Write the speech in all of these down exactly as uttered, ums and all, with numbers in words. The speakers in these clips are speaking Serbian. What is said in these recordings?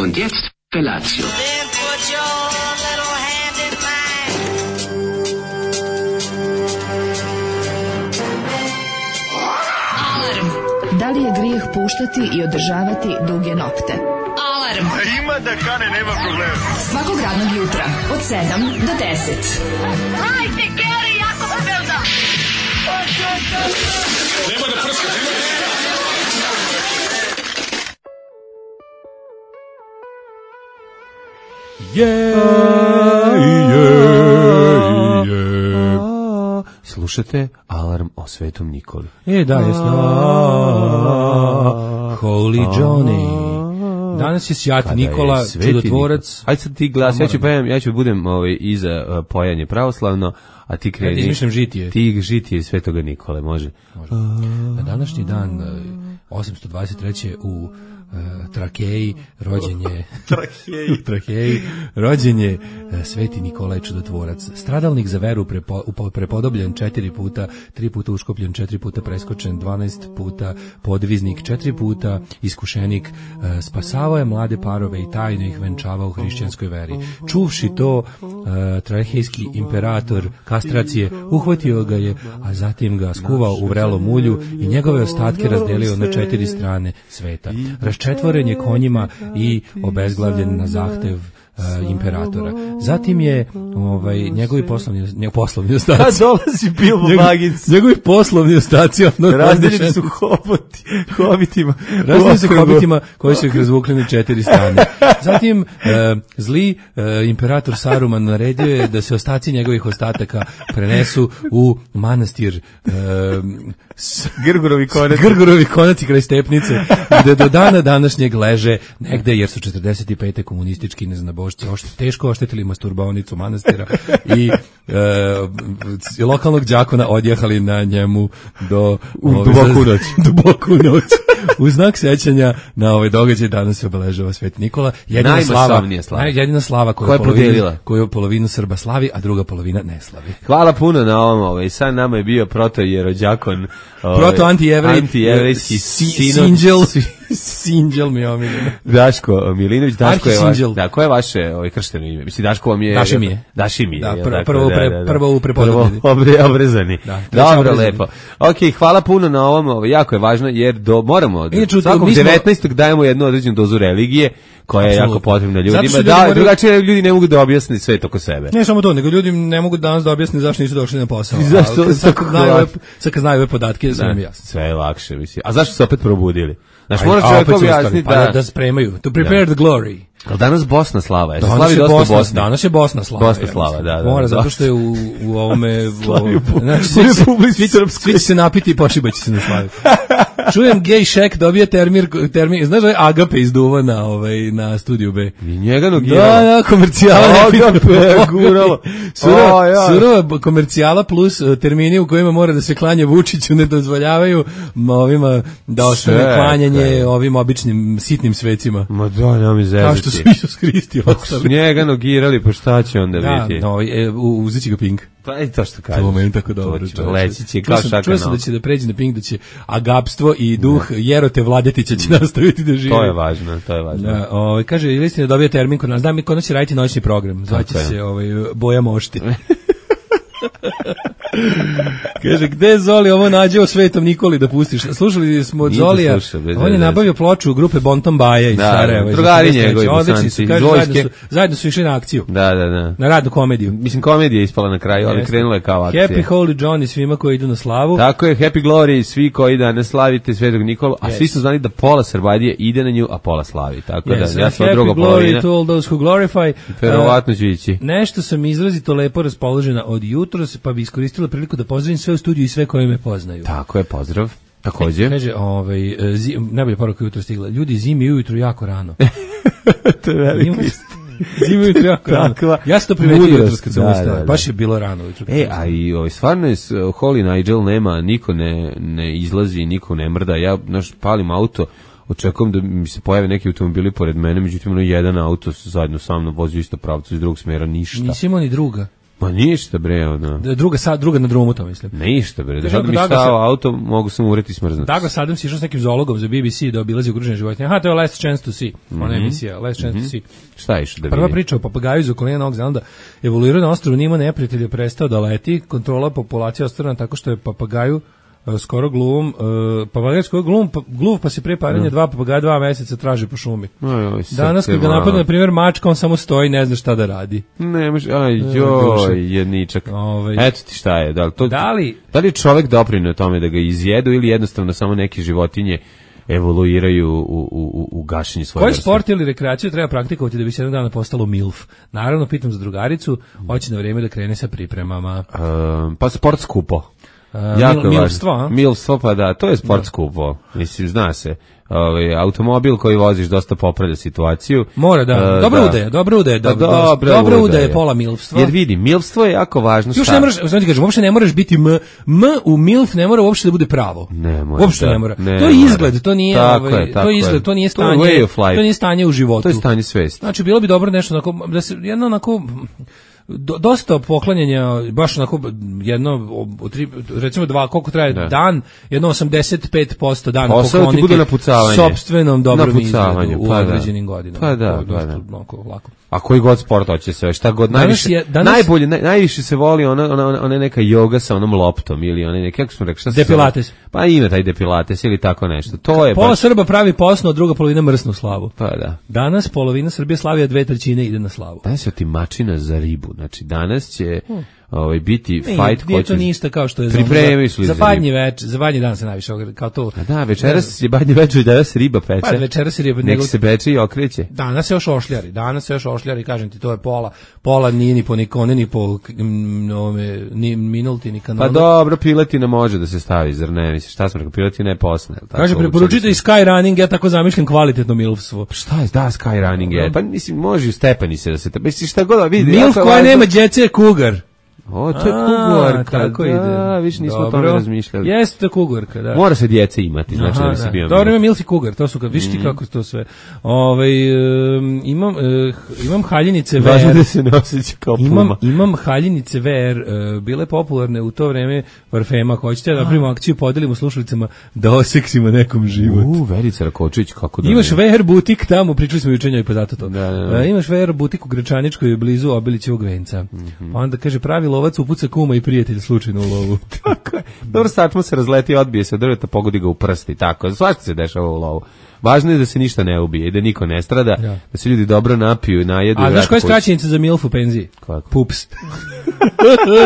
Und jetzt Felatio. Da li je grijeh puštati i održavati duge nokte? Alarm! A ima da kane, nema problema. Svakog radnog jutra, od sedam do deset. Hajde, Geri, jako se velda! Nema da prska, nema da... Je, je, je. Slušate Alarm o Svetom Nikoli. E, da, jesno. Holy Johnny. Danas je Sjati Nikola, čudotvorac. Ajde sad ti glas, ja ću pevam, ja ću budem ovaj, iza uh, pojanje pravoslavno, a ti kreni. Ja izmišljam žitije. Ti žitije Svetoga Nikole, može. Može. Na današnji dan, osamsto dvadeset treće u Uh, Trakeji, rođen je Trakeji. Trakeji, rođen je uh, Sveti Nikolaj Čudotvorac, stradalnik za veru, prepo, prepodobljen četiri puta, tri puta uškopljen, četiri puta preskočen, dvanaest puta podviznik, četiri puta iskušenik, uh, spasavao je mlade parove i tajno ih venčavao u hrišćanskoj veri. Čuvši to, uh, Trakejski imperator kastracije uhvatio ga je, a zatim ga skuvao u vrelom ulju i njegove ostatke razdelio na četiri strane sveta. Četvoren je konjima i obezglavljen na zahtev uh, imperatora. Zatim je ovaj njegovi poslovni njegov poslovni ostaci. Kad dolazi Bilbo Baggins. Njegovi poslovni ostaci ono razdeljeni su hoboti, hobitima. Razdeljeni su hobitima koji su ih razvukli na četiri strane. Zatim uh, zli uh, imperator Saruman naredio je da se ostaci njegovih ostataka prenesu u manastir uh, Grgurovi konaci. Grgurovi konaci kraj Stepnice, gde do dana današnjeg leže negde, jer su četrdeset pete komunistički neznabošci ošt, teško oštetili masturbaonicu manastira i e, lokalnog đakona odjehali na njemu do duboku noć. duboku noć. U znak sećanja na ovaj događaj danas se obeležava Sveti Nikola. Jedina slava, slava. jedina slava koju, Koja je polovina, koju polovinu Srba slavi, a druga polovina ne slavi. Hvala puno na ovom. Ovaj. Sad nama je bio protojerođakon. Proto anti-jevrej, anti-jevrejski sinđel, sinđel mi je omiljeno. Daško Milinović, Daško je vaš, da, koje je vaše ovaj kršteno ime? Mislim, Daško vam je... Daši mi je. Daši mi je. Da, pr- prvo, pre, da, da, da. prvo u prepodobljeni. Obre, obrezani. Da, dobro, obrezani. lepo. Ok, hvala puno na ovom, ovo, jako je važno, jer do, moramo, Inače, svakog smo... devetnaestog dajemo jednu određenu dozu religije, koja je jako potrebna ljudima. Ljudi da, moraju... drugačije ljudi ne mogu da objasne sve oko sebe. Ne samo to, nego ljudi ne mogu danas da objasne zašto nisu došli na posao. I zašto? A, sad, kad znaju ove, sad kad znaju ove podatke, sve mi jasno. Sve je lakše, mislim. A zašto se opet probudili? Znaš, mora čovjek objasniti da... Pa da spremaju. To prepare the glory. Ali danas Bosna slava, je. Danas slavi je dosta Bosna, Bosna. Danas je Bosna slava. Bosna slava, ja, da, da. Mora, da, zato što je u, u ovome... u slavi u znači, svi, svi, svi, svi će se napiti i pošibaće se na slavi. Čujem Gay Shack dobije termin, termin znaš da je Agape izduva na, ovaj, na Studiju B. I njega nogiralo. Da, da, komercijala. Agape, guralo. Surova, oh, ja. surova komercijala plus termini u kojima mora da se klanje Vučiću ne dozvoljavaju ovima da ostane klanjanje ovim običnim sitnim svecima. Ma da, nema mi zezati. Kao što su Isus Hristi ostali. Njega nogirali, pa šta će onda da, biti? No, e, uzet će ga Pink. Pa i to što kažeš. To meni tako dobro. Leći će kao šaka. Čuo sam da će da pređe na Pink, da će agapstvo i duh ne. Jerote Vladetića će nastaviti da živi. To je važno, to je važno. Da, ovaj, kaže, ili ste da dobije termin kod nas, da mi kod nas će raditi noćni program. Zvaće se ovaj, Boja Mošti. Kaže, gde Zoli ovo nađe o Svetom Nikoli da pustiš? Slušali smo od Zolija, on je nabavio ploču grupe Bonton Baja iz Sarajeva. Drugari njegovi bosanci, zajedno, zajedno su išli na akciju. Da, da, da. Na radnu komediju. Mislim, komedija je ispala na kraju, ali krenula je kao akcija. Happy Holy Johnny svima koji idu na slavu. Tako je, Happy Glory svi koji danas slavite Svetog Nikolu, a yes. Svi su znali da pola Srbadije ide na nju, a pola slavi. Tako yes, da, ja sam druga polovina. Happy Glory to all those who glorify. Verovatno ću ići. Nešto sam izrazito lepo raspoložena od jutros, pa bi iskoristila priliku da pozdravim sve u studiju i sve koji me poznaju. Tako je, pozdrav. Takođe. Kaže, ovaj, zim, najbolja poruka jutro stigla. Ljudi, zimi ujutru jako rano. To je velika istina. Zimi ujutru jako rano. Ja sam to primetio jutros kad sam ustao. Da, da, da. Baš je bilo rano ujutru. E, a i ovaj, stvarno je Holy Nigel nema, niko ne, ne izlazi, niko ne mrda. Ja, znaš, palim auto, očekujem da mi se pojave neki automobili pored mene, međutim, ono jedan auto zajedno sa mnom vozi u isto pravcu iz drugog smjera, ništa. Nisi imao ni druga. Ma ništa bre, ono. Druga, sa, druga na drumu, to mislim. Ništa bre, da Kažem, sad mi Douglas- stao auto, mogu sam ureti smrznut. Douglas Adams išao s nekim zoologom za B B C da obilazi ugrožene životinje. Aha, to je Last Chance to See, ona emisija, Last Chance to See. Šta je što da Prva vidi? priča o papagaju iz okoline Novog Zelanda evoluirao na ostrvu, nije imao neprijatelja, prestao da leti, kontrola populacije ostvarena tako što je papagaju e, skoro gluvom, uh, papagaj skoro glum, pa, gluv, pa se pre paranja dva papagaja dva meseca traži po šumi. Oj, oj, Danas kad ga napadne, na primjer, mačka, on samo stoji, ne zna šta da radi. Ne, može, aj, duše. joj, jedničak. Ovaj. Eto ti šta je, da li, to, Da li- da li je čovek doprinio tome da ga izjedu ili jednostavno samo neke životinje evoluiraju u, u, u, u gašenje svoje Koji vrste? sport ili rekreaciju treba praktikovati da bi se jednog dana postalo milf? Naravno, pitam za drugaricu, hoće na vrijeme da krene sa pripremama. Um, pa sport skupo. Uh, Jako mil, je milstvo, a? važno. Milstvo, pa da, to je sport skupo. Mislim, zna se. Ovaj, automobil koji voziš dosta popravlja situaciju. Mora da, Uh, dobra da. udaja, dobra udaja, Pa dobra, dobra dobra udaja. udaja je pola milstva. Jer vidi, milstvo je jako važno. Još šta? ne moraš, znači kažem, uopšte ne moraš biti m, m u milf ne mora uopšte da bude pravo. Ne mora, Uopšte da, ne mora. ne to je mora. izgled, to nije, Tako ovaj, je, tako to je izgled, je. to nije To je stanje, way of life. to nije stanje u životu. To je stanje svesti. Znači bilo bi dobro nešto onako da se jedno onako do, dosta poklanjanja, baš onako jedno o, tri, recimo dva, koliko traje Da. dan, jedno osamdeset pet posto dana Posao ti pokloniti bude napucavanje. sopstvenom dobrom Napucavanje, izgledu u pa da. određenim godinama. Pa da, To je dosta pa da. onako lako. A koji god sport hoće se, šta god Danas najviše, je- danas- najbolje, naj, najviše se voli ona, ona, ona, ona neka joga sa onom loptom ili ona neka, kako smo rekli, šta se Depilates. zove? Pa ima taj depilates ili tako nešto. To je Pola baš, Srba pravi posno, a druga polovina mrsnu slavu. pa da. Danas polovina Srbije slavi, a dve trećine ide na slavu. Danas je otimačina za ribu. Znači, danas će ovaj, biti Nije, fight nije ko to će... ništa kao što je za, Pripremili su za, za za badnji več, za badnji dan se najviše ogre- kao to. A da, večeras je badnje večer, danas se riba peče. Pa večeras se riba, Nek nego- se peče i okreće. Danas se još ošljari, danas se još ošljari, kažem ti, to je pola, pola nije ni po nikone, ni po mm, ovome, ni minulti, ni kanonu. Pa dobro, piletina može da se stavi, zar ne? Mislim, šta smo rekao, piletina je posne. jel tako? Kaže, preporučite i Skyrunning, ja tako zamišljam kvalitetno milfstvo. Šta je, da, skyrunning je. Pa mislim, može u stepeni se da se... Mislim, šta god da vidi. Milf jako je koja važno- nema djece je kugar. O, to je A, kugorka, tako da, ide. više nismo o Dobro. tome razmišljali. Jeste kugorka, da. Mora se djece imati, znači Aha, da bi se bio... Dobro, ima milf i kugar, to su kad, viš ti kako to sve. Ovaj um, imam, uh, imam haljinice Važno V R. da se ne osjeća kao Imam, puma. imam haljinice V R, uh, bile popularne u to vreme parfema, ako hoćete da napravimo akciju, podelimo slušalicama da oseksimo nekom život. U, Verica Rakočević, kako da... Imaš ne? V R butik tamo, pričali smo juče njoj, pa zato to. Da, da, da. E, imaš V R butik u Gračaničkoj blizu Obilićevog venca. Mhm. Pa onda kaže, pravi lovac upuca kuma i prijatelj slučajno u lovu. Tako je. Dobro, sačmo se razleti, odbije se od drveta, pogodi ga u prsti, tako. Svašta se dešava u lovu. Važno je da se ništa ne ubije i da niko ne strada, Ja. da se ljudi dobro napiju, najedu. i A znaš vrate koja je kući. skraćenica za milf u penziji? Kako? Pups.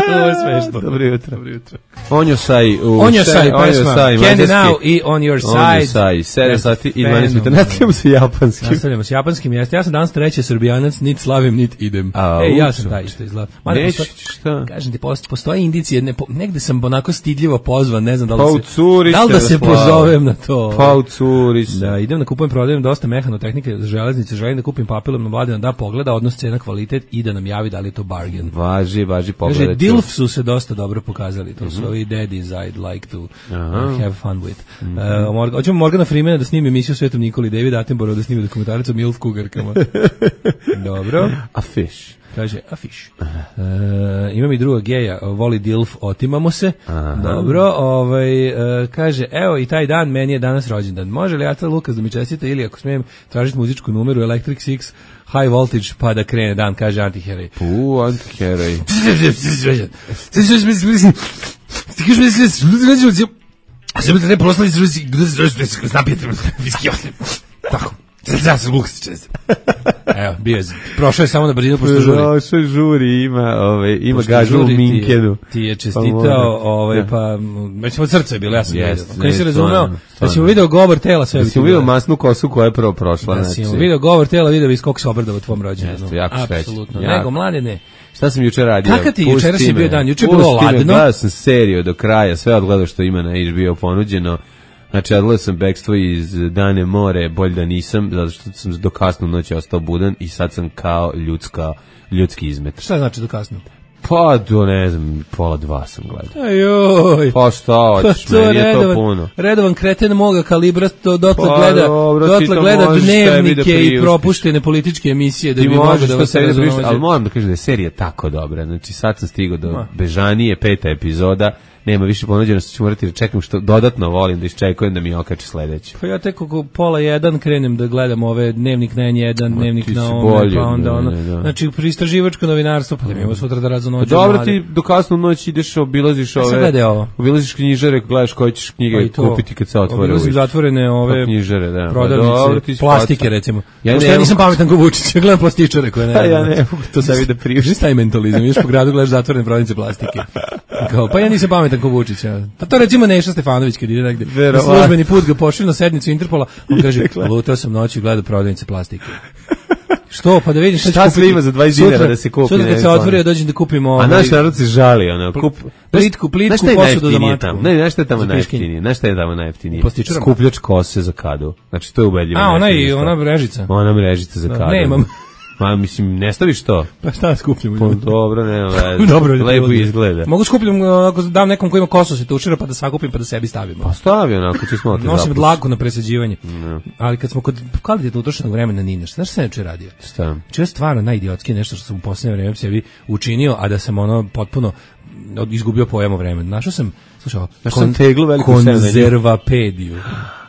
Ovo je smešno. Dobro jutro. Dobro jutro. On your side. u On your se- side, on your pesma. side, Candy mađarski. Now i On Your On your Side. side. sedam sati i dvanaest minuta. Fenomenalno. Nastavljamo sa japanskim. Nastavljamo s japanskim jeste. Ja sam danas treći srbijanac, nit slavim, nit idem. A, e, ja uče. sam taj isto izgleda. Mada Neću, postoji- šta? Kažem ti, posto- postoje indicije, ne, po- negde sam onako stidljivo pozvan, ne znam da li, Pa da u se, curi da, li da se se slava. pozovem na to. Pa u curi se. Da, idem da kupujem, prodajem dosta mehanotehnike za železnice, želim da kupim papilom na Mladena da pogleda odnos cena kvalitet i da nam javi da li je to bargain. Važi, važi Kaže, pogledati. Dilf su se dosta dobro pokazali, to su ovi daddies I'd like to uh, have fun with. Uh, Morgan, hoćemo Morgana Freemana da snimi emisiju Svetom Nikoli, David Attenborough da snimi dokumentarac o milf kugarkama. Dobro. A fish. Kaže, a fish. Uh, imam i druga geja, voli Dilf, otimamo se. Dobro, ovaj, uh, kaže, evo i taj dan, meni je danas rođendan. Može li Aca Lukas da mi čestite ili ako smijem tražiti muzičku numeru Electric Six High Voltage pa da krene dan, kaže Antiheroj. U, antiheroj. Tako. Evo, bio je, prošao je samo na brzinu pošto žuri. Došao žuri, ima, ovaj, ima Pošto gažu u žuri ti je- Minkenu. Ti je Pa čestitao, mora. ovaj, Da. pa, već od srca je bilo, ja sam Jest, vidio. Kad nisi ne, razumeo, stvarno, da si mu stvarno. video govor tela, sve Da bi si ti mu bilo. vidio masnu kosu koja je prvo prošla. Da si mu znači. video govor tela, video bi koliko se obradao tvom rođendanu. Jeste, jako srećan. Apsolutno. Jako. Nego, mlade, ne. Šta sam juče radio? Kakav ti Pusti jučerašnji me. bio dan? Juče je bilo Pusti me, ladno. Gledao sam seriju do kraja, sve odgledao što ima na H B O ponuđeno. Znači, odgledao sam Bekstvo iz Dane more, bolje da nisam, zato što sam do kasnu noći ostao budan i sad sam kao ljudska, ljudski izmet. Šta znači do kasno? Pa do, ne znam, pola dva sam gledao. Ajoj. Pa šta hoćeš, Pa meni je to redovan, puno. redovan kreten moga kalibra, to dotle Pa, gleda, dobro, ti dotle to gleda možeš sebi da dnevnike i priuštiš. propuštene političke emisije da Ti bi mogao možeš da to vas sebi da priuštiš, raznođe. ali moram da kažem da je serija tako dobra. Znači sad sam stigao do Ma. Bežanije, peta epizoda, nema više ponuđeno, što ću morati da čekam, što dodatno volim da iščekujem da mi okače sledeću. Pa ja tek oko pola jedan krenem da gledam ove dnevnik na en jedan, Ma, dnevnik ti si na ome, bolji, pa onda da, ono. da, da. Znači, istraživačko novinarstvo, pa da mi imamo sutra da raznođe. Pa dobro, ti do kasnu noć ideš, obilaziš Ja sam ove, gledaj ovo. obilaziš knjižare, gledaš koje ćeš knjige Pa i to. kupiti kad se otvore. Obilazim uvijek. zatvorene ove Pa knjižare, da. Pa prodavnice, dobro, ti si plastike faca. recimo. Ja Ja, ne ja mogu- nisam pametan ko Vučić, ja gledam plastičare koje ne. Pa ja ne mogu to sebi da priuštim. Šta je mentalizam? Ideš po gradu, gledaš zatvorene prodavnice plastike. Kao, pa ja nisam pametan ko Vučić. Ja. Pa to recimo Neša Stefanović kad ide negde. Na Verovatno. službeni put ga pošli na sednicu Interpola, on kaže, lutao sam noći i gledao prodavnice plastike. Što, pa da vidim šta, Šta ću sve kupiti. ima za dvadeset Sutra- dinara da se kupi, Sutra ne kad se znam. otvori, ja dođem da kupim ovo. A naš narod se žali, ono, kup... plitku- plitku Znaš šta je posudu za najjeftinije matku? tamo? Ne, znaš šta je tamo Za piškinje. najjeftinije? Znaš šta je tamo najjeftinije? Plastičarama? Skupljač kose za kadu. Znači, to je ubedljivo. A, ona najjeftinije i stvar. ona mrežica. Ona mrežica za Da, kadu. nemam. Ma, mislim, ne staviš to? Pa šta skupljamo? Pa, dobro, nema veze. Dobro, Lepo izgleda. Mogu skupljam ako dam nekom ko ima kosu se tušira pa da sakupim pa da sebi stavim. Pa stavi onako, ću smo te Nosim zapusti. dlaku na presađivanje. Ali kad smo kod kvalitetno utrošenog vremena ni nešto, znaš šta sam juče radio? Šta? Če je stvarno najidiotski nešto što sam u posljednje vreme sebi učinio, a da sam ono potpuno od- izgubio pojam o vremenu. Našao sam, slušao, Našao sam teglu veliku konzervapediju.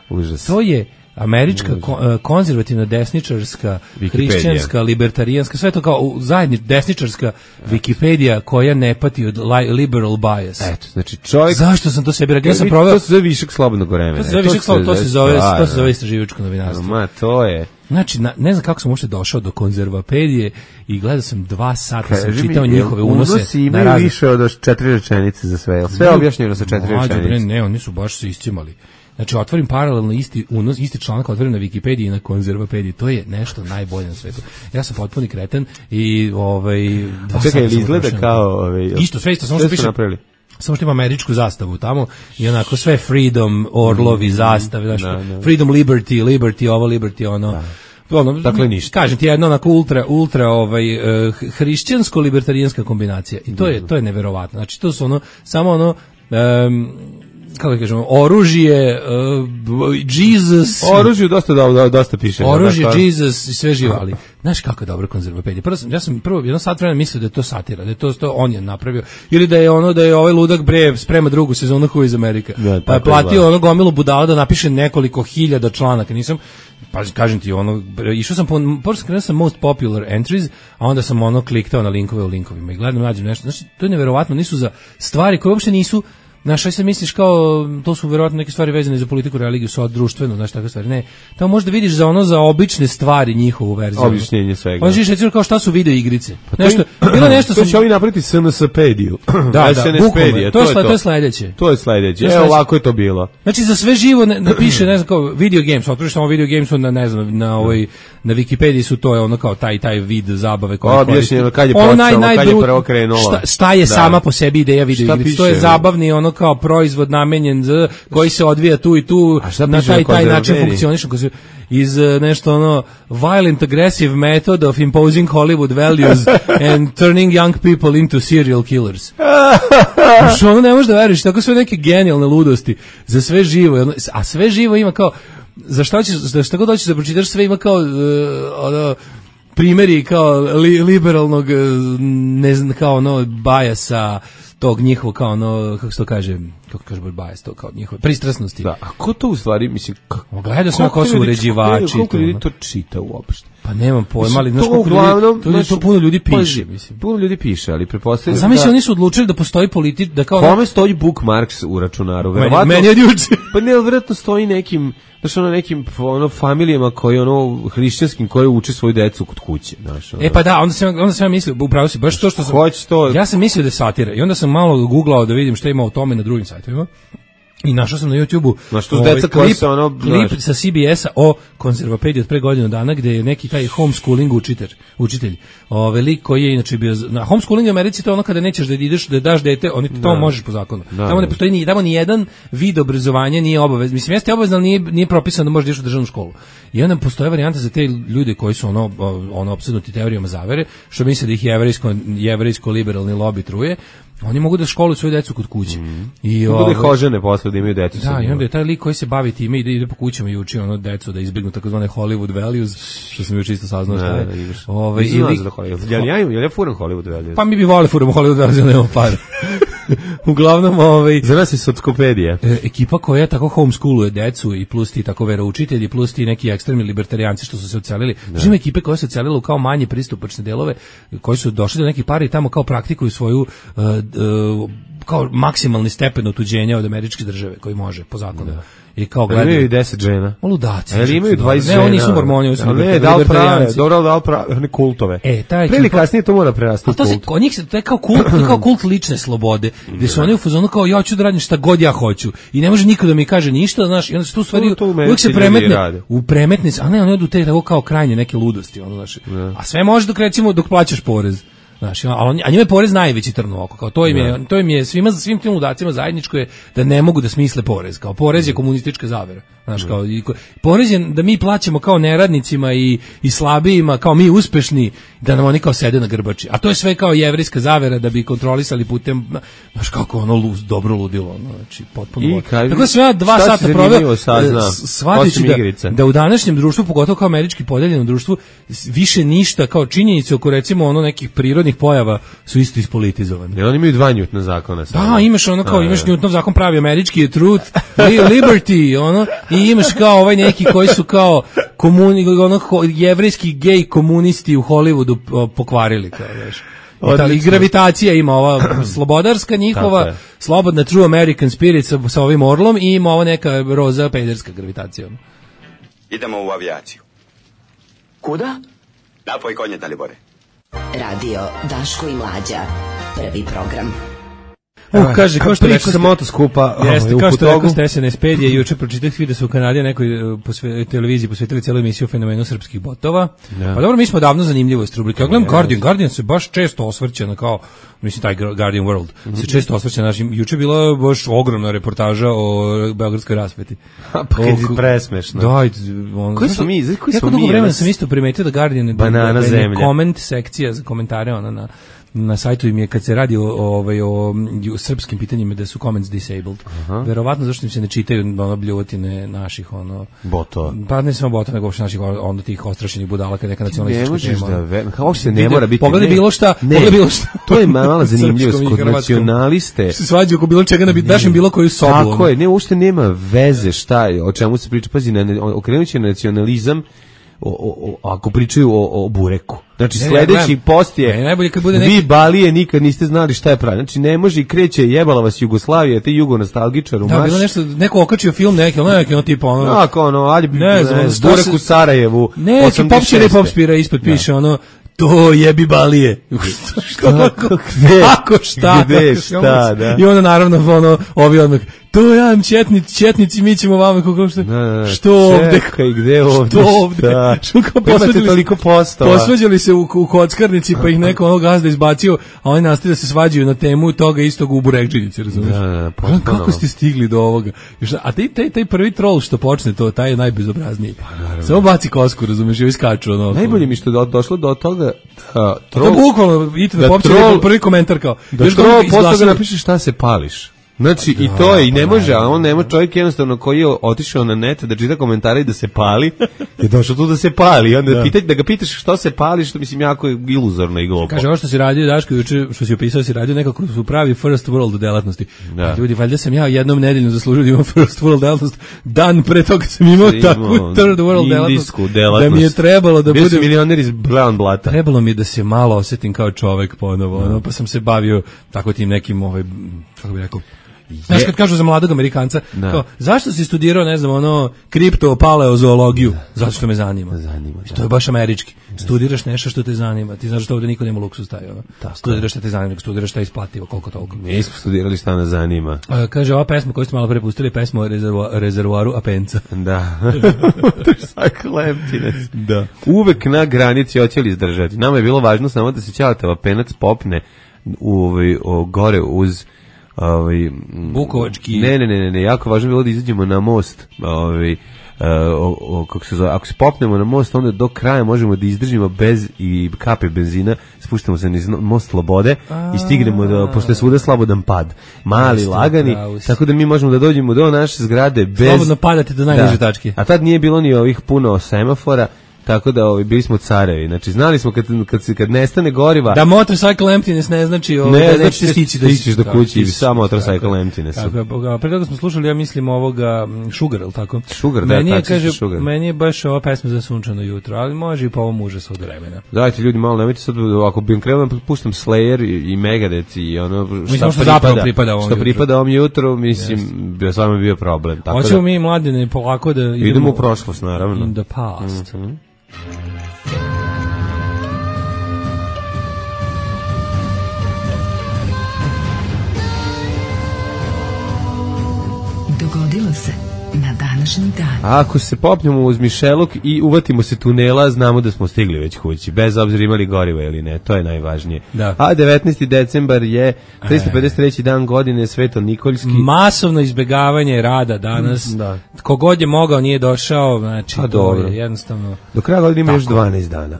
Užas. To je američka ko- eh, konzervativna desničarska, Wikipedija. hrišćanska, libertarijanska, sve to kao u- zajedni desničarska Wikipedija koja ne pati od li- liberal bias. Eto, znači čovjek... Zašto sam to sebi radio? Ja sam To proveo se zove višak slobodnog vremena. to se zove višak slobodnog- to se zove to se zove istraživačko Ma, novinarstvo. to je... Znači, na, ne znam kako sam uopšte došao do konzervapedije i gledao sam dva sata, sam Kaži mi, čitao jel njihove unose unosi na imaju razne. više od četiri rečenice za sve. Jel sve objašnjeno sa četiri Mlađe, bre, rečenice? ne, oni su baš se iscimali. Znači, otvorim paralelno isti unos, isti članak otvorim na Wikipediji i na konzervapediji. To je nešto najbolje na svetu. Ja sam potpuni kreten i ovaj dva A čekaj, sata ili sam izgleda utrošio. kao... Ovaj, Isto, sve isto, samo sve što su piše napravili. samo što ima američku zastavu tamo i onako sve freedom, orlovi, zastave, znači Da, da. freedom, liberty, liberty, ovo, liberty, ono. Ono, Dakle, ništa. Kažem ti jedno onako ultra ultra ovaj eh, hrišćansko libertarijanska kombinacija. I to je to je neverovatno. Znači to su ono samo ono em, kako da kažemo, oružje, uh, Jesus, Oružju dosta da, da, dosta piše. oružje, Dakle, Jesus i sve živo, ali znaš kako je dobro konzervapedija. Prvo sam, ja sam prvo jedno sat vremena mislio da je to satira, da je to, to on je napravio, ili da je ono da je ovaj ludak bre sprema drugu sezonu Who is America. Da, Pa je tako platio izgleda. ono gomilu budala da napiše nekoliko hiljada članaka. Nisam pa kažem ti ono išao sam po prvo sam krenuo sa most popular entries, a onda sam ono kliktao na linkove u linkovima i gledam nađem nešto. Znači to je neverovatno, nisu za stvari koje uopšte nisu. Znaš, aj se misliš kao, to su verovatno neke stvari vezane za politiku, religiju, sa društveno, znaš, takve stvari. Ne, tamo možda vidiš za ono, za obične stvari njihovu verziju. Objašnjenje svega. Pa vidiš, recimo, kao šta su video igrice. to Nešto, je- bilo nešto To sam... će ovi napraviti S N S-pediju. Da, da, bukvalno, pedija, to, je, sle- to je sledeće. To je sledeće. To je Evo sledeće. ovako je to bilo. Znači za sve živo ne, ne piše, ne znam kao video games, otvoriš samo video games na ne znam na ovoj na Wikipediji su to je ono kao taj taj vid zabave koji Objašnjeno kad je Ono počelo, naj- kad je najbrut- prvo krenulo. Šta, šta je Da. sama po sebi ideja video Šta igrice? To piše? je zabavni ono kao proizvod namenjen za koji se odvija tu i tu A šta na piše taj na taj način konzervapediji? funkcioniše koji se- iz eh, nešto ono violent aggressive method of imposing Hollywood values and turning young people into serial killers. Što ono ne možeš da veruješ, tako sve neke genijalne ludosti za sve živo, ono, a sve živo ima kao, za šta ćeš, za šta god hoćeš da pročitaš, sve ima kao, uh, ono, primjeri kao li, liberalnog, eh, ne znam, kao ono, bajasa, tog njihovog, kao ono, kako se to kaže, kako kaže bajas, to kao njihove pristrasnosti. Da, a ko to u stvari, mislim, kako... Gledao sam ko su ljudi- uređivači. Koliko i to, ljudi ono. to čita uopšte? Pa nemam pojma, ali znaš to koliko uglavnom, ljudi, to, znaš, to puno ljudi piše, pazi, mislim. Puno ljudi piše, ali pretpostavljam Zamisli, da... oni su odlučili da postoji politik, da kao... Kome stoji bookmarks u računaru? Meni, Verovatno- meni od juče. Pa ne, vjerojatno stoji nekim, znaš, ono, nekim ono, familijama koji, ono, hrišćanskim, koji uče svoju decu kod kuće, znaš, ono. E pa da, onda sam, onda sam ja mislio, upravo si, baš to što sam... Hoće to... Ja sam mislio da je satira i onda sam malo googlao da vidim šta ima o tome na drugim sajtovima. I našao sam na YouTubeu ovaj klip, ono, klip sa C B S-a o konzervopediji od pre godinu dana, gde je neki taj homeschooling učitelj, učitelj ovaj lik koji je inače bio na homeschooling u Americi, to ono kada nećeš da ideš da daš dete, oni to možeš po zakonu. Da, tamo ne postoji ni tamo ni jedan vid obrazovanja nije obavezan. Mislim jeste obavezno, ali nije nije propisano da možeš da ideš u državnu školu. I onda postoji varijanta za te ljude koji su ono ono opsednuti teorijama zavere, što misle da ih jevrejsko jevrejsko liberalni lobi truje. Oni mogu da školuju svoju decu kod kuće. Mm. I mogu da ih ožene posle da imaju decu. Da, i onda je taj lik koji se bavi time ide, ide po kućama i uči ono decu da izbjegnu takozvane Hollywood values, što sam još čisto saznao šta je. Ovaj ili ja ja ja ja furam Hollywood values. Pa mi bi voleli furamo Hollywood values, ali nemamo para. Uglavnom, ovaj za nas je Sockopedia. E, ekipa koja tako homeschooluje decu i plus ti tako veroučitelji, plus ti neki ekstremni libertarijanci što su se odselili. Ima ekipe koje se odselile u kao manje pristupačne delove, koji su došli do nekih para i tamo kao praktikuju svoju uh, uh, kao maksimalni stepen otuđenja od američke države koji može po zakonu. Da. I kao gledaju. Imaju deset žena. Ludaci. Ali imaju dvadeset žena. Ne, oni su mormoni, oni su ne, da li prave, dobro da li prave, ne kultove. E, taj prije kasnije to mora prerasti u kult. A to se, kod njih se, to je kao kult, to je kao kult lične slobode, gde su oni u fazonu kao ja ću da radim šta god ja hoću. I ne može niko da mi kaže ništa, znaš, i onda se tu stvari, uvijek se premetne, u premetne, a ne, oni odu te tako kao krajnje neke ludosti, ono, znaš. A sve može dok recimo, dok plaćaš porez. Znaš, a, on, a njima je porez najveći trn u oko, kao to im je, to im je svima, svim tim ludacima zajedničko je da ne mogu da smisle porez, kao porez je komunistička zavera, znaš, kao, i, porez je da mi plaćamo kao neradnicima i, i slabijima, kao mi uspešni, da nam oni kao sede na grbači, a to je sve kao jevrejska zavera da bi kontrolisali putem, znaš, kako ono luz, dobro ludilo, ono, znači, potpuno. Tako da sve dva sata proveo, shvatići da, da u današnjem društvu, pogotovo kao američki podeljenom društvu, više ništa kao činjenice oko recimo ono nekih prirodnih pojava su isto ispolitizovane. Jer oni imaju dva Newtona zakona. Sada. Da, imaš ono kao, imaš Newtonov zakon pravi američki, truth, liberty, ono, i imaš kao ovaj neki koji su kao komuni, ono, jevrejski gej komunisti u Hollywoodu pokvarili, kao, znaš. I, i gravitacija ima ova slobodarska njihova, slobodna true American spirit sa, sa ovim orlom i ima ova neka roza pederska gravitacija. Idemo u avijaciju. Kuda? Napoj konje, Dalibore. Radio Daško i Mlađa, prvi program. Uh, kaže, kao što rekao sa motoskupa, jeste, kao što rekao ste S N S Pedije, juče pročitah da su u Kanadi nekoj posve, televiziji posvetili celu emisiju o fenomenu srpskih botova. Ja. Pa dobro, mi smo davno zanimljivost rubrike. Ja gledam yes. Guardian, Guardian se baš često osvrće na kao, mislim, taj Guardian World, mm -hmm. se često osvrće na našim, juče bila baš ogromna reportaža o beogradskoj rasveti. Pa kad je presmešno. Da, on, koji smo mi, koji smo mi? Jako dugo vremena sam isto primetio da Guardian je banana zemlja. Koment sekcija za komentare, ona na na sajtu im je kad se radi o, o, o, o srpskim pitanjima da su comments disabled. Aha. Verovatno zašto im se ne čitaju ono bljuvotine naših ono botova. Pa ne samo botova, nego uopšte naših onda tih ostrašćenih budala kad neka nacionalistička tema. Da ve, kao se ne mora biti. Pogledaj bilo šta, pogledaj bilo šta. To je mala zanimljivost kod nacionaliste. Se svađa oko bilo čega na biti daš im bilo koju sobu. Tako je, ne uopšte nema veze šta je, o čemu se priča, pazi, na okrenuće nacionalizam. O, o, o, ako pričaju o, o bureku. Znači, ne, sledeći ne, post je, najbolje kad bude neki... vi balije nikad niste znali šta je pravi. Znači, ne može i kreće, jebala vas Jugoslavija, te jugonostalgičar u da, bilo nešto, neko okačio film neki, ono neki, ono tipa, ono... Ako, ono, ali bi, ne znam, burek u Sarajevu, neki popčere popspira ispod piše, ono, to jebi balije. Šta, gde? Ako šta? Gde, šta, da. I onda, naravno, ono, ovi odmah, to ja četnici, četnici, mi ćemo vama kako što, da, što ovde, čekaj, gde ovde, što ovde, što kao posvađali, posvađali se u, u kockarnici, pa ih neko ono gazda izbacio, a oni nastavili da se svađaju na temu toga istog u Burekđinici, razumiješ? Da, da, pa, kako ste stigli do ovoga? A taj, taj, taj prvi troll što počne to, taj je najbezobrazniji. Pa, samo baci kosku, razumiješ, i iskaču. Ono, najbolje mi što je do, došlo do toga da troll... To bukvalno, idite da popće prvi komentar kao... Da troll posle ga napiše šta se pališ. Znači, da, i to je, i ne može, a on nema čovjek jednostavno koji je otišao na net da čita komentare i da se pali, je došao tu da se pali, onda da. Pitać, da ga pitaš što se pali, što mislim jako je iluzorno i glupo. Kaže, ovo što si radio, Daško, juče, što si opisao, si radio nekako su pravi first world delatnosti. Da. Ljudi, valjda sam ja jednom nedeljno zaslužio da imam first world delatnost, dan pre toga sam imao takvu third world delatnost, delatnost, da mi je trebalo da budem... Bio sam milioner iz Brown Blata. Trebalo mi da se malo osjetim kao čovek ponovo, no, pa sam se bavio tako tim nekim, ovaj, kako bih rekao, Znaš kad kažu za mladog Amerikanca, Da. kao, zašto si studirao, ne znam, ono, kripto, paleozoologiju? Zato što me zanima. Zanima, da. To je baš američki. Studiraš nešto što te zanima. Ti znaš što ovde niko nema luksuz taj, ono. Studiraš što te zanima, nego studiraš šta je isplativo, koliko toliko. Mi smo studirali šta nas zanima. A, kaže, ova pesma koju ste malo pre pustili, pesma o rezervo, rezervoaru Apenca. Da. Motorcycle emptiness. Da. Uvek na granici hoće li izdržati. Nama je bilo važno samo da se Ćaletov Apenac popne u, ovaj, o, gore uz ovaj Bukovački. Ne, ne, ne, ne, jako važno je bilo da izađemo na most, ovaj o, o, kako se zove, ako se popnemo na most, onda do kraja možemo da izdržimo bez i kape benzina, spuštamo se niz most Slobode i stignemo do, pošto je svuda slobodan pad, mali, Jeste, lagani, tako da mi možemo da dođemo do naše zgrade bez... Slobodno padate do najniže tačke. A tad nije bilo ni ovih puno semafora, tako da ovaj, bili smo carevi. Znači, znali smo kad, kad, se, kad nestane goriva... Da motorcycle emptiness ne znači... Ovaj, ne, da znači nećete stići da stićeš do kući, samo motorcycle emptiness. Tako je, pre toga smo slušali, ja mislim, ovoga Sugar, ili tako? Sugar, da, meni je, tači kaže, Sugar. Meni je baš ova pesma za sunčano jutro, ali može i po ovom užasu od vremena. Dajte ljudi malo, nemojte sad, ako bi im krenuo, puštam Slayer i, i Megadeth i ono šta mislim, što pripada, pripada ovom što jutru. pripada ovom jutru, mislim, yes. bi s vama bio problem. Tako hoćemo da, mi, mladine, polako da idemo... Idemo u prošlost, naravno. In the past. Mm-hmm. Dogodilo se na današnji dan. Ako se popnemo uz Mišeluk i uvatimo se tunela, znamo da smo stigli već kući, bez obzira imali goriva ili ne, to je najvažnije. Da. A devetnaesti decembar je tristo pedeset treći dan godine, Sveto Nikoljski. Masovno izbegavanje rada danas. Da. Kogod je mogao nije došao, znači A, to dobro. je jednostavno... Do kraja godine ima još dvanaest dana.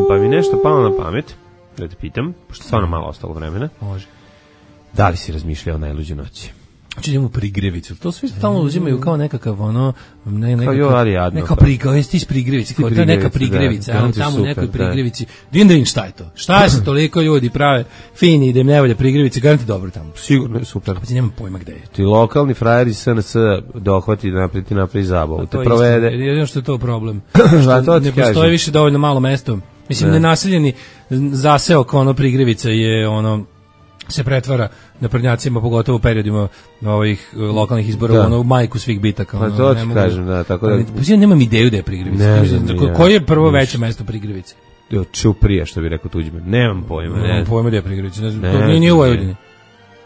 Pa mi nešto palo na pamet, da te pitam, pošto stvarno malo ostalo vremena. Može. Da li si razmišljao o najluđoj noći? Znači idemo u prigrevicu. To svi stalno uzimaju kao nekakav ono ne neka jo, ali jadno, neka pa. prigrevica, jesi ti iz prigrevice, kao to je neka prigrevica, da, ali da, tamo u nekoj super, prigrevici. Dindrin šta je to? Šta se toliko ljudi prave fini idem nevolja prigrevice, garanti dobro tamo. Sigurno je super. Pa ti nemam pojma gde je. Ti lokalni frajer iz S N S dohvati da napravi, napravi zabavu, te To je provede. isto, jedino što je to problem. Šta to ti ne postoji kažem? više dovoljno malo mesto. Mislim, Ne. nenaseljeni zaseo kao ono prigrevica je ono se pretvara na prednjacima, pogotovo u periodima ovih lokalnih izbora, Da. ono u majku svih bitaka. Pa ono, to ne ti mogu- kažem, da, tako da- Ali, pa ja nemam ideju da je prigrevica. Ne Ne znam znam, ni ja. koje je prvo Ništa. veće mesto prigrevice? Jo, Ćuprija, što bi rekao Tuđman. Nemam pojma, ne. Nemam pojma da je prigrevica. Ne znam, Ne to nije ni u Vojvodini.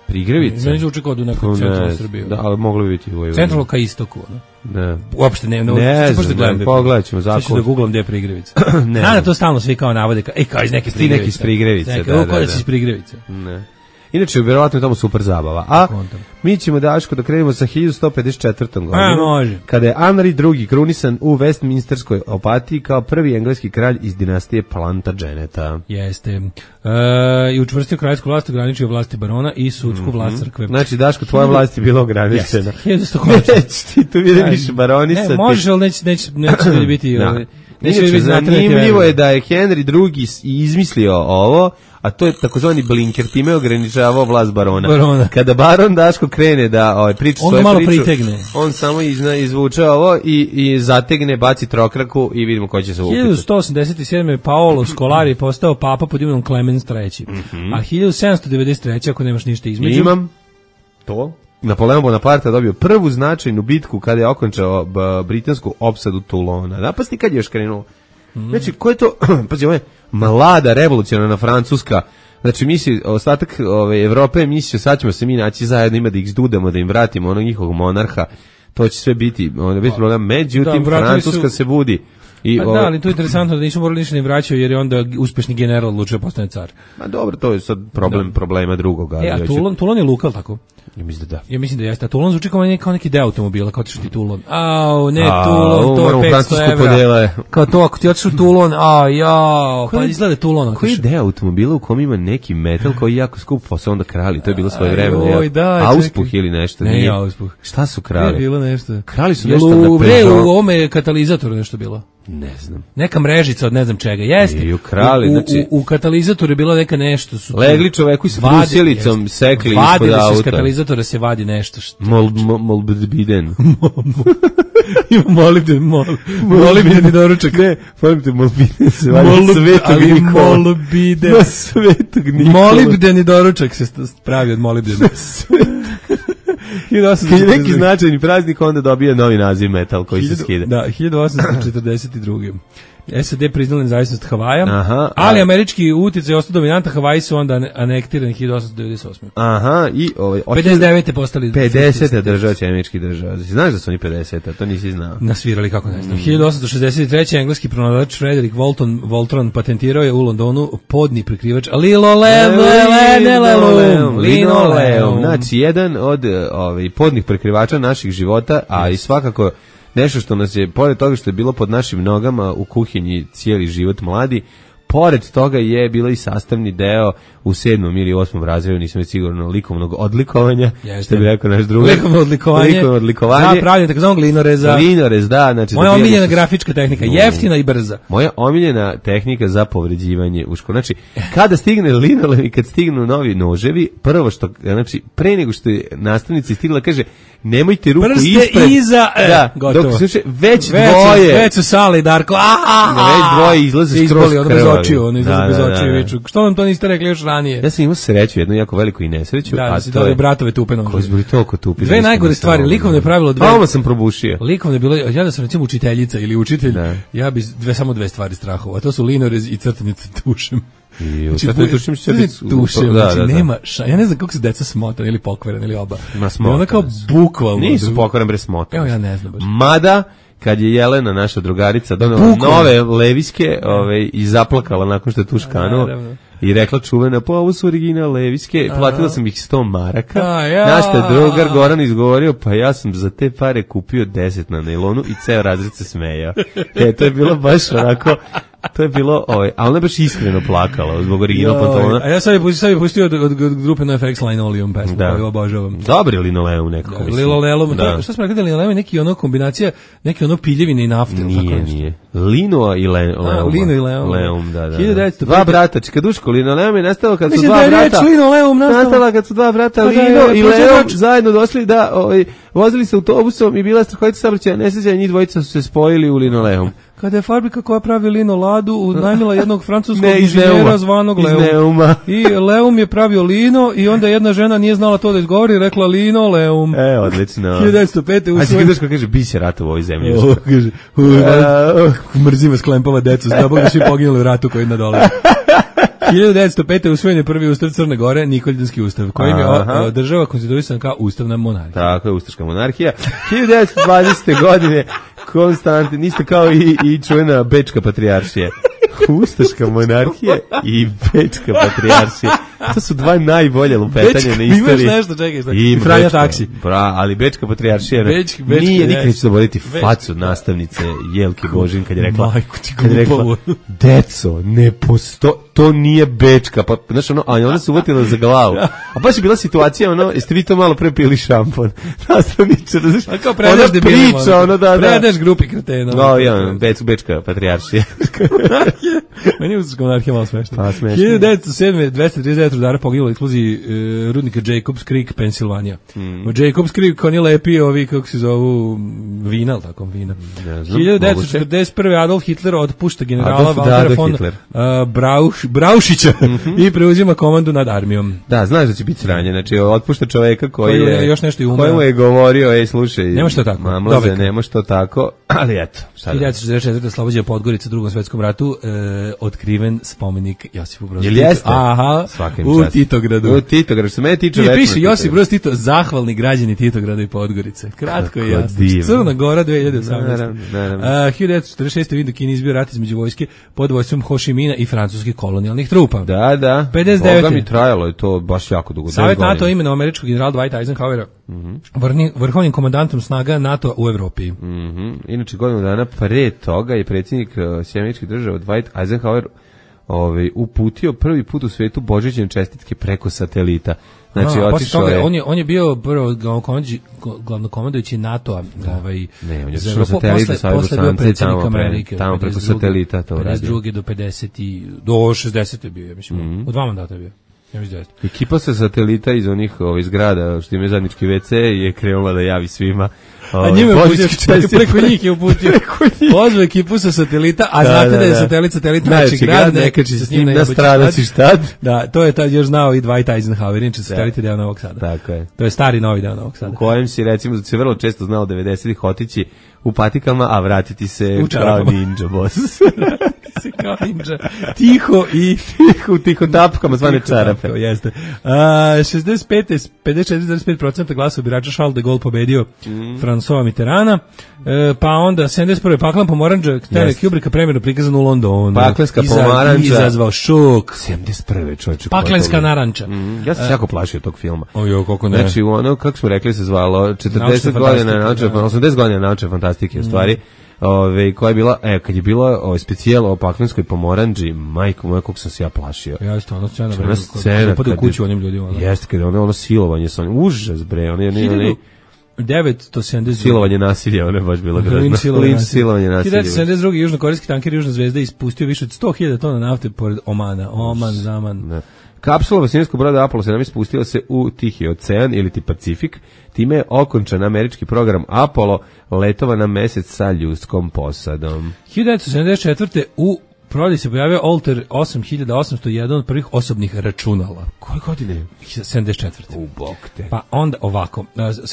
Prigrevica? Meni zvuči kao da u nekoj Ne centralnoj znam, Srbiji. Da, ali moglo bi biti u Vojvodini. Centralno ka istoku. Ono. Ne. Uopšte ne, ne, Ne ću baš znam, da gledam ne, gde je pogledat ćemo prigrevica. Sad ću zakon. da googlam gde je prigrevica. Ne. Znam da to stalno svi kao navode, kao, ej, kao iz neke Ti neki prigrevice. iz Prigrevice, Neke, da, o, da, kao da. si iz prigrevice. Ne. Inače, vjerovatno je tamo super zabava. A Kontam. mi ćemo, Daško, da krenemo sa hiljadu sto pedeset četvrtom godinom. A, može. Kada je Henry drugi krunisan u Westminsterskoj opatiji kao prvi engleski kralj iz dinastije Plantageneta. Jeste. E, I učvrstio kraljevsku vlast, ograničio vlasti barona i sudsku vlast crkve. Znači, Daško, tvoja vlast je bila ograničena. Jeste. hiljadu sto konačno. Neće ti tu vidiš baronisati. Ne, možeš, ali neće, neće, neće ljudi biti... Da. ovaj, neće Inače, biti znati neke zanimljivo verove. je da je Henry drugi s- izmislio ovo, a to je takozvani blinker, time je ograničavao vlast barona. Barona. Kada baron Daško krene da ovaj, priča On svoju ga malo priču, pritegne. on samo izna, izvuče ovo i, i zategne, baci trokraku i vidimo ko će se upiti. hiljadu sto osamdeset sedme. Paolo Scolari postao papa pod imenom Clemens treći. A hiljadu sedamsto devedeset treće. ako nemaš ništa između... Imam to. Napoleon Bonaparte dobio prvu značajnu bitku kada je okončao b, britansku opsadu Toulona. Napasti kad je još krenuo. Znači, ko je to, pazi, ovo je mlada revolucionarna Francuska, znači misli, ostatak ove, Evrope mislio, sad ćemo se mi naći zajedno, ima da ih zdudemo, da im vratimo onog njihovog monarha, to će sve biti, onda biti problem, međutim, Da, vratili Francuska su- se budi. I, Pa ove, da, ali to je interesantno da nisu morali ništa ni vraćaju jer je onda uspešni general odlučio postane car. Ma dobro, to je sad problem problema drugoga. ali E, a hoću- Toulon, Toulon je luka, ali tako? Ja mislim da da. Ja mislim da jeste. A Toulon zvuči kao, ne, kao neki deo automobila, kao otišao ti Toulon. Au, ne, A, Toulon, to moramo je Francusku petsto evra. podele. Kao to, ako ti otišao u Toulon, a jao, pa Koji- izgleda Toulon. Koji je otišao. deo automobila u kom ima neki metal koji je jako skup, pa se onda krali, to je bilo svoje vreme. Oj, da, Auspuh čekaj. ili nešto. Ne, nije. auspuh. Šta su Je krali? bilo nešto. Krali su Jel nešto u, na bre, Peugeot. u ovome je katalizator nešto bilo. Ne znam. Neka mrežica od ne znam čega. Jeste. I ukrali, u, u, znači- u, u katalizatoru je bilo neka nešto. Su tu- Legli čoveku i sa Vadi- brusjelicom jeste. sekli Vadili ispod se iz auta. katalizatora se vadi nešto. Što, Mol, mol, molbidbiden. Ima molibden, mol, molibdeni doručak. Ne, molibden, molibden se valja Molib, Svetog ali Nikola. molibden. Na Svetog Nikola. Molibdeni doručak se pravi od molibdena. Kad je neki značajni praznik, onda dobije novi naziv metal koji se skide. Da, hiljadu osamsto četrdeset druge. S A D priznala nezavisnost Havaja, Aha, ali a... američki utjecaj ostao dominantan, Havaji su onda anektirani hiljadu osamsto devedeset osme. Aha, i ovaj pedeset devete postali pedesete država će američkih država. Znaš da su oni pedesete, to nisi znao. Nasvirali kako ne znam. Mm. hiljadu osamsto šezdeset treće engleski pronalazač Frederick Walton Voltron patentirao je u Londonu podni prekrivač linoleum, linoleum. Znači jedan od ovaj podnih prekrivača naših života, a i svakako nešto što nas je, pored toga što je bilo pod našim nogama u kuhinji cijeli život mladi, pored toga je bilo i sastavni deo u sedmom ili osmom razredu, nisam već sigurno, likovnog odlikovanja, Jeste. Što bi rekao naš drugi. Likovno odlikovanje. Likovno odlikovanje. Za pravljanje takozvanog linoreza. Linorez, da. Znači, moja da omiljena grafička tehnika, jeftina i brza. Moja omiljena tehnika za povređivanje u školu. Znači, kada stigne linolem i kad stignu novi noževi, prvo što, znači, pre nego što je nastavnica stigla, kaže, nemojte ruku prste ispred. iza, e, da, gotovo. Dok se već, već dvoje. Već su Sale i Darko, a, a, a, već dvoje izlaze skroz krvavi. Ono bez očiju, ono izlaze bez očiju i viču. Što nam to niste rekli još ranije? Ja sam imao sreću, jednu jako veliku i nesreću. Da, a da si to dobio je bratove tupe nože. Koji su bili toliko tupi. Dve najgore stvari, likovno je pravilo dve. Ovo sam probušio. Likovno je bilo, ja da sam recimo učiteljica ili učitelj, da. Ja bi dve, samo dve stvari strahovao, a to su linorez i crtanje tušem. I znači, crtanje tušem će biti tušem, da, znači da, da. nema ša, ja ne znam kako se deca smotana ili pokvarena ili oba. Ma smotana. Ona kao bukvalno. Nisu pokvarena bre smotana. Evo ja ne znam baš. Mada kad je Jelena, naša drugarica, donela nove leviske ove, i zaplakala nakon što je tu škanuo i rekla čuvena, pa ovo su original leviske, platila sam ih sto maraka, a, ja. Naš te drugar Goran izgovorio, pa ja sam za te pare kupio deset na nailonu i ceo razred se smejao. E, to je bilo baš onako, to je bilo, ovaj, a ona je baš iskreno plakala zbog original pantolona. A ja sad je pustio, sad je pustio od, od, od grupe NoFX Linoleum pesmu, da. koju obožavam. Dobri linoleum nekako. Da, linoleum, da. Što smo rekli da linoleum je neki ono kombinacija, neki ono piljevine i nafte. Nije, nije. Lino i le, leum. A, lino i leum. Leum, da, da. da. Dva brata, čekaduško, linoleum je nastalo kad Mislim su dva da brata. Linoleum nastala kad su dva brata, Lino i Leum, zajedno došli da, ovaj, vozili se autobusom i bila strahovita saobraćajna nesreća, njih dvojica su se spojili u linoleum. Kada je fabrika koja pravi lino ladu unajmila jednog francuskog inženjera zvanog Leum. I Leum je pravio lino i onda jedna žena nije znala to da izgovori i rekla lino Leum. E, odlično. hiljadu devetsto pete u svoj... A si kaže, bi se rata u ovoj zemlji. O, kaže, mrzim vas klempava decu, zna Bog da svi poginuli u ratu koji na dole. hiljadu devetsto pete usvojen je prvi ustav Crne Gore, Nikoljanski ustav, kojim je o, država konstituisana kao ustavna monarhija. Tako je, ustaška monarhija. hiljadu devetsto dvadesete godine Konstantin, niste kao i, i čuvena Bečka patrijaršija. Ustaška monarhija i Bečka patrijaršija. To su dva najbolje lupetanja na istoriji. Imaš nešto, čekaj, šta? I Franja taksi. Bra, ali Bečka patrijaršija Bečki, Bečki, nije nikad neću zaboraviti facu nastavnice Jelke Božin kad je rekla, Majko, ti kad je rekla, deco, ne posto, to nije Bečka, pa, znaš, ono, a ona se uvatila za glavu. A baš je bila situacija, ono, jeste vi to malo pre pili šampon? Nastavniče, znaš, ona priča, ono, da, da. Predaš grupi kretena. No, ja, Beč, Bečka patrijaršija. Meni je ustaška monarhija malo smešna. Pa, smešno. hiljadu devetsto sedme dvesta trideset devet rudara poginulo u eksploziji e, rudnika Jacobs Creek, Pensilvanija. Mm. U Jacobs Creek oni lepi ovi, kako se zovu, vina, ali tako, vina. Ne znam, hiljadu devetsto četrdeset prve Adolf Hitler otpušta generala Adolf, Valtera da, von Hitler. uh, Brauš, Braušića mm-hmm. i preuzima komandu nad armijom. Da, znaš da će biti sranje, znači otpušta čoveka koji, koji je, još nešto i umeo. Kojemu je govorio, ej, slušaj, nema što tako. Mamlaze, nema što tako, ali eto. hiljadu devetsto četrdeset četvrte Slobođa Podgorica u Drugom svetskom ratu, e, otkriven spomenik Josipu Brozu Titu. Jel jeste? Aha, u Titogradu. U Titogradu, što me tiče već. Piše Josip Broz Tito, zahvalni građani Titograda i Podgorice. Kratko i jasno. Crna Gora dve hiljade osamnaeste. Uh, hiljadu devetsto četrdeset šeste u Indokini izbio rat između vojske pod vojstvom Ho Chi Mina i francuskih kolonijalnih trupa. Da, da. pedeset devete Boga mi trajalo je to baš jako dugo. Savjet NATO imenuje američkog generala Dwighta Eisenhowera mm-hmm. vrni, vrhovnim komandantom snaga NATO u Evropi. Mm-hmm. Inače, godinu dana pre toga je predsjednik uh, Sjedinjenih Država Dwight Eisenhower ovaj, uputio prvi put u svetu božićne čestitke preko satelita. Znači, a, otišao toga, je... On je, on je bio prvo glavnokomandujući NATO-a. Ovaj, ne, on je otišao satelita sa Bosance tamo, Amerike, tamo preko satelita to radio. pedeset druge do pedeset do šezdeset je bio, ja mislim. Mm-hmm. U dva mandata je bio. Ja mislim da jeste. Ekipa sa satelita iz onih ovih zgrada što imaju zajednički ve ce je krenula da javi svima. A njima je uputio, preko njih je uputio. Pozvu ekipu sa satelita, a da, znate da, da je satelit satelit najveći grad, nekači se s njim na stradaci štad. Da, to je tad još znao i Dwight Eisenhower, inače satelit je deo Novog Sada. Tako je. To je stari novi deo Novog Sada. U kojem si, recimo, se vrlo često znao devedesetih otići u patikama, a vratiti se kao ninja boss. se kao ninja. Tiho i tiho, u tiho tapkama zvane čarape. Jeste. Uh, šezdeset pet, pedeset četiri zarez pet posto glasova birača Charles de Gaulle pobedio mm. François Mitterranda. Uh, pa onda sedamdeset prve paklan pomoranđa Stanley Kubricka premjerno prikazan u Londonu. Paklenska pomoranđa. Izazvao šok. sedamdeset prve čovječe. Paklenska naranča. Mm. Ja sam uh, jako plašio tog filma. Ojo, koliko ne. Znači, ono, kako smo rekli se zvalo, četrdeset godina, naučne, osamdeset godina naučne fantastike, u stvari. Ove, koja je bila, e, kad je bila ovaj specijal o paklenskoj pomoranđi, majko moja, kako sam se ja plašio. Ja isto, ono scena, ona scena kad, kad u kuću onim ljudima. Ono. Jeste, kad je ono, ono silovanje sa onim, užas bre, ono je ne devetsto sedamdeset silovanje nasilja, ono je baš bilo grozno. Linč silovanje nasilja. hiljadu devetsto sedamdeset druge južnokorejski tanker Južna zvezda ispustio više od sto hiljada tona nafte pored Omana. Oman, Zaman. Ne. Kapsula vasinijskog broda Apollo sedam spustila se u Tihi ocean ili ti Pacifik. Time je okončan američki program Apollo letova na mesec sa ljudskom posadom. hiljadu devetsto sedamdeset četvrte u prodaji se pojavio Altair osam hiljada osamsto jedan od prvih osobnih računala. Koje godine? sedamdeset četvrte. U bok te. Pa onda ovako,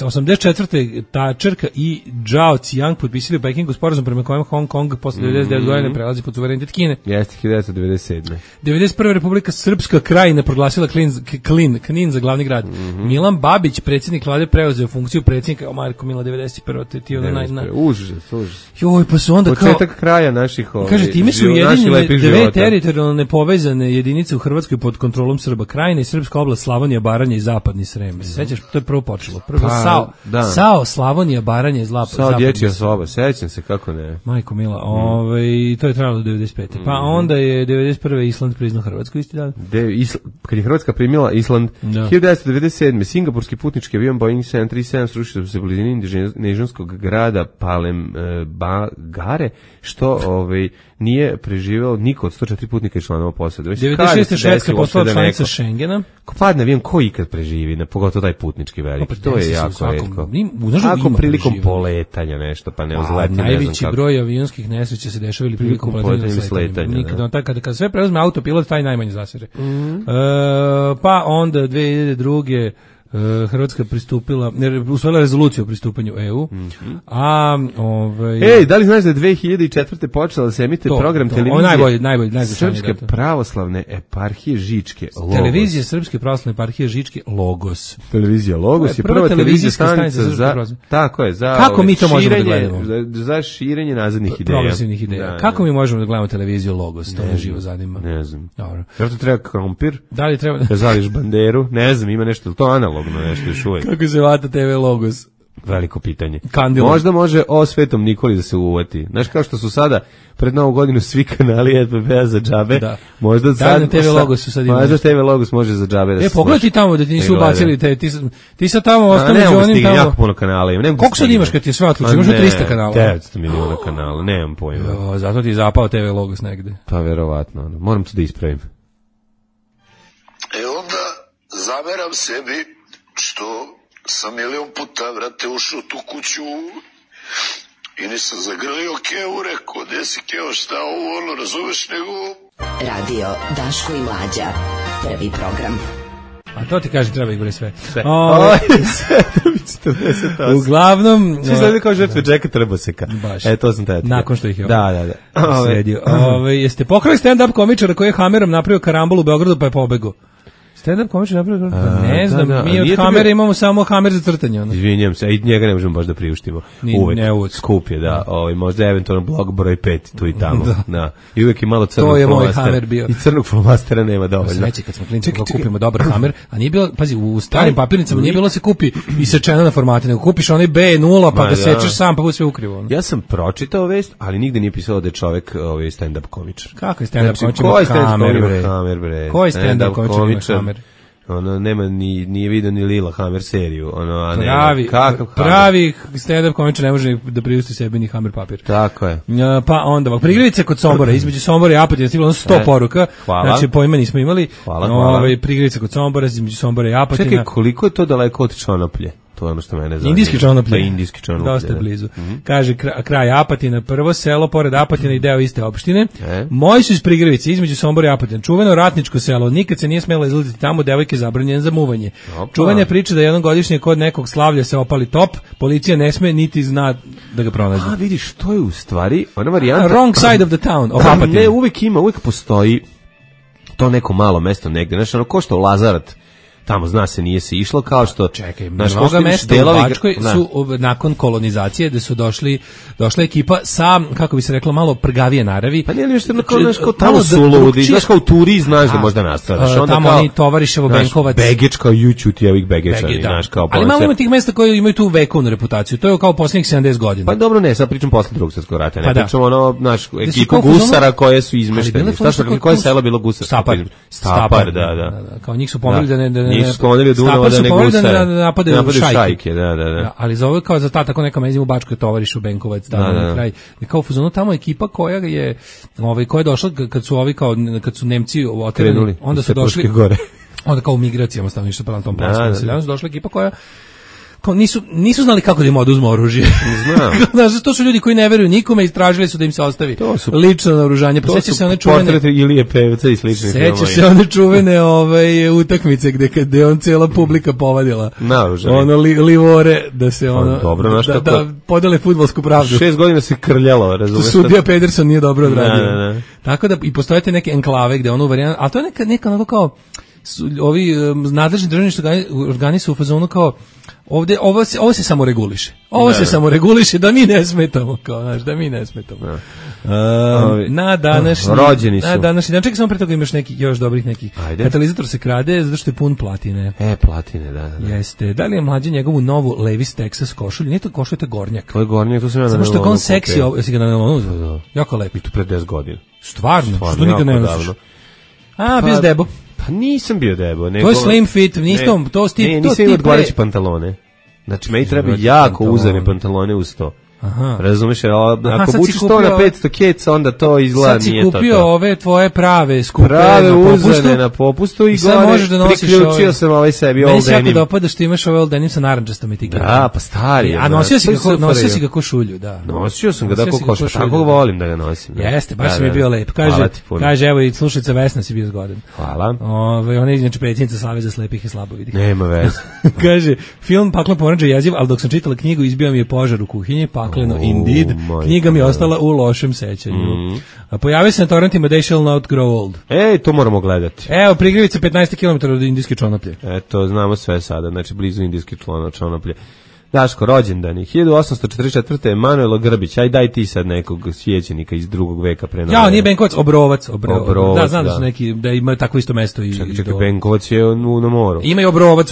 osamdeset četvrte Thatcherka i Zhao Ziyang potpisali u Pekingu sporazum prema kojem Hong Kong posle devedeset devet mm-hmm. godine prelazi pod suverenitet Kine. Jeste, hiljadu devetsto devedeset sedme. devedeset prve Republika Srpska Krajina proglasila Klin, Klin, Knin za glavni grad. Mm-hmm. Milan Babić, predsjednik vlade, preuzeo funkciju predsjednika, o Marko Mila devedeset prve te ti ona naj naj. Užas, užas. Joj, pa su onda početak kao početak kraja naših ovih. Kaže, time su ujedinjene dve teritorijalno nepovezane jedinice u Hrvatskoj pod kontrolom Srba. Krajina i srpska oblast Slavonija, Baranja i Zapadni Srem. Se sećaš, to je prvo počelo. Prvo pa, Sao, da. Sao, Slavonija, Baranja i Zlap, Sao Zapadni dječja soba, sećam se kako ne. Majko mila, mm. ovaj to je trajalo do devedeset pete. Pa mm. onda je devedeset prve Island priznao Hrvatsku isti dan. De, Isl, kad je Hrvatska primila Island, da. hiljadu devetsto devedeset sedme singapurski putnički avion Boeing sedam tri sedam srušio se u blizini indonežanskog grada Palembangare, što ovaj nije preživeo niko od sto četiri putnika i članova posade. devedeset šeste Švedska postala članica Schengena. Ko padne avion, ko ikad preživi, na pogotovo taj putnički veliki. To je jako retko. Ako prilikom poletanja nešto, pa ne uzletne, ne najveći znam broj avionskih nesreća se dešava ili prilikom poletanja ili sletanja. Nikada, da. Kada, kada sve preuzme autopilot, taj najmanje zasere. Mm-hmm. E, pa onda dve hiljade druge Hrvatska pristupila, ne, usvojila rezoluciju o pristupanju E U. Mm-hmm. A ovaj Ej, da li znaš da je dve hiljade četvrte počela da se emituje to, program to, televizije? Najbolji, najbolji, Srpske pravoslavne eparhije Žičke, Logos. Televizija Srpske pravoslavne eparhije Žičke, Logos. Televizija Logos je prva, prva televizijska stanica za, tako je, za kako mi to možemo da gledamo? Za, za širenje nazadnih ideja. Progresivnih ideja. Da, kako mi možemo da gledamo televiziju Logos? To me živo zanima. Ne znam. Dobro. Jer to treba krompir? Da li treba? Da zališ banderu? Ne znam, ima nešto, to analogno nešto još uvijek. Kako se vata te ve Logos? Veliko pitanje. Kandilom. Možda može o Svetom Nikoli da se uvati. Znaš, kao što su sada pred Novu godinu svi kanali er pe pe-a za džabe, da. Možda da, sad... Da, te ve Logosu sad ima. Možda te ve Logos može za džabe da e, se... E, pogledaj ti tamo da ti nisu ubacili, te, ti, ti sad tamo ostane među onim tamo... jako puno kanala imam. Koliko sad imaš kad ti je sve otključio? Imaš tristo kanala? devetsto miliona kanala, nemam pojma. Jo, zato ti je zapao te ve Logos negde. Pa verovatno, moram to da ispravim. E onda zameram sebi što sam milion puta, vrate, ušao u tu kuću i nisam zagrlio Kevu, rekao, gde si Kevo, šta ovo, ono, razumeš, nego... Radio Daško i Mlađa, prvi program. A to ti kaže, treba ih boli sve. Sve. O, četrdeset osam. Uglavnom... Svi znaju kao žrtve Džeka Trboseka. Baš. E, to sam tada. Nakon što ih je... Da, da, da. Sredio. Ove, jeste pokrali stand-up komičara koji je Hamerom napravio karambol u Beogradu pa je pobegao? Stand-up komičar napravio? Pa ne znam, da, da. Mi od Hamera bio... imamo samo Hamer za crtanje. Ono. Izvinjam se, i njega ne možemo baš da priuštimo. Ni, uvek. Ne uvek. Skup je, da. Ovaj, možda eventualno blog broj pet, tu i tamo. Da. Da. I uvek je malo crnog to je moj Hamer bio. I crnog flomastera nema dovoljno. Sreće kad smo klinci da kupimo dobar Hamer, a nije bilo, pazi, u starim papirnicama nije bilo se kupi i sečeno na formate, nego kupiš onaj be nula pa ga sečeš sam, pa bude sve ukrivo. Ono. Ja sam pročitao vest, ali nigde nije pisalo da je čovjek ovaj stand-up komičar. Kako je stand-up znači, komičar? Ko je stand-up komičar? Ko je stand-up komičar? ono nema ni nije video ni Lila Hammer seriju, ono a ne pravi kakav pravi stand-up komičar ne može da priušti sebi ni Hammer papir. Tako je. Pa onda prigrivice kod Sombora, između Sombora i Apatina stiglo sto e, poruka. Hvala. Znači pojma nismo imali. Hvala, hvala. Ovaj prigrivice kod Sombora, između Sombora i Apatina. Čekaj, koliko je to daleko od Čonoplje? To je ono što mene zanima. Indijski Čonoplje. Da, indijski Čonoplje. Dosta blizu. Mm-hmm. Kaže kraj, kraj Apatina, prvo selo pored Apatina i deo iste opštine. E? Moji su iz Prigrivice, između Sombora i Apatina. Čuveno ratničko selo, nikad se nije smelo izlaziti tamo, devojke zabranjene za muvanje. Opa. Čuvena priča da jednom godišnje kod nekog slavlja se opali top, policija ne sme niti zna da ga pronađe. A vidiš, to je u stvari ona varijanta. Wrong side of the town. Of Apatina. Ne, uvek ima, uvek postoji to neko malo mesto negde. Znači, ono ko što u Lazarat, tamo zna se nije se išlo, kao što čekaj, naš mnoga mesta delovi, u Bačkoj su nakon kolonizacije da su došli došla ekipa sa, kako bi se reklo, malo prgavije naravi. Pa nije li nešto kao nešto tamo su ludi, znaš kao u turi znaš da možda nastadaš. Onda tamo oni Tovariševo, Benkovac, Begeč kao juču ti ovih Begečani, znaš kao. Ali malo ima tih mesta koji imaju tu vekovnu reputaciju. To je kao poslednjih sedamdeset godina. Pa dobro, ne, sad pričam posle Drugog svjetskog rata, ne pričamo ono, naš ekipu gusara koje su izmešteni. Šta što koje selo bilo gusar? Stapar. Stapar, da, da. Kao njih su pomogli da ne nisu sklonili Dunava da ne gusare. Da napadaju šajke. šajke, da, da, da. Ali za ovo kao za ta tako neka mezim u Bačkoj Tovarišu, Benkovac, tamo na kraj. Kao u fazonu tamo ekipa koja je ovaj koja je došla kad su ovi kao kad su Nemci oterali, onda su došli gore. Onda kao u migracijama stavno išlo prema tom planskom seljaku, došla ekipa koja kao nisu, nisu znali kako da im oduzmu oružje. Znam. Znaš, to su ljudi koji ne veruju nikome i istražili su da im se ostavi su, lično naoružanje. Pa seća se one čuvene portreti Ilije Pevca i sličnih filmova. Seća se one čuvene ovaj, utakmice gde kad je on cijela publika povadila naoružanje. Ono li, livore da se ono dobro, znaš da, kako, da podele fudbalsku pravdu. Šest godina se krljalo, razumeš? Sudija Pederson nije dobro odradio. Ne, ne, ne. Tako da i postoje te neke enklave gde ono varijanta, a to je neka neka onako kao su, ovi um, nadležni državni organi su u fazonu kao ovde ovo se ovo se samo reguliše. Ovo ne, se ne. samo reguliše da mi ne smetamo, kao znaš, da mi ne smetamo. Ne. Um, na današnji rođeni su. Na današnji dan, čekaj samo pre toga imaš neki još dobrih nekih. Ajde. Katalizator se krade zato što je pun platine. E, platine, da, da. Jeste. Da li je mlađe njegovu novu Levi's Texas košulju? Nije to košulja, to je gornjak. To je gornjak, to sam ja na. Samo što je on seksi, jesi ga na nelonu. Jako lepo. I to pre deset godina. Stvarno, Stvarno što nikad ne nosiš. A, bio s debo. Pa nisam bio debo. Nego, to je slim fit, nisam, to sti, ne, to nisam imao odgovarajuće pantalone. Znači, meni treba jako uzane pantalone uz to. Aha. Razumeš, ako bučiš to na petsto keca, onda to izgleda nije to. Sad si kupio ove tvoje prave skupe prave na popustu. Uzane na popustu i, i gore možeš da nosiš priključio ove, sam ovaj sebi Old Denim. Meni se jako dopada što imaš ove Old Denim sa narančastom etiketom. Da, pa stari. A nosio si kako nosio si kako šulju, da. Nosio sam ga da kako košta, tako volim da ga nosim. Jeste, baš mi je bio lep. Kaže, kaže evo i slušalica Vesna si bio zgodan. Hvala. Ovaj ona je inače predsjednica Saveza slepih i slabovidih. Nema veze. Kaže, film Paklo poranđe jeziv, al dok sam čitala knjigu izbio mi je požar u kuhinji, pakleno indeed. Knjiga mi je ostala u lošem sećanju. Mm. Pojavio se na torrentima They Shall Not Grow Old. Ej, to moramo gledati. Evo, Prigrivica petnaest kilometara od Indijske Čonoplje. Eto, znamo sve sada, znači blizu Indijske Čonoplje. Daško, rođendani, hiljadu osamsto četrdeset četvrte. Emanuela Grbić, aj daj ti sad nekog svećenika iz drugog veka pre nove. Ja, nije Benkovac, Obrovac, Obrovac. Obrovac da, znam da, da su neki, da imaju takvo isto mesto. I, čekaj, čekaj, Benkovac je u, na moru. Ima i Obrovac,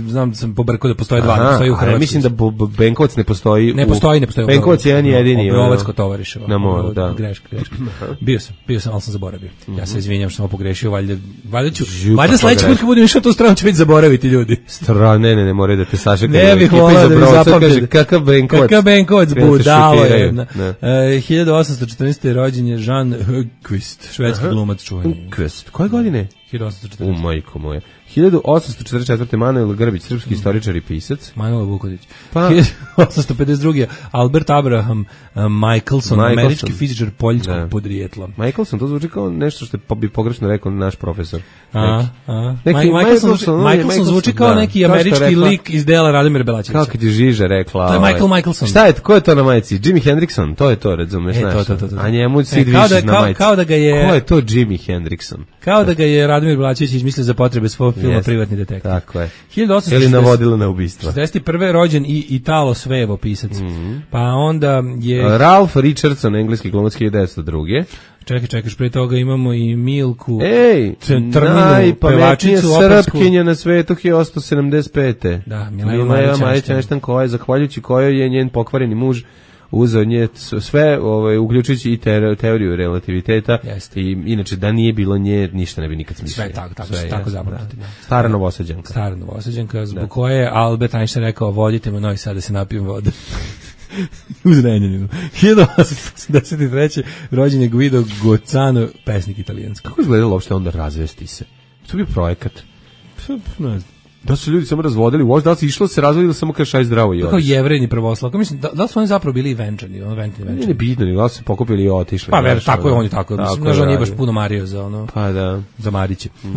znam da sam pobrkao da postoje dva, da postoji u Hrvatskoj. Mislim da Benkovac ne postoji. Ne postoji, ne postoji. Benkovac je jedan jedini. Obrovac kod Tovariševa. Na moru, da. Greška, greška. Bio sam, bio sam, ali sam zaboravio. Ja se izvinjam što sam pogrešio, valjda, valjda ću, valjda sledeći put kad budem išao tu stranu ću već zaboraviti ljudi. Strane, ne, ne, ne, moraju da te sašekaju. Ne bih volao da mi zapamtim. Kakav Benkovac. Kakav Benkovac, budalo jedna. Uh, hiljadu osamsto četrnaeste. rođen je Jean Hugquist, švedski glumac čuveni. Hugquist, koje godine? hiljadu osamsto četrnaeste. U majko moje. hiljadu osamsto četrdeset četvrte. Manuel Grbić, srpski istoričar i pisac. Manuel Vuković. Pa hiljadu osamsto pedeset druge. Albert Abraham uh, Michelson, Michelson, američki fizičar poljskog podrijetla. Michelson, to zvuči kao nešto što bi pogrešno rekao naš profesor. A, a. Neki, Michelson, Michelson, Michelson zvuči kao da, neki američki rekla, lik iz dela Radimira Belačevića. Kako ti Žiža rekla. To je Michael ovaj. Michelson. Šta je, ko je to na majici? Jimi Hendrixon, to je to, razumeš, e, znaš. To, to, to, to. A njemu Sid e, Vicious na majici. Kao da ga je... Ko je to Jimi Hendrixon? Kao da ga je Radimir Belačević izmislio za potrebe svog filma yes. Privatni detektiv. Tako je. hiljadu osamsto Ili navodilo na ubistvo. četrdeset prve. rođen i Italo Svevo, pisac. Mm -hmm. Pa onda je... Ralph Richardson, engleski glumac, hiljadu devetsto druge. Čekaj, čekaš, pre toga imamo i Milku Ej, najpametnija Srpkinja na svetu, hiljadu osamsto sedamdeset pete. Da, Mileva Marić Einstein, koja je, zahvaljujući kojoj je njen pokvareni muž uzeo nje sve, ovaj, uključujući i te, teoriju relativiteta. Jeste. I inače, da nije bilo nje, ništa ne bi nikad smislio. Sve tako, tako, sve, tako zapamtite. Da. Stara Novosađanka. Stara Novosađanka, zbog da. koje je Albert Einstein rekao, vodite me Novi Sad da se napijem vode. Uz Renjaninu. hiljadu osamsto osamdeset treće rođen je Guido Gozzano, pesnik italijanski. Kako izgledalo uopšte onda razvesti se? To je bio projekat. Ne znam. Da su ljudi samo razvodili, uopšte da li se išlo se razvodili ili samo kažeš aj zdravo i kao jevrejni pravoslavka, mislim, da, da li su oni zapravo bili i venčani, ono venčani, venčani. Nije bitno, da li su pokupili i otišli. Pa ver, tako je, on je tako, tako mislim, znaš, on nije baš puno mario za ono, pa da. Za Mariće. Mm.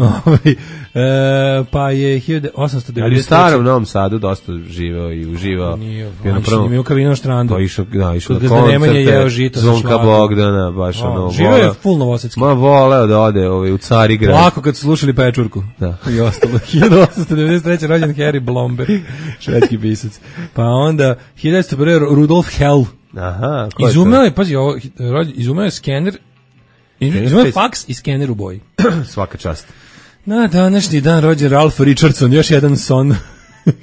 e, pa je hiljadu osamsto devedeset treće. Ali u starom Novom Sadu dosta živeo i uživao. Nije, on nije u Kavino štrandu. To išao, da, išao na koncerte, Zvonka Bogdana, baš o, ono, živeo je full novosadski. Ma voleo da ode ovaj, u Carigrad. Lako kad su slušali Pečurku. Da. I ostalo. hiljadu osamsto devedeset treće rođen Harry Blomberg, švedski pisac. Pa onda hiljadu devetsto prve Rudolf Hell. Aha, ko je izumeo je, pazi, ovo, izumeo je skener, izumeo je faks i skener u boji. Svaka čast. Na današnji dan rođen Ralph Richardson, još jedan son.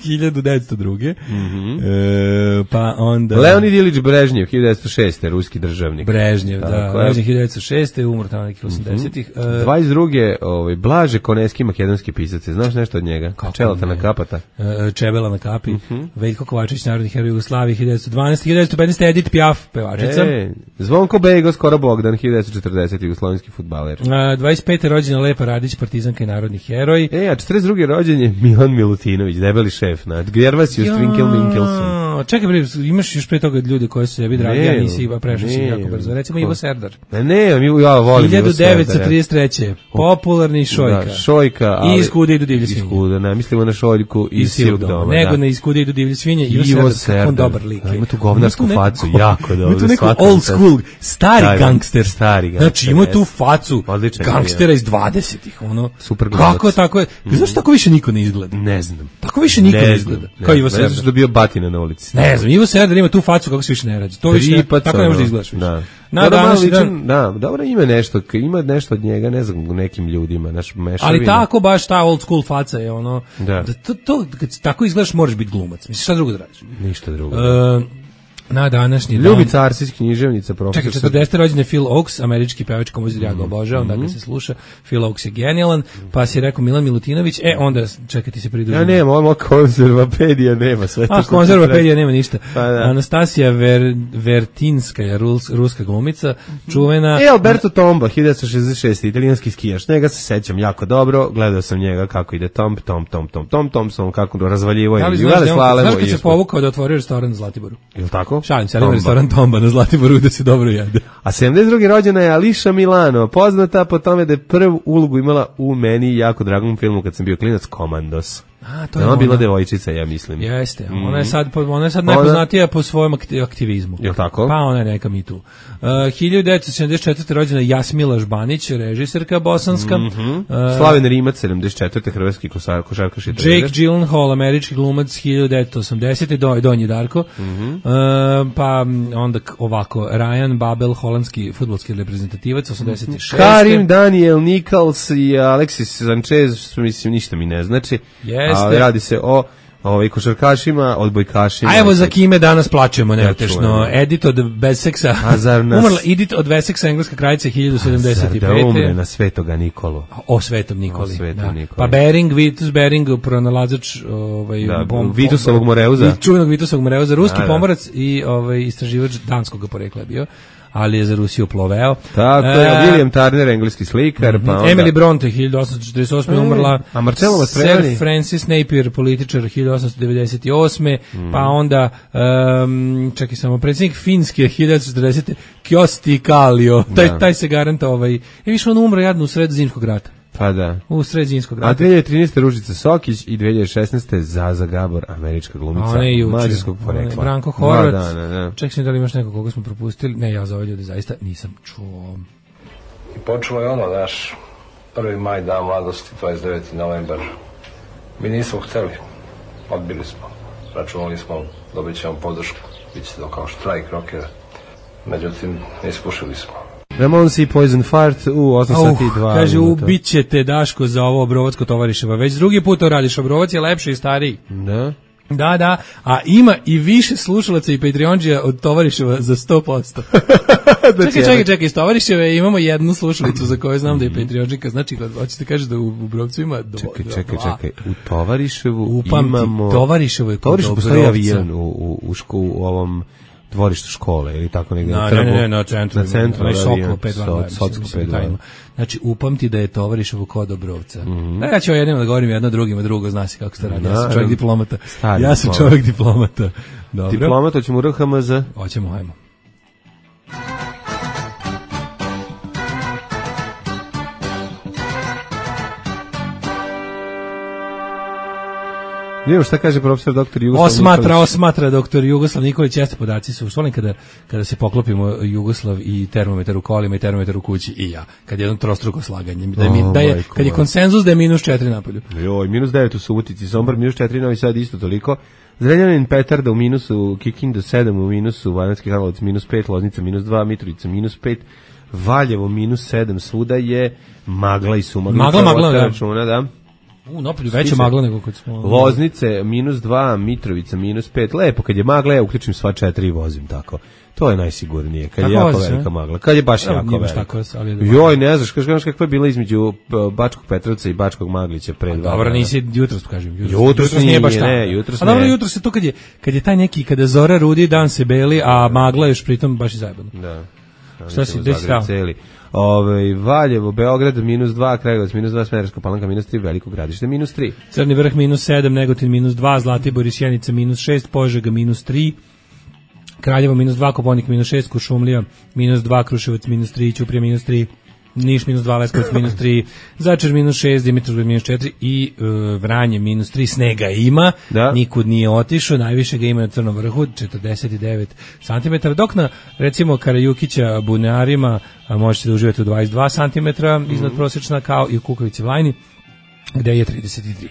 hiljadu devetsto druge. Mm-hmm. E, pa onda Leonid Ilić Brežnjev, hiljadu devetsto šeste ruski državnik. Brežnjev, da, rođen hiljadu devetsto šeste, umro tamo nekih osamdesetih. Mm-hmm. E, dvadeset druge ovaj Blaže Koneski, makedonski pisac. Znaš nešto od njega? Čelata na kapata. E, Čebela na kapi. Mm-hmm. Veljko Kovačević, narodni heroj Jugoslavije, hiljadu devetsto dvanaeste. hiljadu devetsto petnaeste. Edith Piaf, pevačica. E, Zvonko Bego, skoro Bogdan, hiljadu devetsto četrdesete. jugoslovenski fudbaler. E, dvadeset pete rođena Lepa Radić, partizanka i narodni heroj. E, a četrdeset druge rođen je Milan Milutinović, debeli šef, na Gervasiju Strinkel Minkelson. Čekaj bre, imaš još pre toga ljude koji su sebi dragi, ja nisi iba prešao si jako brzo. Recimo Ivo Serdar. Ne, ne, mi ja volim hiljadu devetsto trideset treće. Popularni Šojka. Da, Šojka, ali i Iskude idu divlje svinje. Iskude, ne, mislimo na Šoljku i Sivog doma. Nego na Iskude idu divlje svinje. Ivo Serdar, on dobar lik. Ima tu govnarsku facu, jako dobro. Ima tu neku old school, stari gangster. Stari gangster. Znači, ima tu facu gangstera iz dvadesetih, ono. Super glumac. Kako tako je? Zašto tako više niko ne izgleda? Ne znam. Tako više niko ne izgleda. Kao Ivo Serdar. Ne znam što bio batina na ulici. Ne znam, Ivo Serdar ima tu facu kako se više ne rađe. To više ne, tako ne može da izgledaš više. Da. Na današnji dan, da, dobro ima nešto, ima nešto od njega, ne znam, u nekim ljudima, naš mešavina. Ali tako baš ta old school faca je ono, da, da to, to kad tako izgledaš možeš biti glumac. Misliš šta drugo da radiš? Ništa drugo. Uh, na današnji dan. Ljubica Arsić, književnica, profesor. Čekaj, četrdesete rođen je Phil Oakes, američki pevač, kompozitor, ja ga obažavam, mm-hmm. da ga se sluša. Phil Oakes je genijalan, pa si rekao Milan Milutinović, e onda čekaj ti se pridružim. Ja nema, ovo konzervapedija nema sve to. A konzervapedija nema ništa. Pa, da. Anastasija Ver, Vertinska je rus, ruska glumica, čuvena. E Alberto Tomba, hiljadu devetsto šezdeset šeste. italijanski skijaš. Njega se sećam jako dobro, gledao sam njega kako ide Tom, Tom, Tom, Tom, Tom, Thompson, kako razvaljivo je. Znaš kad se povukao da otvorio restoran na Zlatiboru? Jel tako? Šalim se, ali ima restoran Tomba na Zlatiboru da se dobro jede. A sedamdeset druge rođena je Ališa Milano, poznata po tome da je prvu ulogu imala u meni jako dragom filmu kad sam bio klinac, Komandos. A, to je ona ona bila devojčica, ja mislim. Jeste, mm. ona je sad, ona je sad najpoznatija po svojem aktivizmu. Jel tako? Pa ona je neka mi tu. Uh, hiljadu devetsto sedamdeset četvrte. rođena Jasmila Žbanić, režiserka bosanska. Mm-hmm. uh, Slaven Rimac, sedamdeset četvrte. hrvatski košarkaš i trener. Jake Gyllenhaal, američki glumac, hiljadu devetsto osamdesete. Do, Donji Darko. Mm-hmm. uh, pa onda ovako, Ryan Babel, holandski fudbalski reprezentativac, osamdeset šeste. Karim Daniel Nichols i Alexis Sanchez, mislim, ništa mi ne znači. Jeste. A radi se o ovaj košarkašima, odbojkašima. A evo za kime danas plačemo, neutešno. Edith od Besseksa. Umrla Edith od Besseksa, engleska kraljica, hiljadu sedamdeset pete. Da umre na Svetoga Nikolu. O Svetom Nikoli. O Svetom da. Nikoli. Pa Bering, Vitus Bering, pronalazač ovaj, da, bom, Vitusovog Moreuza. Čuvenog Vitusovog Moreuza, ruski da, da. pomorac i ovaj, istraživač danskog porekla bio, ali je za Rusiju ploveo. Tako je, uh, William Turner, engleski slikar, mm-hmm. pa onda... Emily Bronte, hiljadu osamsto četrdeset osme. Mm. umrla. A Marcello Mastroianni? Sir Francis Napier, političar, hiljadu osamsto devedeset osme. Mm. Pa onda, um, čekaj samo, predsjednik Finske, hiljadu osamsto četrdesete. Kjosti Kalio, taj, da. taj se garanta, ovaj... E, više on umro jadno u sred zimskog rata. Pa da. U sred zimskog rata. A dve hiljade trinaeste. Ružica Sokić i dve hiljade šesnaeste. Zaza Gabor, američka glumica mađarskog porekla. Branko Horvat. Da, da, da. Čekaj sam da li imaš nekog koga smo propustili. Ne, ja za ove ljude zaista nisam čuo. I počelo je ono, naš prvi maj, dan mladosti, dvadeset deveti novembar. Mi nismo hteli. Odbili smo. Računali smo, dobit ćemo podršku. Biće to kao štrajk rokera. Međutim, ispušili smo. Ramonsi Poison Fart u osam sati i dva. Kaže, ubićete Daško za ovo Obrovac kod Tovariševa. Već drugi put to radiš. Obrovac je lepši i stariji. Da. Da, da, a ima i više slušalaca i Patreonđija od Tovariševa za sto posto. Čekaj, čekaj, čekaj, iz Tovariševe imamo jednu slušalicu za koju znam da je Patreonđika, znači hoćete kažeš da u, u Brovcu ima do, čekaj, do, čekaj, dva. čekaj, u Tovariševu Upamti, imamo... Tovariševo je kod Tovariševo postoji Dobrovca. avion u, u, u, ško, u ovom dvorištu škole ili tako negdje. Na, ne, ne, ne, na centru. Na centru, na avion, pet dva Socko pet dva. Znači, upamti da je Tovariševo kod Dobrovca. Mm-hmm. Ja ću jednima da govorim jedno drugima drugo, zna se kako se to radi. Ja sam čovjek diplomata. Stari ja sam čovjek diplomata. Dobro. Diplomata, ćemo u R H M Z? Hoćemo, hajmo. Vidimo šta kaže profesor doktor Jugoslav Osmatra, Nikolić. Osmatra doktor Jugoslav Nikolić, jeste podaci su. Volim kada, kada se poklopimo Jugoslav i termometar u kolima i termometar u kući i ja. Kad je jedno trostruko slaganje. Da je, oh, da je, kad je konsenzus da je minus četiri napolju. Joj, minus devet u Subotici, Sombor minus četiri, Novi Sad isto toliko. Zrenjanin, Petarda u minusu, Kikinda sedam u minusu, Banatski Karlovac minus pet, Loznica minus dva, Mitrovica minus pet, Valjevo minus sedam, svuda je magla i sumagla. Magla, magla, da. Računa, da. U, napolju veća magla nego kod smo... Loznice, minus dva, Mitrovica, minus pet. Lepo, kad je magla, ja uključim sva četiri i vozim tako. To je najsigurnije, kad tako je jako voziš, velika magla. Kad je baš ja, jako velika. Tako, ali Joj, ne znaš, kaži, kaži kakva je bila između Bačkog Petrovca i Bačkog Maglića pre dva. Dobro, nisi jutros, kažem. Jutros, jutros, jutros nije, nije baš tako. Ne, jutros a dobro, jutros je to kad je, kad je taj neki, kada zora rudi, dan se beli, a magla još pritom baš je zajebano. Da. Šta si, gde si stao? Ove, Valjevo, Beograd minus dva, Kragujevac minus dva, Smederevska Palanka minus tri, Veliko Gradište minus tri. Crni vrh minus sedam, Negotin minus dva, Zlatibor i Sjenica minus šest, Požega minus tri, Kraljevo minus dva, Koponik minus šest, Kuršumlija minus dva, Kruševac minus tri, Ćuprija minus tri, Niš minus dva, Leskovac minus tri, Zaječar minus šest, Dimitrovgrad minus četiri i uh, Vranje minus tri. Snega ima, da. Nikud nije otišao, najviše ga ima na Crnom vrhu, četrdeset devet centimetara, dok na, recimo, Karajukića, Bunarima, možete da uživate u dvadeset dva centimetra, mm. iznad prosječna, kao i u Kukovici Vlajni, gde je trideset tri.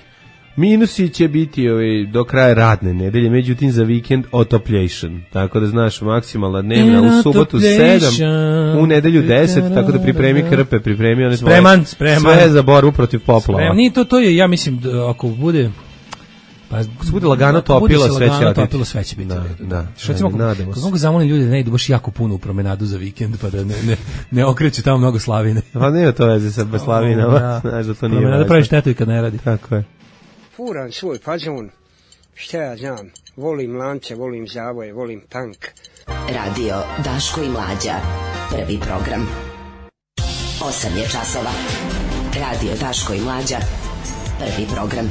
Minusi će biti ovaj, do kraja radne nedelje, međutim za vikend otopljation. Tako da znaš, maksimalna dnevna u subotu sedam, u nedelju deset, tako da pripremi krpe, pripremi one svoje, spreman, spreman. Sve za borbu protiv poplava. Spreman. Nije to, to je, ja mislim, da ako bude... Pa ako se bude lagano topilo, sve će lagano topilo, sve će biti. Da, da. Što recimo, kako mogu zamolim ljude da ne idu baš jako puno u promenadu za vikend, pa da ne, ne, ne okreću tamo mnogo slavine. Pa nema to veze sa slavinama, da. Znaš da to nije promenada pravi štetu i kad ne radi. Tako je. Furam svoj fazon, šta ja znam, volim lance, volim zavoje, volim punk. Radio Daško i Mlađa, prvi program. Osam je časova. Radio Daško i Mlađa, prvi program.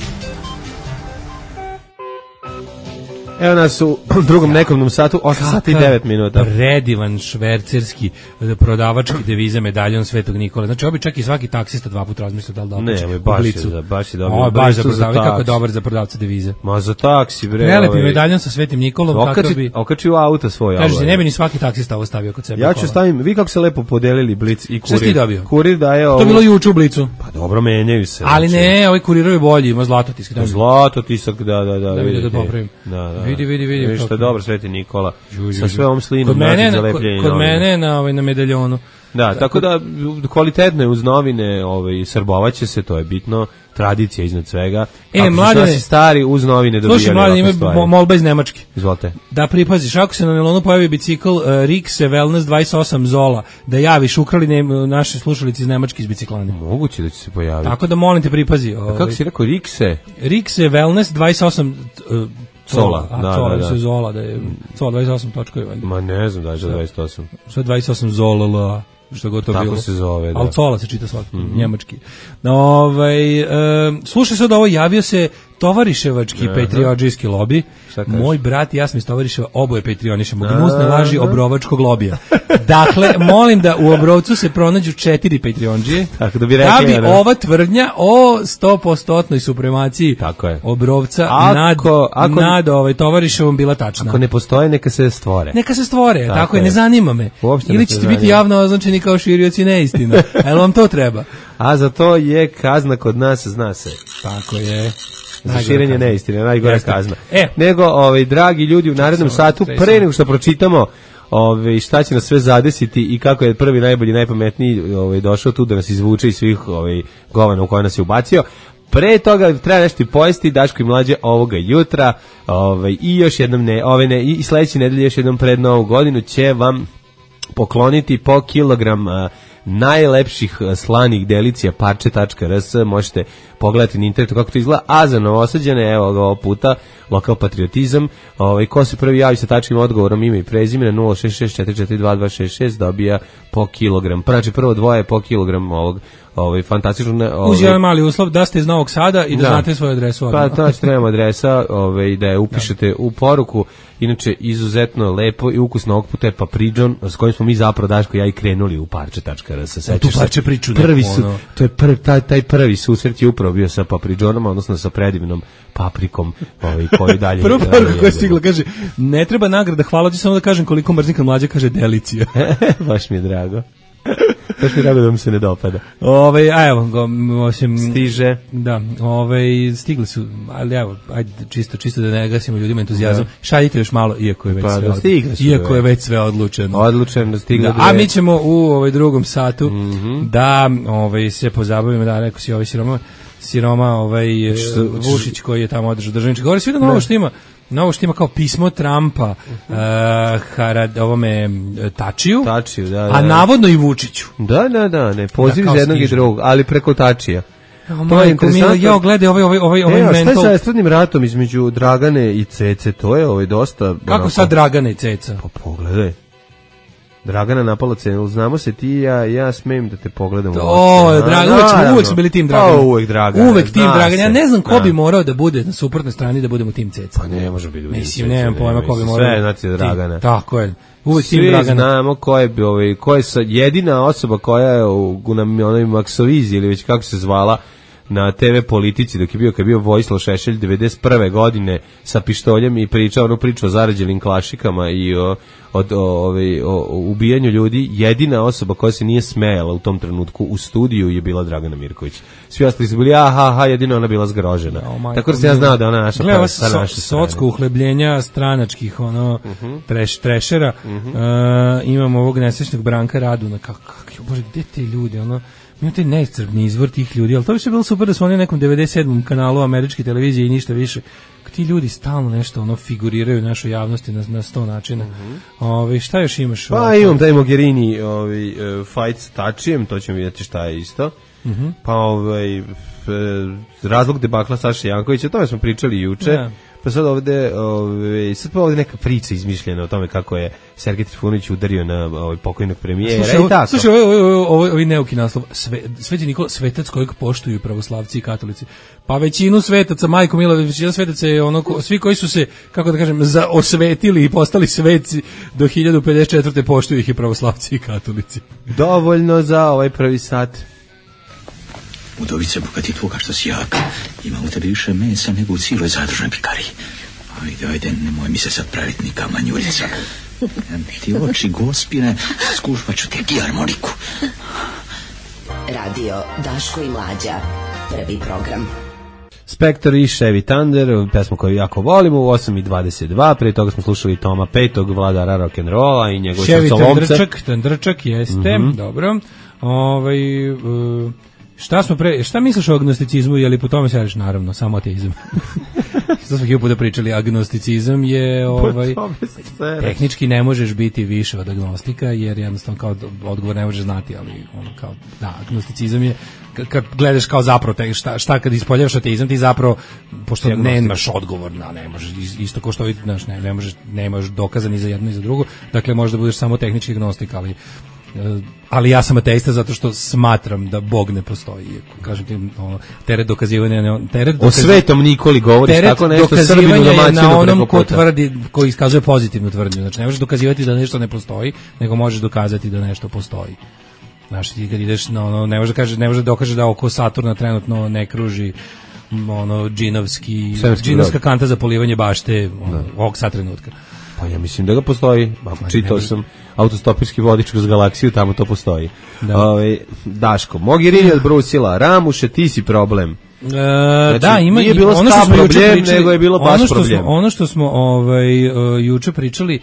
Evo nas u drugom nekomnom satu, osam sati i devet minuta. Predivan švercerski prodavački devize medaljon Svetog Nikole. Znači, obi čak i svaki taksista dva puta razmislio da li da okače ne, baš je za, baš je dobro. O, baš za prodavca, kako je dobar za prodavca devize. Ma za taksi, bre. Prelepi ovaj, medaljon sa Svetim Nikolom, okači, kako bi... Okači u auto svoj. Kažete, ne bi ni svaki taksista ovo stavio kod sebe. Ja ću stavim, vi kako se lepo podelili Blic i Kurir. Šta si ti dobio? Kurir daje ovo... To bilo juče u Blicu. Pa dobro, menjaju se. Ali ne, ovaj Kurirovi je bolji, ima zlatotisk. Zlatotisak, da, da, da. Da vidi da popravim. Da, da. Vidi, vidi, vidi. Što je dobro, Sveti Nikola, sa sve ovom slinom nađe za lepljenje. Kod mene na, ovaj, na medaljonu. Da, tako, tako da kvalitetne uz novine ovaj, srbovaće se, to je bitno, tradicija iznad svega. E, ako mladine, su nasi stari uz novine dobijali slušaj, mladine, ima molba iz Nemačke. Izvolite. Da pripaziš, ako se na nelonu pojavi bicikl uh, Rikse Wellness dvadeset osam Zola, da javiš, ukrali ne, naše slušalice iz Nemačke iz biciklane. Moguće da će se pojaviti. Tako da molim te pripazi. Ovaj. A kako si rekao, Rikse? Rikse Wellness dvadeset osam uh, Zola, a, da, Zola, da, da. Se Zola, da je Zola dvadeset osam točkovi valjda. Ma ne znam da je dvadeset osam. Sve dvadeset osam Zola, što god to tako bilo. Tako se zove, da. Ali Zola se čita svaki, mm-hmm. njemački. No, ovaj, e, slušaj sad ovo, javio se tovariševački patriotijski lobi. Moj brat i ja sam iz Tovariševa, oboje patrionišemo. Gnusne laži obrovačkog lobija. Dakle, molim da u Obrovcu se pronađu četiri patrionđije. Tako da bi, rekli, da bi ne. ova tvrdnja o sto posto supremaciji tako je. Obrovca ako, nad, ako, nad ovaj, Tovariševom bila tačna. Ako ne postoje, neka se stvore. Neka se stvore, tako, tako je, ne zanima me. Uopšte ili ćete biti javno označeni kao širioci neistina. A jel vam to treba? A za to je kazna kod nas, zna se. Tako je. Za širenje neistine, najgora Jeste. kazna. E. Nego, ovaj, dragi ljudi, u narednom satu, pre nego što pročitamo ovaj, šta će nas sve zadesiti i kako je prvi, najbolji, najpametniji ovaj, došao tu da nas izvuče iz svih ovaj, govana u koje nas je ubacio, Pre toga treba nešto pojesti, Daško i Mlađe ovoga jutra, ovaj, i još jednom ne, ove ne, i sledeće nedelje još jednom pred Novu godinu će vam pokloniti po kilogram a, najlepših slanih delicija parče tačka r s, možete pogledati na internetu kako to izgleda, a za Novosađane, evo ga ovog puta, lokal patriotizam, ovaj, ko se prvi javi sa tačnim odgovorom ime i prezime na nula šest šest četiri četiri dva dva šest šest dobija po kilogram, znači prvo dvoje po kilogram ovog, ovaj, fantastično. Ovaj, uz jedan mali uslov da ste iz Novog Sada i da, da. znate svoju adresu odmah. Pa znači trebamo adresa, ovaj, da je upišete da. u poruku. Inače, izuzetno lepo i ukusno ovog puta je papridžon, s kojim smo mi zapravo, Daško, ja i krenuli u parče tačka r s. Tu parče priču prvi su, ono. To je prvi, taj, taj prvi susret je upravo bio sa papridžonom, odnosno sa predivnom paprikom, ovaj, koji dalje... Prvo poruka koja je stigla, kaže, ne treba nagrada, hvala ti, samo da kažem koliko mrzim kad Mlađa kaže delicija. Baš mi je drago. Baš mi je drago da mi se ne dopada. Ove, a evo, go, osim... Stiže. Da, ove, stigli su, ali evo, ajde, čisto, čisto da ne gasimo ljudima entuzijazam. Da. Šaljite još malo, iako je već, pa, sve, da, od, iako je već sve odlučeno. Odlučeno, da stiglo. Da, a mi ćemo u ovaj drugom satu mm-hmm. da ovaj, se pozabavimo, da rekao si ovaj siroma, siroma ovaj, što, Vušić koji je tamo održao državnički. Govori svi da novo što ima. Novo što ima kao pismo Trumpa uh, Harad, ovome Tačiju, Tačiju da, da, a navodno i Vučiću. Da, da, da, ne, poziv da, iz jednog stižu. I drugog, ali preko Tačija. Oh, to je interesantno. Ja gledaj ovaj ovaj ovaj ovaj mental. Šta je sa estradnim ratom između Dragane i Cece? To je ovaj dosta. Kako onako, sad Dragana i Ceca? Pa pogledaj. Dragana napala cenu, znamo se ti ja, ja smem da te pogledam. O, Dragan, uvek, smo, uvek smo bili tim Dragana. O, uvek Dragana. Uvek tim Dragana. Ja ne znam ko bi morao da bude na suprotnoj strani da budemo tim Ceca. Pa ne može biti. Mislim, nemam pojma ko bi morao. Sve znači Dragana. Tako je. Uvek svi tim Dragana. Znamo ko je, ovaj, ko je sa, jedina osoba koja je u, u na onoj Maksovizi ili već kako se zvala na te ve politici dok je bio kad je bio Vojislav Šešelj devedeset prve godine sa pištoljem i pričao onu priču o zarađenim klašikama i o, o, o, o, o ubijanju ljudi, jedina osoba koja se nije smejala u tom trenutku u studiju je bila Dragana Mirković. Svi ostali su bili aha, aha, jedino ona bila zgrožena. Oh, tako da se ja znao da ona naša gleda so, naša socsko uhlebljenja stranačkih ono uh-huh. treš, trešera uh-huh. uh, imamo ovog nesrećnog Branka Raduna kako, kako, bože, gde te ljudi ono ima taj neiscrpni izvor tih ljudi, ali to bi se bilo super da su oni na nekom devedeset sedmom kanalu američke televizije i ništa više. Ti ljudi stalno nešto ono figuriraju u našoj javnosti na, na sto načina. Mm-hmm. Ove, šta još imaš? Pa ovaj, imam taj Mogherini ovaj, uh, fight s Tačijem, to ćemo vidjeti šta je isto. Mm-hmm. Pa ovaj, razlog debakla Saše Jankovića, o tome smo pričali juče. Ja. Pa sad ovde, ove, sad pa ovde neka priča izmišljena o tome kako je Sergej Trifunović udario na ovaj pokojnog premijera slušaj, i tako. Slušaj, ovo ovo ovo ovo neuki naslov. Sve, Sveti Nikola, svetac kojeg poštuju pravoslavci i katolici. Pa većinu svetaca, majko mila, većina svetaca je ono, svi koji su se, kako da kažem, za osvetili i postali sveci do hiljadu pedeset četvrte poštuju ih i pravoslavci i katolici. Dovoljno za ovaj prvi sat. Udovice, bogati tvoga što si jak, ima u tebi više mesa nego u cijeloj zadružnoj pikariji. Ajde, ajde, nemoj mi se sad praviti ni kamanjuljica. Ti oči gospine, skušvat ću te harmoniku. Radio Daško i Mlađa, prvi program. Spectre i Chevy Thunder, pesmu koju jako volimo, u osam i dvadeset dva, prije toga smo slušali Toma petog, vladara rock'n'rolla i njegov Chevy Thunderčak, Thunderčak, jeste, mm-hmm. dobro. Ovaj... Uh, Šta smo pre, šta misliš o agnosticizmu, je li po tome se radiš? Naravno, samo ateizam. Što smo hiljadu puta pričali, agnosticizam je ovaj, tehnički ne možeš biti više od agnostika, jer jednostavno kao odgovor ne možeš znati, ali ono kao, da, agnosticizam je, kad gledaš kao zapravo, te, šta, šta kad ispoljavaš ateizam, ti zapravo, pošto nemaš odgovor, na, ne možeš, isto kao što vidiš, ne, ne možeš, nemaš dokaza ni za jedno ni za drugo, dakle možda budeš samo tehnički agnostik, ali ali ja sam ateista zato što smatram da Bog ne postoji. Kažem ti, ono, teret dokazivanja, teret dokazivanja, o Svetom Nikoli govoriš tako nešto, Srbinu domaćinu na onom ko tvrdi, ko iskazuje pozitivnu tvrdnju. Znači ne možeš dokazivati da nešto ne postoji, nego možeš dokazati da nešto postoji. Znači ti kad ideš na ono, ne može da kaže, ne može da dokaže da oko Saturna trenutno ne kruži ono džinovski, džinovska kanta za polivanje bašte ono, ovog sad trenutka. Pa ja mislim da ga postoji. Čitao sam autostopirski vodič kroz galaksiju, tamo to postoji. Da. Ove, Daško, Mogherini odbrusila, Ramuše, ti si problem. E, znači, da, ima nije bilo ono što smo problem, pričali, nego je bilo baš ono što problem. Smo, ono što smo ovaj, uh, juče pričali,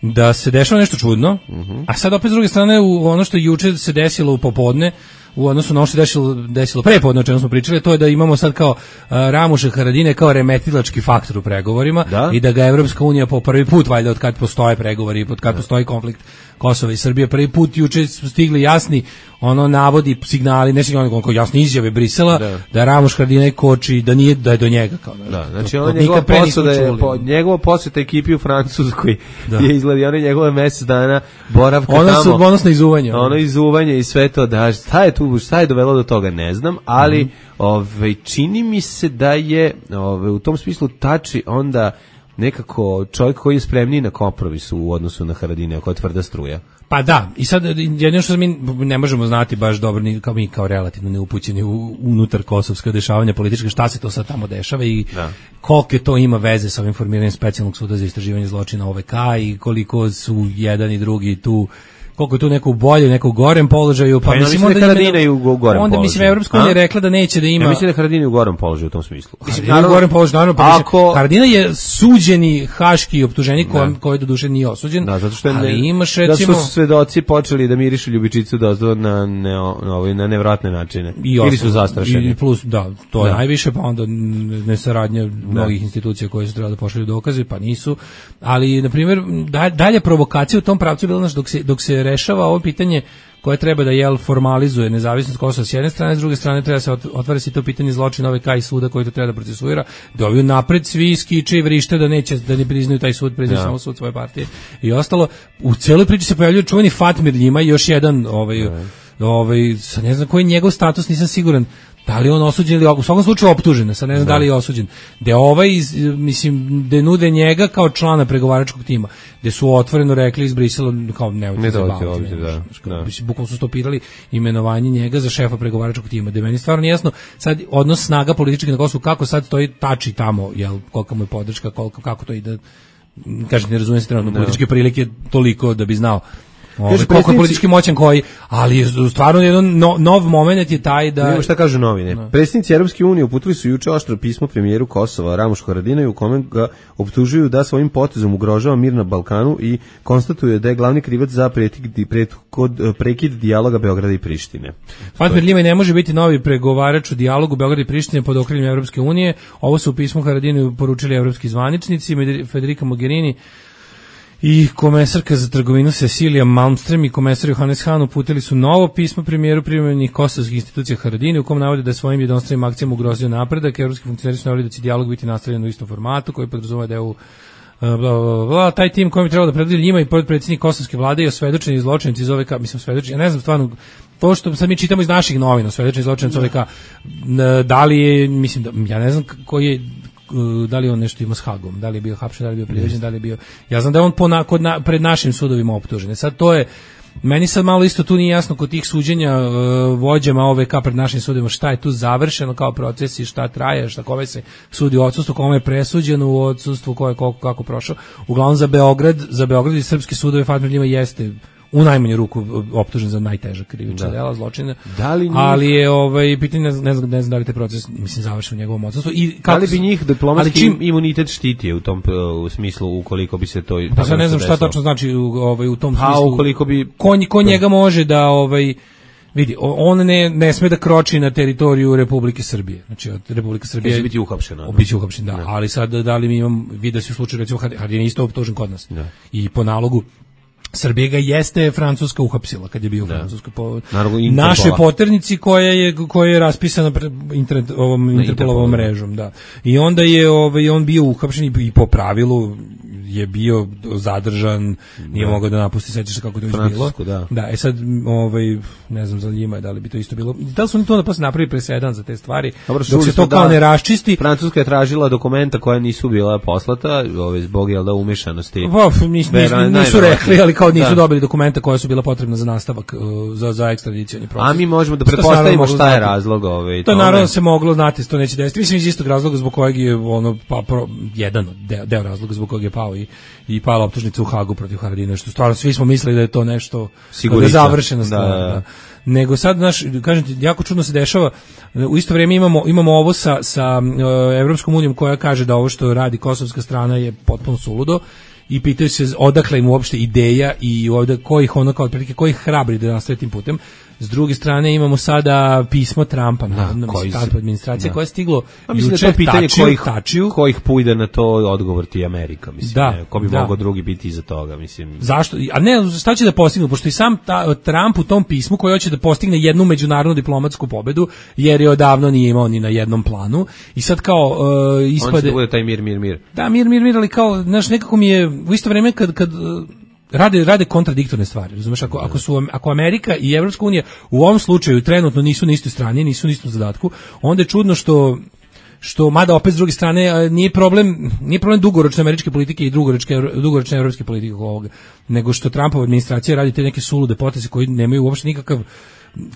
da se dešava nešto čudno, uh-huh. a sad opet s druge strane, u ono što juče se desilo u popodne, u odnosu na ono što se desilo, desilo prepodne o čemu smo pričali, to je da imamo sad kao uh, Ramuša Haradinaj kao remetilački faktor u pregovorima da? I da ga Evropska unija po prvi put, valjda od kad postoje pregovori, od kad da. Postoji konflikt Kosova i Srbije, prvi put juče su stigli jasni ono navodi, signali, ne signali, ono jasne izjave Brisela, da, da Ramuš Haradinaj koči, da nije, da je do njega kao da. Da, znači ono njegova posjeta je po, njegova posjeta ekipi u Francuskoj da. Je izgleda one njegove mjesec dana boravka ono tamo. Su bonusno izuvanje. Ono, ono izuvanje i sve to da šta je tu, šta je dovelo do toga ne znam, ali mm. ovaj čini mi se da je ovaj u tom smislu tači onda nekako čovjek koji je spremniji na kompromis u odnosu na Haradinaja, koja je tvrda struja. Pa da, i sad jedino što mi ne možemo znati baš dobro, ni kao mi kao relativno neupućeni u unutar kosovska dešavanja politička, šta se to sad tamo dešava i da. Koliko to ima veze sa ovim formiranjem specijalnog suda za istraživanje zločina O V K i koliko su jedan i drugi tu, koliko je tu neko u boljem, neko u gorem položaju, pa, pa mislim onda da Haradinaj u gorem položaju. Onda mislim Evropska unija je rekla da neće da ima. Ja mislim da Haradinaj u gorem položaju u tom smislu. Mislim naravno u gorem položaju, naravno, pa ako Haradinaj je suđeni haški optuženik koji koji doduše nije osuđen. Da, zato što ali ne, imaš recimo da su svedoci počeli da mirišu ljubičicu dozdo na ne, na ovaj na nevratne načine. I ili su zastrašeni. I plus da, to da. Je najviše, pa onda nesaradnja mnogih institucija koje su trebale da pošalju dokaze, pa nisu. Ali na primjer dalje provokacija u tom pravcu bila dok se dok se rešava ovo pitanje koje treba da jel formalizuje nezavisnost Kosova s jedne strane, s druge strane treba se otvara se to pitanje zločina O V K i suda koji to treba da procesuira, da ovi napred svi skiče i vrište da neće da ne priznaju taj sud, priznaju ja. Samo sud svoje partije i ostalo. U celoj priči se pojavljuje čuveni Fatmir Ljima i još jedan ovaj ja. ovaj sa ne znam koji je njegov status, nisam siguran. Da li on osuđen ili u svakom slučaju optužen, sad ne znam da, da li je osuđen. Da ovaj, mislim, da nude njega kao člana pregovaračkog tima, gde su otvoreno rekli iz Brisela kao ne ne dođe ovdje, da. da. Bukvalno su stopirali imenovanje njega za šefa pregovaračkog tima. Da meni stvarno nije jasno sad odnos snaga političkih na Kosovu, kako sad stoji tači tamo, jel, kolika mu je podrška, koliko, kako to ide, kažete, ne razumijem se trenutno, no. Političke prilike toliko da bi znao. Ove, koliko je politički moćan koji, ali je stvarno jedan no, nov moment je taj da... Vidimo šta kažu novine. No. Predsjednici Europske unije uputili su juče oštro pismo premijeru Kosova Ramušu Haradinaju u kome ga optužuju da svojim potezom ugrožava mir na Balkanu i konstatuje da je glavni krivac za prekid, prekid dijaloga Beograda i Prištine. Fatmir Ljimaj ne može biti novi pregovarač u dijalogu Beograda i Prištine pod okriljem Europske unije. Ovo su u pismu Haradinaju poručili evropski zvaničnici, Federica Mogherini i komesarka za trgovinu Cecilija Malmström i komesar Johannes Hahn uputili su novo pismo premijeru privremenih kosovskih institucija Haradinaj u kom navode da svojim jednostranim akcijama ugrozio napredak. Evropski funkcioneri su naveli da će dijalog biti nastavljen u istom formatu koji podrazumeva da je u bla, bla, bla, bla. Taj tim koji bi trebalo da predvodi Ljima i podpredsjednik kosovske vlade i osvedočeni zločinci iz O V K, mislim osvedočeni, ja ne znam stvarno, to što sad mi čitamo iz naših novina, osvedočeni zločinci O V K, da li je, mislim da, ja ne znam koji je, da li on nešto ima s Hagom, da li je bio hapšen, da li je bio priveđen, da li je bio, ja znam da je on po na, kod na, pred našim sudovima optužen. Sad to je, meni sad malo isto tu nije jasno kod tih suđenja uh, vođama O V K pred našim sudovima šta je tu završeno kao proces i šta traje, šta kome se sudi u odsustvu, kome je presuđeno u odsustvu, ko je koliko kako prošao. Uglavnom za Beograd, za Beograd i srpski sudovi Fatmir Ljima jeste u najmanju ruku optužen za najteža krivična dela, zločina. Da li njih... Ali je ovaj pitanje, ne znam, ne znam da li taj proces mislim završen u njegovom odsustvu i kako da li bi njih diplomatski čim... imunitet štitio u tom u smislu ukoliko bi se to pa sad ne znam šta tačno znači u, ovaj u tom smislu. A ukoliko bi ko, ko njega može da ovaj vidi, on ne ne sme da kroči na teritoriju Republike Srbije. Znači od Republike Srbije će biti uhapšen. Biće uhapšen, da. Ne. Ali sad da li mi imamo vidi se u slučaju recimo Haradinaj isto optužen kod nas. Ne. I po nalogu Srbija ga jeste Francuska uhapsila kad je bio u Francuskoj po našoj poternici koja je koja je raspisana internet ovom Interpolovom mrežom, da. I onda je ovaj on bio uhapšen i po pravilu je bio zadržan, nije da. mogao da napusti, sećaš se kako to je bilo. Da. da, e sad ovaj ne znam za Ljima da li bi to isto bilo. Da li su oni to da posle napravili presedan za te stvari? Dobro, dok se to kao da, ne raščisti. Francuska je tražila dokumenta koja nisu bila poslata, ovaj zbog jel da umešanosti. Pa nisu, nisu, nisu rekli, ali kao nisu da. dobili dokumenta koja su bila potrebna za nastavak uh, za za ekstradicioni proces. A mi možemo da pretpostavimo šta je razlog ovaj. To naravno se moglo znati, to neće desiti. Mislim iz istog razloga zbog kojeg je ono pa pro, jedan deo, deo razloga zbog kojeg je pao i i pala optužnica u Hagu protiv Haradinaja, što stvarno svi smo mislili da je to nešto da završena stvar, da, da. Da. Nego sad naš, kažem ti, jako čudno se dešava. U isto vrijeme imamo imamo ovo sa sa uh, Evropskom unijom koja kaže da ovo što radi kosovska strana je potpuno suludo i pitaju se odakle im uopšte ideja i ovde kojih ono kao otprilike kojih hrabri da nastave tim putem. S druge strane imamo sada pismo Trumpa, Da, navodno, koji mislim, se- Trumpova administracija da. koja je stiglo A mislim da juče, je to pitanje tačiju, kojih, tačiju. kojih pujde na to odgovor ti Amerika, mislim. Da, ne, ko bi da. mogao drugi biti iza toga, mislim. Zašto? A ne, šta će da postignu? Pošto i sam ta, Trump u tom pismu koji hoće da postigne jednu međunarodnu diplomatsku pobedu, jer je odavno nije imao ni na jednom planu. I sad kao uh, On će ispade... da bude taj mir, mir, mir. Da, mir, mir, mir, ali kao, znaš, nekako mi je u isto vrijeme kad, kad uh, rade, rade kontradiktorne stvari, razumeš, ako, ako, su, ako Amerika i Evropska unija u ovom slučaju trenutno nisu na istoj strani, nisu na istom zadatku, onda je čudno što što mada opet s druge strane a, nije problem nije problem dugoročne američke politike i dugoročne dugoročne evropske politike oko ovoga, nego što Trumpova administracija radi te neke sulude poteze koji nemaju uopšte nikakav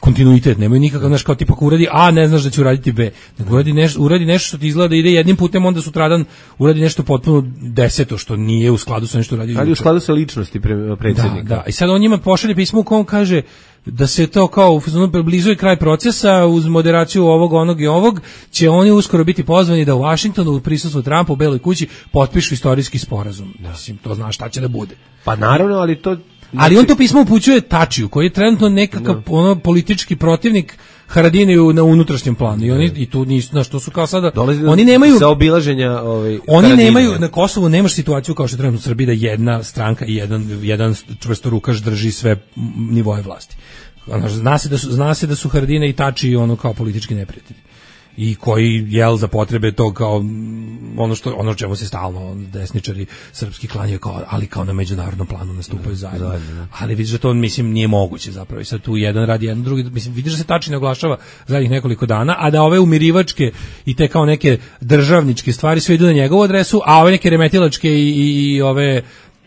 kontinuitet, nemaju nikakav, znaš, kao tipa ako uradi A, ne znaš da će uraditi B, nego uradi nešto, uradi nešto što ti izgleda da ide jednim putem, onda sutradan uradi nešto potpuno deseto, što nije u skladu sa nešto uradio. Ali u skladu sa ličnosti pre, predsjednika. Da, da, i sad on njima pošalje pismo u kom kaže da se to kao u fazonu blizu je kraj procesa, uz moderaciju ovog, onog i ovog, će oni uskoro biti pozvani da u Vašingtonu u prisustvu Trumpa u Beloj kući potpišu istorijski sporazum. Mislim, to zna šta će da bude. Pa naravno, ali to... Ali on to pismo upućuje Tačiju, koji je trenutno nekakav no. ono politički protivnik Haradiniju na unutrašnjem planu. I oni i tu nisu, znaš, to su kao sada Dolazi oni nemaju sa obilaženja ovaj Oni Haradinija. nemaju na Kosovu nemaš situaciju kao što je trenutno u Srbiji da jedna stranka i jedan jedan čvrstorukaš drži sve nivoe vlasti. Ono, zna se da su zna se da su Haradina i Tači ono kao politički neprijatelji. I koji jel za potrebe tog kao ono što ono čemu se stalno desničari srpski klanjaju kao ali kao na međunarodnom planu nastupaju zajedno. zajedno ali vidiš da to mislim nije moguće zapravo. I sad tu jedan radi jedan drugi, mislim vidiš da se Tači ne oglašava zadnjih nekoliko dana, a da ove umirivačke i te kao neke državničke stvari sve idu na njegovu adresu, a ove neke remetilačke i, i, i ove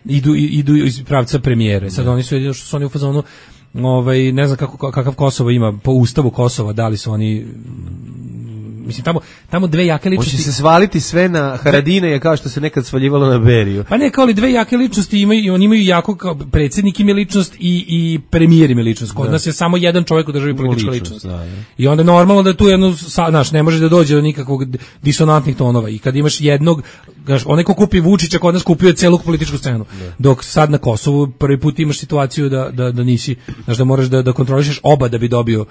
idu idu iz pravca premijere. Sad oni su jedino što su oni u fazonu ovaj ne znam kako kakav Kosovo ima po ustavu Kosova, da li su oni mislim tamo tamo dve jake ličnosti. Hoće se svaliti sve na Haradina je kao što se nekad svaljivalo na Beriju. Pa ne, kao li dve jake ličnosti imaju i oni imaju jako kao predsjednik im je ličnost i i premijer im je ličnost. Kod da. nas je samo jedan čovjek u državi politička ličnost. ličnost. Da, da. I onda normalno da tu jedno znaš, ne može da dođe do nikakvog disonantnih tonova. I kad imaš jednog, znaš, onaj ko kupi Vučića kod nas kupio celu političku scenu. Da. Dok sad na Kosovu prvi put imaš situaciju da da da nisi, znaš, da moraš da da kontrolišeš oba da bi dobio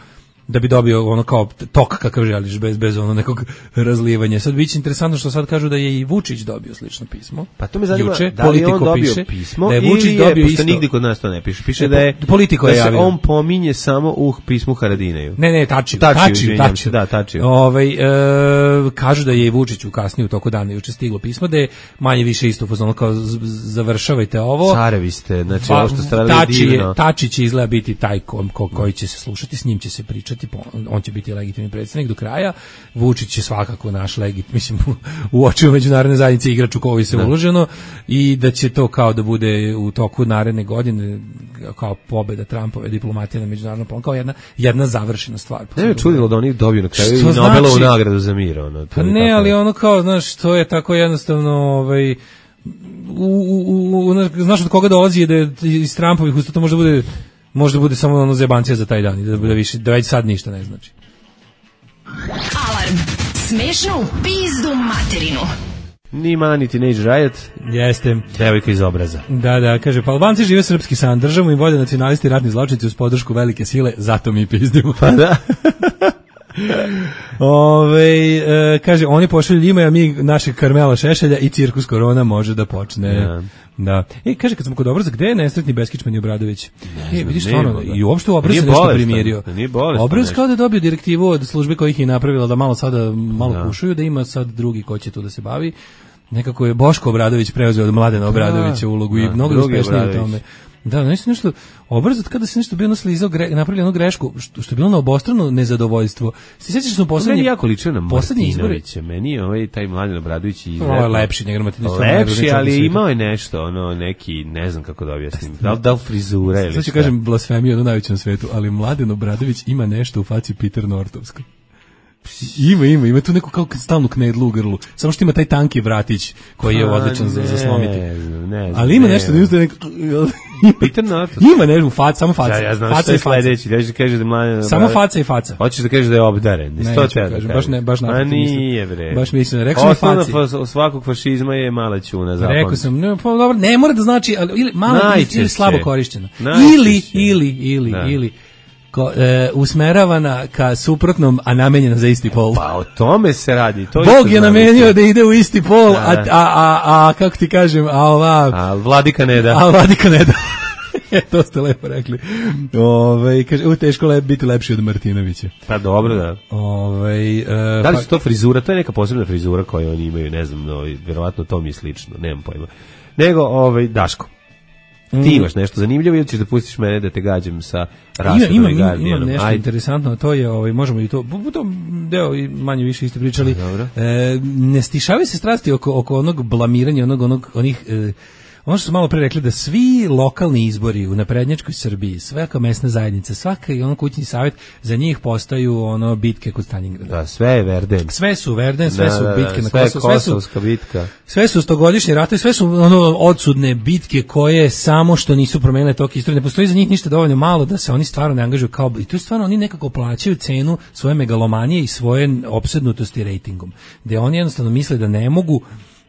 da bi dobio ono kao tok kakav želiš bez bez ono nekog razlivanja. Sad biće interesantno što sad kažu da je i Vučić dobio slično pismo. Pa to me zanima, Juče, da li on dobio piše, pismo da je Vučić ili dobio je, isto. Nigdje kod nas to ne piše. Piše e, da je Politiko da je se javio. on pominje samo u pismu Haradinaju. Ne, ne, Tačiju, Tačiju, Tačiju, Tačiju. Da, Tačiju. Ovaj e, kažu da je i Vučić u kasnije u toku dana juče stiglo pismo da je manje više isto fazon kao završavajte ovo. Carevi ste, znači pa, ovo što ste radili divno. Tači će izgleda biti taj ko, ko, koji će se slušati, s njim će se pričati, on će biti legitimni predsjednik do kraja. Vučić je svakako naš legit, mislim u, u očima međunarodne zajednice igrač u koji se da. uloženo i da će to kao da bude u toku naredne godine kao pobeda Trumpove diplomatije na međunarodnom planu, kao jedna jedna završena stvar. Ne me čudilo da oni dobiju na kraju i Nobelovu znači, nagradu za mir. Ono, pa ne, tako. Ali ono kao, znaš, to je tako jednostavno ovaj, u, u, u, znaš od koga dolazi da je iz Trumpovih usta to možda bude možda bude samo ono zebancija za taj dan i da, da, više, da već sad ništa ne znači. Alarm. Smešnu pizdu materinu. Ni Mani Teenage Riot. Jeste. Devojka iz obraza. Da, da, kaže, pa Albanci žive srpski san, državu im vode nacionalisti i ratni zločinci uz podršku velike sile, zato mi pizdimo. Pa da. Ove, e, kaže, oni pošalju njima, a mi našeg Karmela Šešelja i cirkus korona može da počne. Ja. Da. E, kaže, kad smo kod obraza, gde je nesretni Beskičman i Obradović? Ne e, vidiš stvarno, i uopšte u obraz se nešto primirio. Obraz kao da je dobio direktivu od službe kojih je napravila da malo sada malo da. kušuju, da ima sad drugi ko će tu da se bavi. Nekako je Boško Obradović preuzeo od Mladena Obradovića ulogu da, i mnogo uspešnije u tome. Da, nešto nešto obrazat kada se nešto bio naslizao, gre, napravili onu grešku što, što je bilo na obostrano nezadovoljstvo. Se sjećaš smo poslednji meni jako liči na Martinovića, meni je ovaj taj Mladen Obradović i ovo je lepši nego Martinović. Lepši, ali imao je nešto, ono neki, ne znam kako da objasnim. Da li da frizura ili šta. Sad ću kažem blasfemiju ono najveće na svetu, ali Mladen Obradović ima nešto u faci Peter Nortovskog. Ima, ima, ima tu neku kao stalnu knedlu u grlu. Samo što ima taj tanki vratić koji je odličan za, za slomiti. Ne znam, ne znam. Ali ima nešto, ne znam, Peter Norton. Ima nešto, faca, samo faca. Ja, ja znam faca što je sledeći, da će kažeš da mladen. Samo faca i faca. Hoćeš da kažeš da je obdaren. Ne, neću kažem, baš ne, baš naprotiv. Ma nije bre. Baš mislim, rekao sam faci. Osnova svakog fašizma je mala ćuna, zapamti. Rekao sam, ne, pa dobro, ne mora da znači, ali ili malo ili slabo korišćeno. Ili, ili, ili, ili ko, e, usmeravana ka suprotnom, a namenjena za isti pol. Pa o tome se radi. To Bog je namenio da ide u isti pol, a, a, a, a kako ti kažem, a ova... A vladika ne da. A vladika ne da. E, to ste lepo rekli. Ove, kaže, u teško lep, biti lepši od Martinovića. Pa dobro, da. Ove, e, da li pa, su to frizura? To je neka posebna frizura koju oni imaju, ne znam, no, vjerovatno to mi je slično, nemam pojma. Nego, ovaj, Daško, ti mm. imaš nešto zanimljivo ili ćeš da pustiš mene da te gađam sa Rastom Ima, i ima, Guardianom? imam nešto Ajde. interesantno, to je, ovaj, možemo i to, bu, to deo i manje više isto pričali. Dobro. E, ne stišavaju se strasti oko, oko onog blamiranja, onog, onog, onih... E, ono što su malo pre rekli, da svi lokalni izbori u naprednjačkoj Srbiji, svaka mesna zajednica, svaka i ono kućni savjet, za njih postaju ono bitke kod Stalingrada. Da, sve je Verden. Sve su Verden, sve da, su da, bitke da, na sve Kosovu, sve su Kosovska bitka. Sve su stogodišnji ratovi, sve su ono odsudne bitke koje samo što nisu promenile tok istorije. Ne postoji za njih ništa dovoljno malo da se oni stvarno ne angažuju kao, i to je stvarno oni nekako plaćaju cenu svoje megalomanije i svoje opsednutosti rejtingom. Gde oni jednostavno misle da ne mogu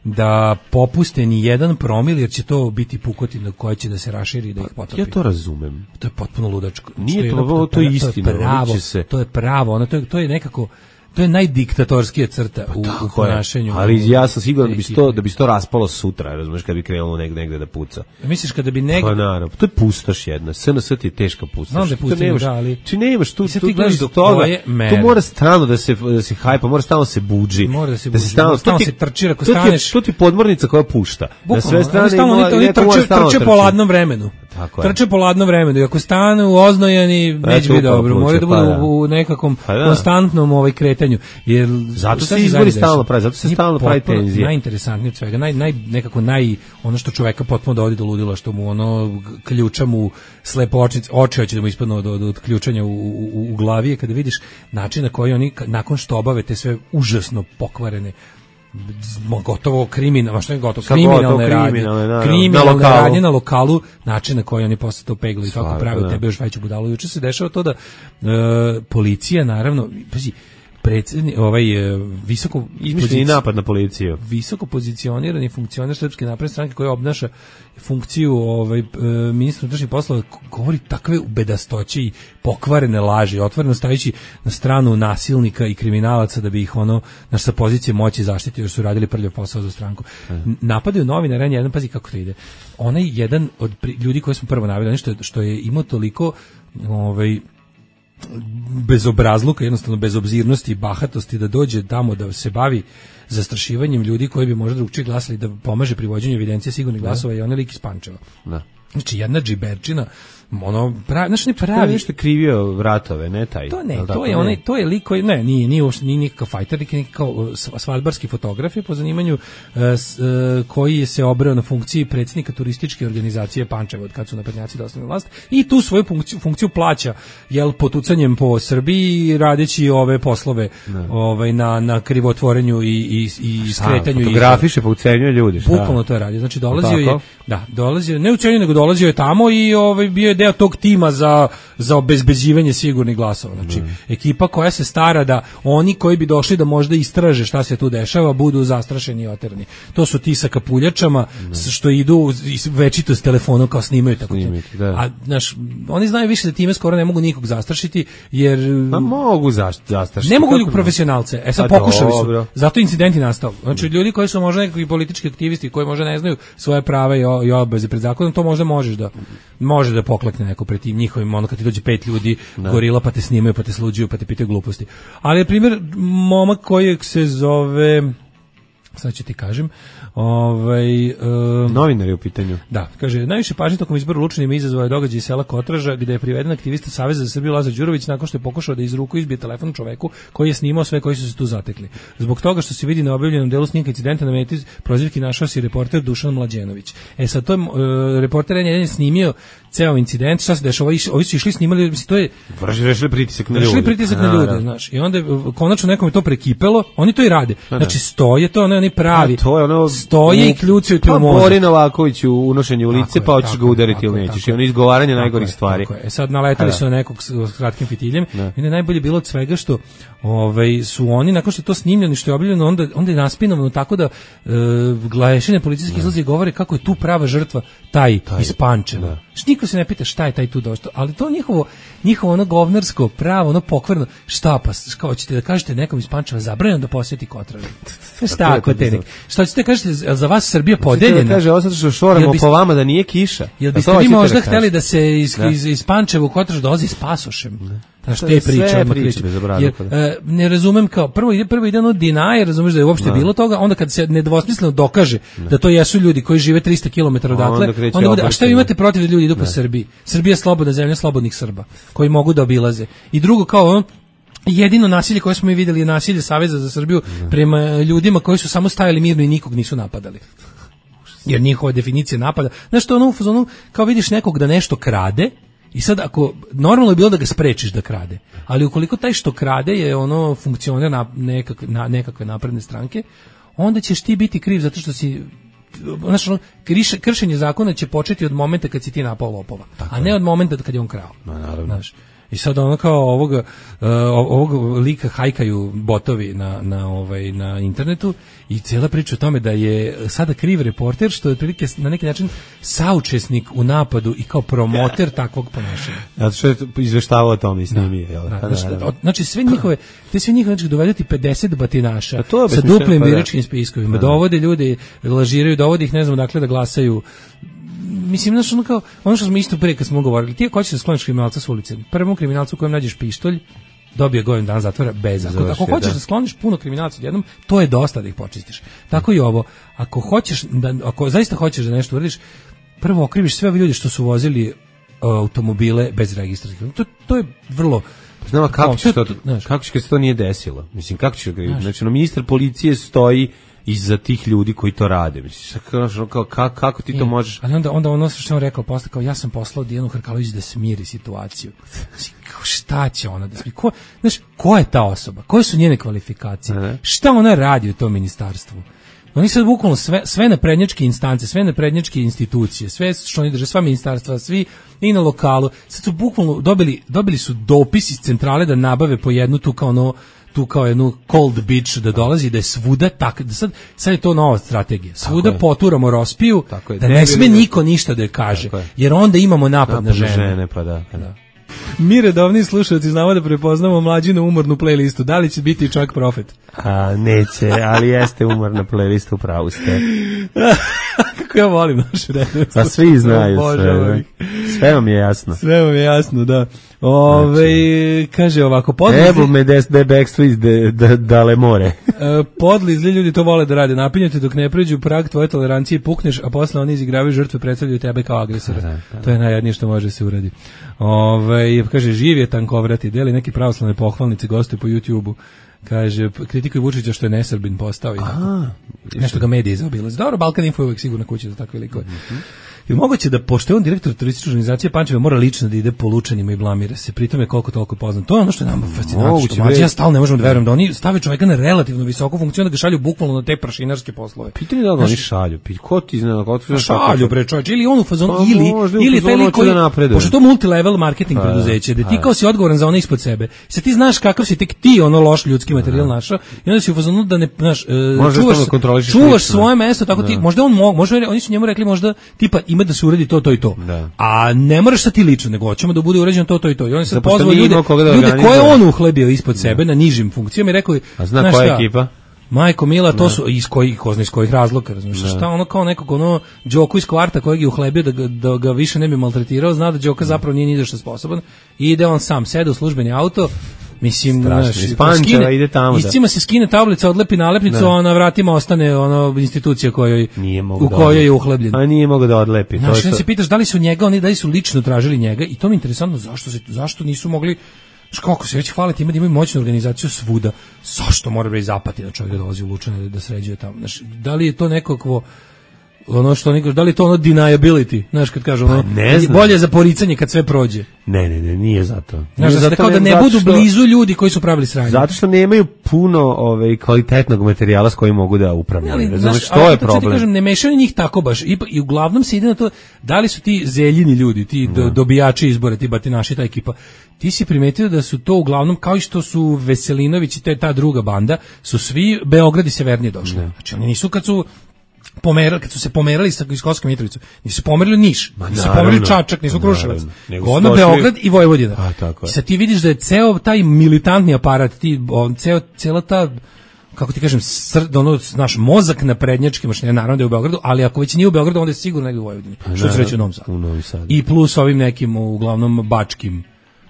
da popuste ni jedan promil, jer će to biti pukotina koja će da se raširi i da ih potopi. Ja to razumem. To je potpuno ludačko. Nije to, to, to, to je istina. To je pravo, se... to je pravo, ono, to, je, to je nekako... To je najdiktatorskija crta u, u ponašanju. Ali ja sam siguran da bi to da bi to raspalo sutra, razumeš, kad bi krenulo negde negde da puca. Misliš kada bi negde... Pa naravno, to je pustoš jedna. S N S ti je teška pustoš. Znam da je pustoš, da, ali... Ti nemaš tu, tu, ti gledaš do toga, toga, tu mora stalno da se, da se hajpa, mora stalno se buđi. Mora da se da buđi, se stalno, stalno ti, se trčira, ako to staneš... To ti je podmornica koja pušta. Bukvalno, na sve strane stalno, ima, oni, neko trče, mora stalno trče trči. po ladnom vremenu. Tako je. Trče po ladnom vremenu i ako stanu oznojeni, neće biti dobro. Moraju da budu u, u nekakvom pa da. konstantnom ovaj kretanju. Jer zato se izbori stalno pravi, zato se stalno pravi tenzija. Najinteresantnije od svega, naj, naj, nekako naj, ono što čoveka potpuno dovodi do ludila, što mu ono ključa mu slepo oči, oči hoće da mu ispadnu od, od, od ključanja u, u, u glavi, je kada vidiš način na koji oni, nakon što obave te sve užasno pokvarene, gotovo kriminalno, što je gotovo, kriminalne radnje, kriminalne radnje na lokalu, način na koji oni posle to peglaju i tako prave tebe još veću budalu. Juče se dešava to da e, policija, naravno, pazi, predsjedni, ovaj e, visoko izmišljeni napad na policiju. Visoko pozicionirani funkcioner Srpske napredne stranke koji obnaša funkciju ovaj e, ministra unutrašnjih poslova govori takve bedastoće i pokvarene laži, otvoreno stajući na stranu nasilnika i kriminalaca da bi ih ono naš sa pozicije moći zaštitio jer su radili prljav posao za stranku. Hmm. Napadaju novinare, jedan pazi kako to ide. Onaj jedan od pri, ljudi koje smo prvo naveli, što je, što je imao toliko ovaj bezobrazluka, jednostavno bezobzirnosti i bahatosti da dođe tamo da se bavi zastrašivanjem ljudi koji bi možda drugčije glasali, da pomaže pri vođenju evidencije sigurnih glasova i onaj lik iz Pančeva. Da. Znači jedna džiberčina, ono pravi, znači ne pravi. To je nešto krivio vratove, ne taj. To ne, to je onaj, to je lik koji ne, nije nije nije nikakav fajter, lik je kao svadbarski fotograf po zanimanju s, koji se obreo na funkciji predsjednika turističke organizacije Pančeva od kad su naprednjaci došli na vlast i tu svoju funkciju, funkciju plaća jel potucanjem po Srbiji radeći ove poslove ne. ovaj na na krivotvorenju i i i skretanju i fotografiše pa ucenjuje ljudi. Bukvalno to radi. Znači dolazio je, da, dolazio, ne ucenjuje nego dolazio je tamo i ovaj bio je deo tog tima za za obezbeđivanje sigurnih glasova. Znači mm. ekipa koja se stara da oni koji bi došli da možda istraže šta se tu dešava budu zastrašeni i oterani. To su ti sa kapuljačama mm. što idu večito s telefonom kao snimaju tako. Snimiti, da. A znaš, oni znaju više da time skoro ne mogu nikog zastrašiti jer pa mogu zastrašiti. Ne mogu ljudi profesionalce. E sad pokušali su. Zato incidenti nastao. Znači ljudi koji su možda nekakvi politički aktivisti koji možda ne znaju svoje prava i, i obaveze pred zakonom, to možda možeš da može da poklekne neko pred tim njihovim, ono kad ti dođe pet ljudi, ne. gorila pa te snimaju, pa te sluđuju, pa te pitaju gluposti. Ali je primjer momak kojeg se zove, sad ću ti kažem, ovaj um, novinar je u pitanju. Da, kaže, najviše pažnje tokom izbora u Lučanima izazvao je događaj iz sela Kotraža gde je priveden aktivista Saveza za Srbiju Lazar Đurović nakon što je pokušao da iz ruku izbije telefon čoveku koji je snimao sve koji su se tu zatekli. Zbog toga što se vidi na objavljenom delu snimka incidenta na meti prozivki našao se reporter Dušan Mlađenović. E sad to je uh, reporter jedan je snimio ceo incident, šta se dešava, ovi su išli snimali, mislim to je vršili pritisak na ljude. Vršili pritisak na ljude, znaš. I onda konačno nekom je to prekipelo, oni to i rade. Znači stoje to, ne oni pravi. To je ono stoje i kljucaju ti u mozak. Pa Bori Novaković u unošenju u lice, pa hoćeš ga udariti ili nećeš. I ono izgovaranje najgorih stvari. E sad naletali su na nekog s kratkim fitiljem. I ne najbolje bilo od svega što ovaj, su oni, nakon što je to snimljeno, što je objavljeno, onda, onda je naspinovano tako da e, glešine policijski izlazi i govore kako je tu prava žrtva taj, taj iz Pančeva. Što niko se ne pita šta je taj tu došao, ali to njihovo, njihovo ono govnarsko pravo, ono pokvarno, šta pa, kao hoćete da kažete nekom iz Pančeva zabranjeno da posjeti Kotraru. Šta ako te nek, šta ćete kažete za vas Srbija podeljena? Kaže, ostati što šoramo po vama da nije kiša. Jel biste vi možda hteli da se iz, iz, iz Pančeva u Kotraru dolazi s pasošem? Znaš, te priče, odmah priče. Jer, e, ne razumem kao, prvo ide, prvo ide ono dinaje, razumeš da je uopšte da. bilo toga, onda kad se nedvosmisleno dokaže ne. da to jesu ljudi koji žive tristo kilometara odatle, onda, onda bude, a šta vi imate protiv da ljudi idu po Srbiji? Srbija je slobodna zemlja slobodnih Srba, koji mogu da obilaze. I drugo, kao ono, jedino nasilje koje smo mi vidjeli je nasilje Saveza za Srbiju ne. prema ljudima koji su samo stajali mirno i nikog nisu napadali. Jer njihova definicija napada, znaš što ono u fazonu, kao vidiš nekog da nešto krade, i sad ako normalno je bilo da ga sprečiš da krade, ali ukoliko taj što krade je ono funkcioner na nekakve, na nekakve napredne stranke, onda ćeš ti biti kriv zato što si, znači ono, kršenje zakona će početi od momenta kad si ti napao lopova, tako a ne od momenta kad je on krao. No, naravno. Znaš, i sad ono kao ovoga, uh, ovog lika hajkaju botovi na, na, ovaj, na internetu i cijela priča o tome da je sada kriv reporter što je otprilike na neki način saučesnik u napadu i kao promoter takvog ponašanja. Zato što je izveštavao o tome i snimio. Da, da, da, da, da. Znači sve njihove, te sve njihove znači, dovedeti pedeset batinaša sa duplim pa biračkim spiskovima, da, da. dovode ljude, lažiraju, dovode ih ne znam dakle da glasaju. Mislim, znaš, ono kao, ono što smo isto prije kad smo govorili, ti ako hoćeš da skloniš kriminalca s ulice, prvom kriminalcu u kojem nađeš pištolj, dobije godinu dana zatvora bez. Ako, ako hoćeš da. da skloniš puno kriminalaca odjednom, to je dosta da ih počistiš. Tako i ovo. Ako hoćeš da, ako zaista hoćeš da nešto uradiš, prvo okriviš sve ove ljudi što su vozili uh, automobile bez registracije. To, to je vrlo. Znamo kako ćeš to, kako ćeš kad se to nije desilo? Mislim, kako ćeš ga, znači, no, ministar policije stoji iza tih ljudi koji to rade. Mislim, kako, kako, kako ti to možeš? Ali onda, onda ono što je on rekao posle, kao ja sam poslao Dijanu Hrkalović da smiri situaciju. Znači, šta će ona da smiri? Ko, znaš, ko je ta osoba? Koje su njene kvalifikacije? Ne. Šta ona radi u tom ministarstvu? Oni sad bukvalno sve, sve naprednjačke instance, sve naprednjačke institucije, sve što oni drže, sva ministarstva, svi i na lokalu, sad su bukvalno dobili, dobili su dopis iz centrale da nabave po jednu tu kao ono, tu kao jednu cold bitch da dolazi, da je svuda tak, da sad, sad je to nova strategija. Svuda poturamo Rospiju, da ne sme niko ništa da je kaže, jer onda imamo napad, napad na žene. žene pa da, pa da. Mi redovni slušalci znamo da prepoznamo Mlađinu umornu playlistu. Da li će biti čak profet? A, neće, ali jeste umorna playlista, upravo ste. Kako ja volim našu redovnu. Pa svi znaju sve. Sve vam je jasno. Sve vam je jasno, da. Ove, znači, kaže ovako, podli... Evo me des de backstreet de, de, dale more. Podli zli ljudi to vole da rade. Napinjate dok ne pređu prag tvoje tolerancije, pukneš, a posle oni izigravaju žrtve, predstavljaju tebe kao agresora. Da, da. To je najjadnije što može se uradi. Ove, kaže, živ je tankovrati, deli neki pravoslavne pohvalnice, gostuje po YouTubeu. Kaže, kritikuj Vučića što je nesrbin postao i tako. Nešto ga mediji zaobilaze. Dobro, Balkan Info je uvijek sigurno kuća za takve likove. Mm-hmm. I moguće da, pošto je on direktor turističke organizacije Pančeva, mora lično da ide po Lučanima i blamira se, pritom je koliko toliko poznat. To je ono što je nama fascinantno. Mađi, ja stalno ne možemo da verujem da oni stave čovjeka na relativno visoku funkciju, da ga šalju bukvalno na te prašinarske poslove. Pitanje da ga oni šalju, ko ti zna, ko ti šalju bre čovjek, ili on u fazonu, pa, ili, ili taj lik koji, pošto to multilevel marketing a, preduzeće, da ti kao si odgovoran za one ispod sebe, se ti znaš kakav si tek ti ono loš ljudski materijal našao, i onda si u fazonu da ne, znaš, čuvaš, čuvaš svoje mesto, tako ti, možda on mogu, možda oni su njemu rekli možda tipa ima da se uredi to, to i to. Da. A ne moraš sa ti lično, nego hoćemo da bude uređeno to, to i to. I on se pozvao ljude, da ljude koje on uhlebio ispod sebe, da, na nižim funkcijama i rekao, a zna koja je ekipa? Majko Mila, to da. Su iz kojih, ko zna iz kojih razloga, razumiješ, šta ono kao nekog ono Đoku iz kvarta kojeg je uhlebio da ga, da ga više ne bi maltretirao, zna da Đoka zapravo nije ni za što sposoban i ide on sam, sede u službeni auto. Mislim, naš, iz Pančeva ide tamo. Iscima se skine tablica, odlepi nalepnicu, a na vratima ostane ono institucija kojoj u kojoj je uhlebljen. A nije mogao da odlepi. Znaš, to je se pitaš da li su njega, oni da li su lično tražili njega i to mi je interesantno zašto se zašto nisu mogli. Kako se već hvale time da imaju moćnu organizaciju svuda. Zašto mora biti zapati da čovjek dolazi u Lučane da sređuje tamo? Znaš, da li je to nekakvo ono što niko, da li to ono deniability, znaš kad kažu ono, pa bolje za poricanje kad sve prođe. Ne, ne, ne, nije zato. Znaš, zato kao da ne budu što, blizu ljudi koji su pravili sranje. Zato što nemaju puno ovaj kvalitetnog materijala s kojim mogu da upravljaju. Razumeš, što je problem? Ti kažem, ne mešaju njih tako baš. I, i uglavnom se ide na to da li su ti zeljini ljudi, ti do, dobijači izbora, ti batinaši, ta ekipa. Ti si primetio da su to uglavnom, kao i što su Veselinović i te, ta druga banda, su svi Beograd i severnije došli. Ne. Znači oni nisu kad su pomerali, kad su se pomerali sa iz Kosovske Mitrovice, nisu pomerili Niš, Ma, nisu naravno. pomerili Čačak, nisu Kruševac, Nego odmah došli- Beograd i Vojvodina. A, tako je. I sad ti vidiš da je ceo taj militantni aparat, ti, on, ceo, cela ta, kako ti kažem, sr, ono, naš mozak na prednjački mašine, naravno da je u Beogradu, ali ako već nije u Beogradu, onda je sigurno negdje u Vojvodini, što se reći u Novom Sadu. U Novom Sadu. I plus ovim nekim, uglavnom, bačkim,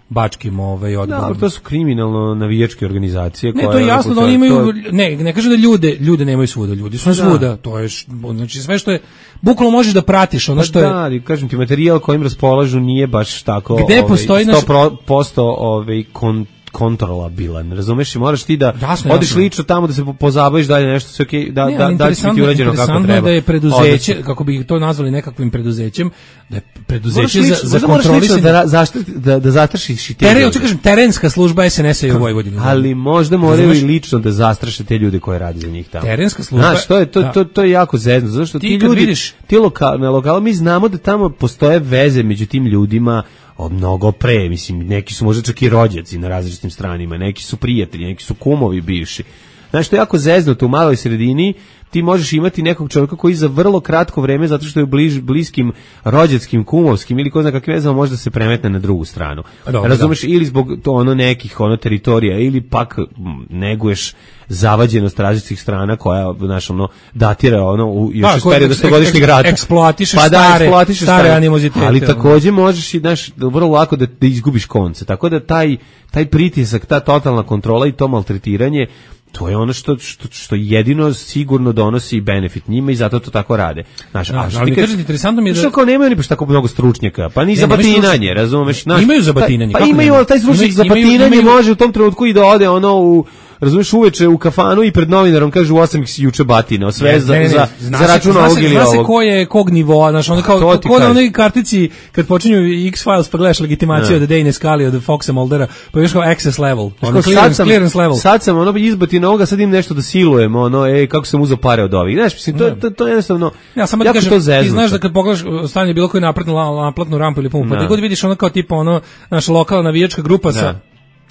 bačkim ovaj, odborom. Da, to su kriminalno navijačke organizacije. Ne, koje to je onako jasno da sad- oni imaju, to- ne, ne kažem da ljude, ljude nemaju svuda, ljudi su Da. svuda, to je, š- znači sve što je, bukvalno možeš da pratiš ono Pa što da, je, ali kažem ti, materijal kojim raspolažu nije baš tako Gde ovaj, postoji naš- sto posto ovaj, kon, kontrolabilan, razumeš? I moraš ti da Jasno, odiš jasno. lično tamo da se po- pozabaviš dalje nešto, sve okej, da, Ne, da, ali da će biti interesantno- urađeno kako interesantno je treba. da je preduzeće, Odlično. kako bi to nazvali nekakvim preduzećem, da je Moraš preduzeće lično- za, za možda moraš lično kontrolisanje. da, ra- zaštiti, da, da zatrašiš i te Teren, ljude. hoću kažem, terenska služba es en es-a je u Vojvodini. Ali možda moraju Razumeš? i lično da zastraše te ljude koji rade za njih tamo. Terenska služba- Znaš, to je, to, da. to, to je jako zezno, zato što Ti ti kad ljudi, vidiš- ti lokal, na lokalu, mi znamo da tamo postoje veze među tim ljudima od mnogo pre, mislim, neki su možda čak i rođaci na različitim stranima, neki su prijatelji, neki su kumovi bivši. Znaš, to je jako zeznuto u maloj sredini, ti možeš imati nekog čovjeka koji za vrlo kratko vreme, zato što je u bliž, bliskim rođačkim, kumovskim ili ko zna kakve vezama, može da se premetne na drugu stranu. Dobro, Razumeš, ili zbog to ono nekih ono teritorija, ili pak m, neguješ zavađenost različitih strana koja, znaš, ono, datira ono u, još Da, iz koja perioda eks- stogodišnjeg eks- rata. eksploatišeš Pa da, stare- eksploatišeš stare animozitete, ali ono. takođe možeš i, znaš, vrlo lako da, da izgubiš konce. Tako da taj, taj pritisak, ta totalna kontrola i to maltretiranje, to je ono što, što, što jedino sigurno donosi benefit njima i zato to tako rade. Znaš, Da, a što ali ti kažem kažeš- ti, interesantno mi je da- Što kao nemaju ni baš tako mnogo stručnjaka, pa ni Ne, za nemaju batinanje, stručnjaka. razumeš? Znaš, Imaju za pa- batinanje, Pa, kako imaju, nema? ali taj stručnjak Imaju- za imaju- batinanje imaju- može u tom trenutku i da ode ono u, razumeš, uveče u kafanu i pred novinarom kaže u osam ih si juče batinao, sve Ne, za, ne, ne, za, zna za se- račun zna se- ovog ili Zna se ovog. ko je kog nivoa, znaš, ono Pa, kao, to ti ko na kažem. onoj kartici, kad počinju X-Files pa gledaš legitimaciju Ne. od Dane Scully, od Foxa Muldera, pa još kao access level, Znaš, ono kao clearance, sad sam, clearance level. sad sam ono izbati na ovoga, sad im nešto da silujem, ono, ej, kako sam uzeo pare od ovih. Znaš, mislim, to, je- to, to je jednostavno, Ja samo ti jako kažem, to ti zeznuto. znaš da kad pogledaš uh, stanje bilo koju naplatnu, la- naplatnu rampu ili pumpu, pa Da. ti god vidiš ono kao tipa ono, naša lokalna navijačka grupa sa Da.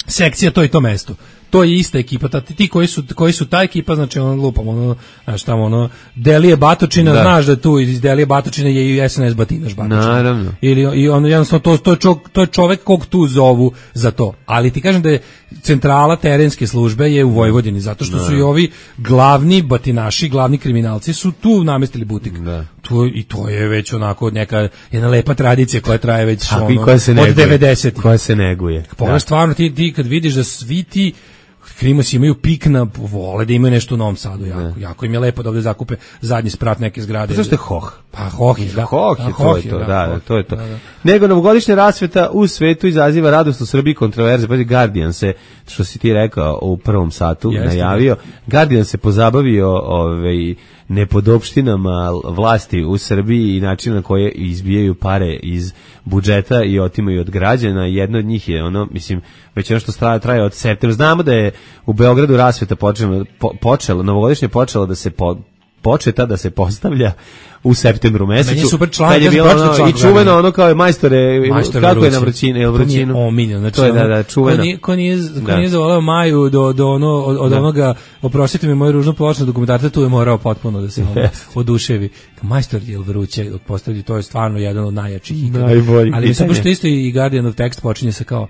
sekcija to i to mesto. To je ista ekipa, ta, ti koji su, koji su ta ekipa, znači ono lupam, ono, znaš tamo ono, Delije Batočina, Da. znaš da tu iz Delije Batočina je i es en es Batinaš Batočina. Naravno. Ili i ono jednostavno to to je čovjek, to je čovjek kog tu zovu za to. Ali ti kažem da je centrala terenske službe je u Vojvodini zato što su i ovi glavni batinaši, glavni kriminalci su tu namestili butik. Da. To i to je već onako neka jedna lepa tradicija koja traje već A ono, koja se od neguje. devedesetih. Koja se neguje. Pogledaš stvarno ti, ti kad vidiš da svi ti Krimosi imaju pik na vole da imaju nešto u Novom Sadu, jako, jako im je lepo da ovde zakupe zadnji sprat neke zgrade. Pa zašto je hoh? Pa hoh je, da. Hoh je, Da, to je to, da, da, hoh. to je to. Da, da. Nego novogodišnja rasveta u svetu izaziva radost u Srbiji, kontroverze, pa Guardian se, što si ti rekao u prvom satu, Jeste, najavio, Guardian se pozabavio ovaj, nepodopštinama vlasti u Srbiji i način na koje izbijaju pare iz budžeta i otimaju od građana. Jedno od njih je ono, mislim, već ono što traje, traje od septembra. Znamo da je u Beogradu rasveta počela, po, počela novogodišnje počela da se po, početa da se postavlja u septembru mesecu. Meni je super članak, kad je ja sam bilo pročitao ono, članak i čuveno Guardiana. ono kao je majstore, Majstore kako je vruće. na vrućini, je To mi je vrućinu? omiljeno, znači to je da, ono, da, čuveno. Ko nije, ko nije, ko Da. nije zavoleo Maju do, do, ono, od, od Da. onoga, oprostite mi moju ružnu pločnu dokumentarca, tu je morao potpuno da se ono, Jeste. oduševi. Majstor je vruće, dok postavlji, to je stvarno jedan od najjačih ikada. Najbolji. Ali mislim, Pitanje. pošto isto i Guardianov tekst počinje sa kao,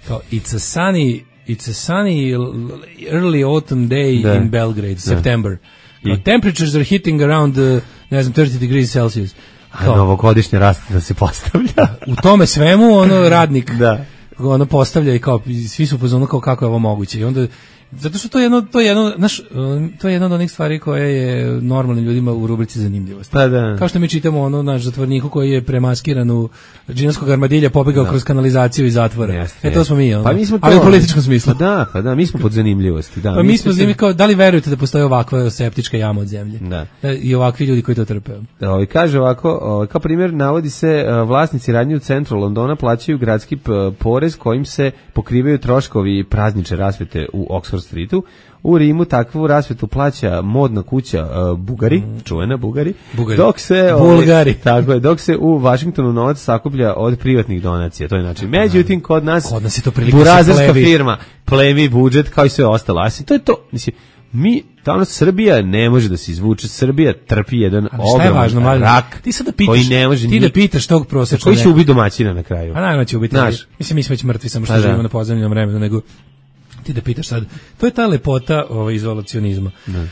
kao it's a sunny, it's a sunny early autumn day Da. in Belgrade, September. Kao, I- temperatures are hitting around, uh, ne znam, thirty degrees Celsius. A Kao, novogodišnja rasveta se postavlja. u tome svemu ono radnik Da. ono postavlja i kao i svi su pozvano kao kako je ovo moguće i onda zato što to je jedno to je jedno znaš, um, to je jedna od onih stvari koje je normalnim ljudima u rubrici zanimljivosti. Pa da. Kao što mi čitamo ono naš zatvorniku koji je premaskiran u džinovskog armadilja pobegao kroz kanalizaciju iz zatvora. Jeste, e to smo mi, ono. Pa mi smo to, ali u političkom smislu. Pa da, pa da, mi smo pod zanimljivosti, da. Pa mi smo zanimljivi kao da li verujete da postoji ovakva septička jama od zemlje? Da. I ovakvi ljudi koji to trpe. Da, ovaj kaže ovako, ovaj, kao primjer navodi se e, vlasnici radnje u centru Londona plaćaju gradski p- porez kojim se pokrivaju troškovi praznične rasvete u Oxford Streetu. U Rimu takvu rasvetu plaća modna kuća e, Bugari, čuvena Bugari, Bugari. dok se ovaj, Bulgari. tako je, dok se u Vašingtonu novac sakuplja od privatnih donacija, to je način. Međutim, kod nas Kod nas je to prilika burazerska se plevi. firma plemi budžet kao i sve ostalo. A to je to, mislim, mi, danas Srbija ne može da se izvuče, Srbija trpi jedan ogroman rak, ti sad da pitaš, koji ne može ti da pitaš tog prosječnog, koji će ubiti domaćina na kraju. A naravno će ubiti, mislim mi smo već mrtvi, samo što živimo na pozemljenom vremenu, nego ti da pitaš sad, to je ta lepota ovaj, izolacionizma. Ne.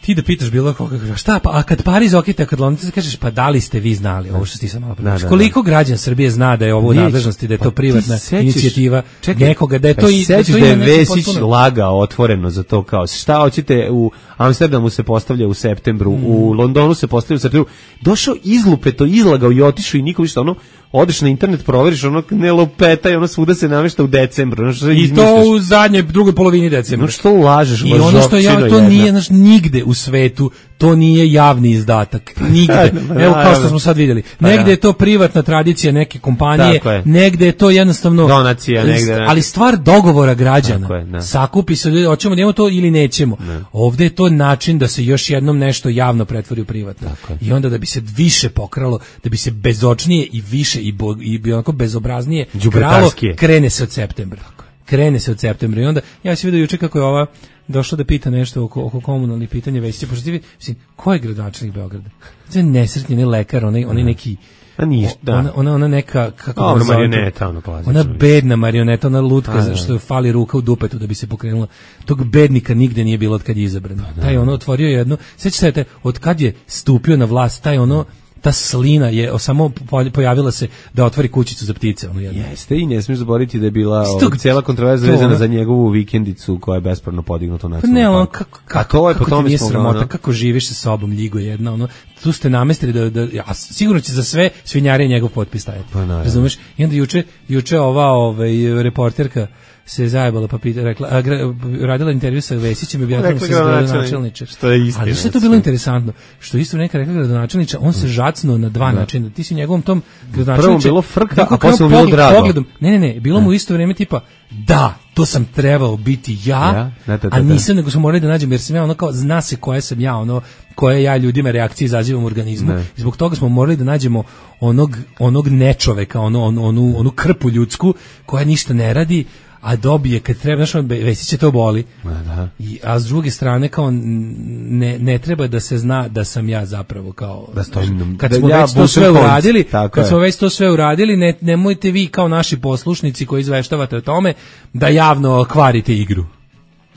Ti da pitaš bilo koga, šta, pa, a kad Pariz okita, kad London, kažeš, pa da li ste vi znali, ovo što ti sam malo pričao. Koliko građan Srbije zna da je ovo u nadležnosti, da je to privatna inicijativa nekoga, da je to i da je Vesić lagao otvoreno za to, kao šta hoćete, u Amsterdamu se postavlja u septembru, mm. u Londonu se postavlja u septembru, došao izlupeto, izlagao i otišao i nikom ništa, ono, odeš na internet, proveriš, ono ne lupeta i ono svuda se namešta u decembru. Ono što I to u zadnje, drugoj polovini decembra. No što lažeš? I ono što ja, to nije, znaš, nigde u svetu, to nije javni izdatak. Nigde. Evo kao što smo sad vidjeli. Negde je to privatna tradicija neke kompanije, negde je to jednostavno donacija, negde. Ali stvar dogovora građana. Je, sakupi se ljudi, hoćemo da imamo to ili nećemo. Ne. Ovde je to način da se još jednom nešto javno pretvori u privatno. I onda da bi se više pokralo, da bi se bezočnije i više i, bo, i onako bezobraznije kralo, krene se od septembra. Krene se od septembra i onda ja se vidio juče kako je ova došla da pita nešto oko, oko komunalnih pitanja Vesića, pošto ti vidi, mislim, ko je gradonačelnik Beograda? To je nesretni, ne lekar, onaj, onaj neki, a niš, da. ona, ona, ona neka, kako ona marioneta, ono klasično. Ona bedna marioneta, ona lutka, a, što fali ruka u dupetu da bi se pokrenula. Tog bednika nigde nije bilo od kad je izabran. Taj ono otvorio jedno, sećate, od kad je stupio na vlast, taj ono, ta slina je samo pojavila se da otvori kućicu za ptice, ono jedno. Jeste, i ne smiješ zaboraviti da je bila Stog, cijela kontroverza vezana za njegovu vikendicu koja je bespravno podignuta u nacionalnom ne, on, parku. Kako, kako, A to je kako po tome smo sramota, ono, kako živiš sa sobom, ljigo jedna, ono, tu ste namestili da, da ja, sigurno će za sve svinjare njegov potpis staviti. Pa, razumeš? I onda juče, juče ova ovaj, reporterka se zajebala pa pita, rekla, a, gra, radila intervju sa Vesićem i objavila se gradonačelniče. Što je istina. Ali što je to bilo interesantno? Što isto neka rekla gradonačelniča, on se žacnuo na dva načina. Ti si u njegovom tom gradonačelniče. Prvo bilo frka, a posle bilo drago. Pogledom, ne, ne, ne, bilo mu u isto vrijeme tipa, da, to sam trebao biti ja, ja da, da, da, a nisam, nego smo morali da nađemo, jer sam ja ono kao, zna se koja sam ja, ono, koje ja ljudima reakcije izazivam u organizmu. Ne. I zbog toga smo morali da nađemo onog, onog nečoveka, ono, onu, onu, onu krpu ljudsku koja ništa ne radi, a dobije kad treba, znaš, Vesić će to boli. Da. I, a s druge strane kao ne, ne treba da se zna da sam ja zapravo kao da stojim, kad smo ja već to sve uradili, kad je. smo već to sve uradili, ne, nemojte vi kao naši poslušnici koji izveštavate o tome da javno kvarite igru.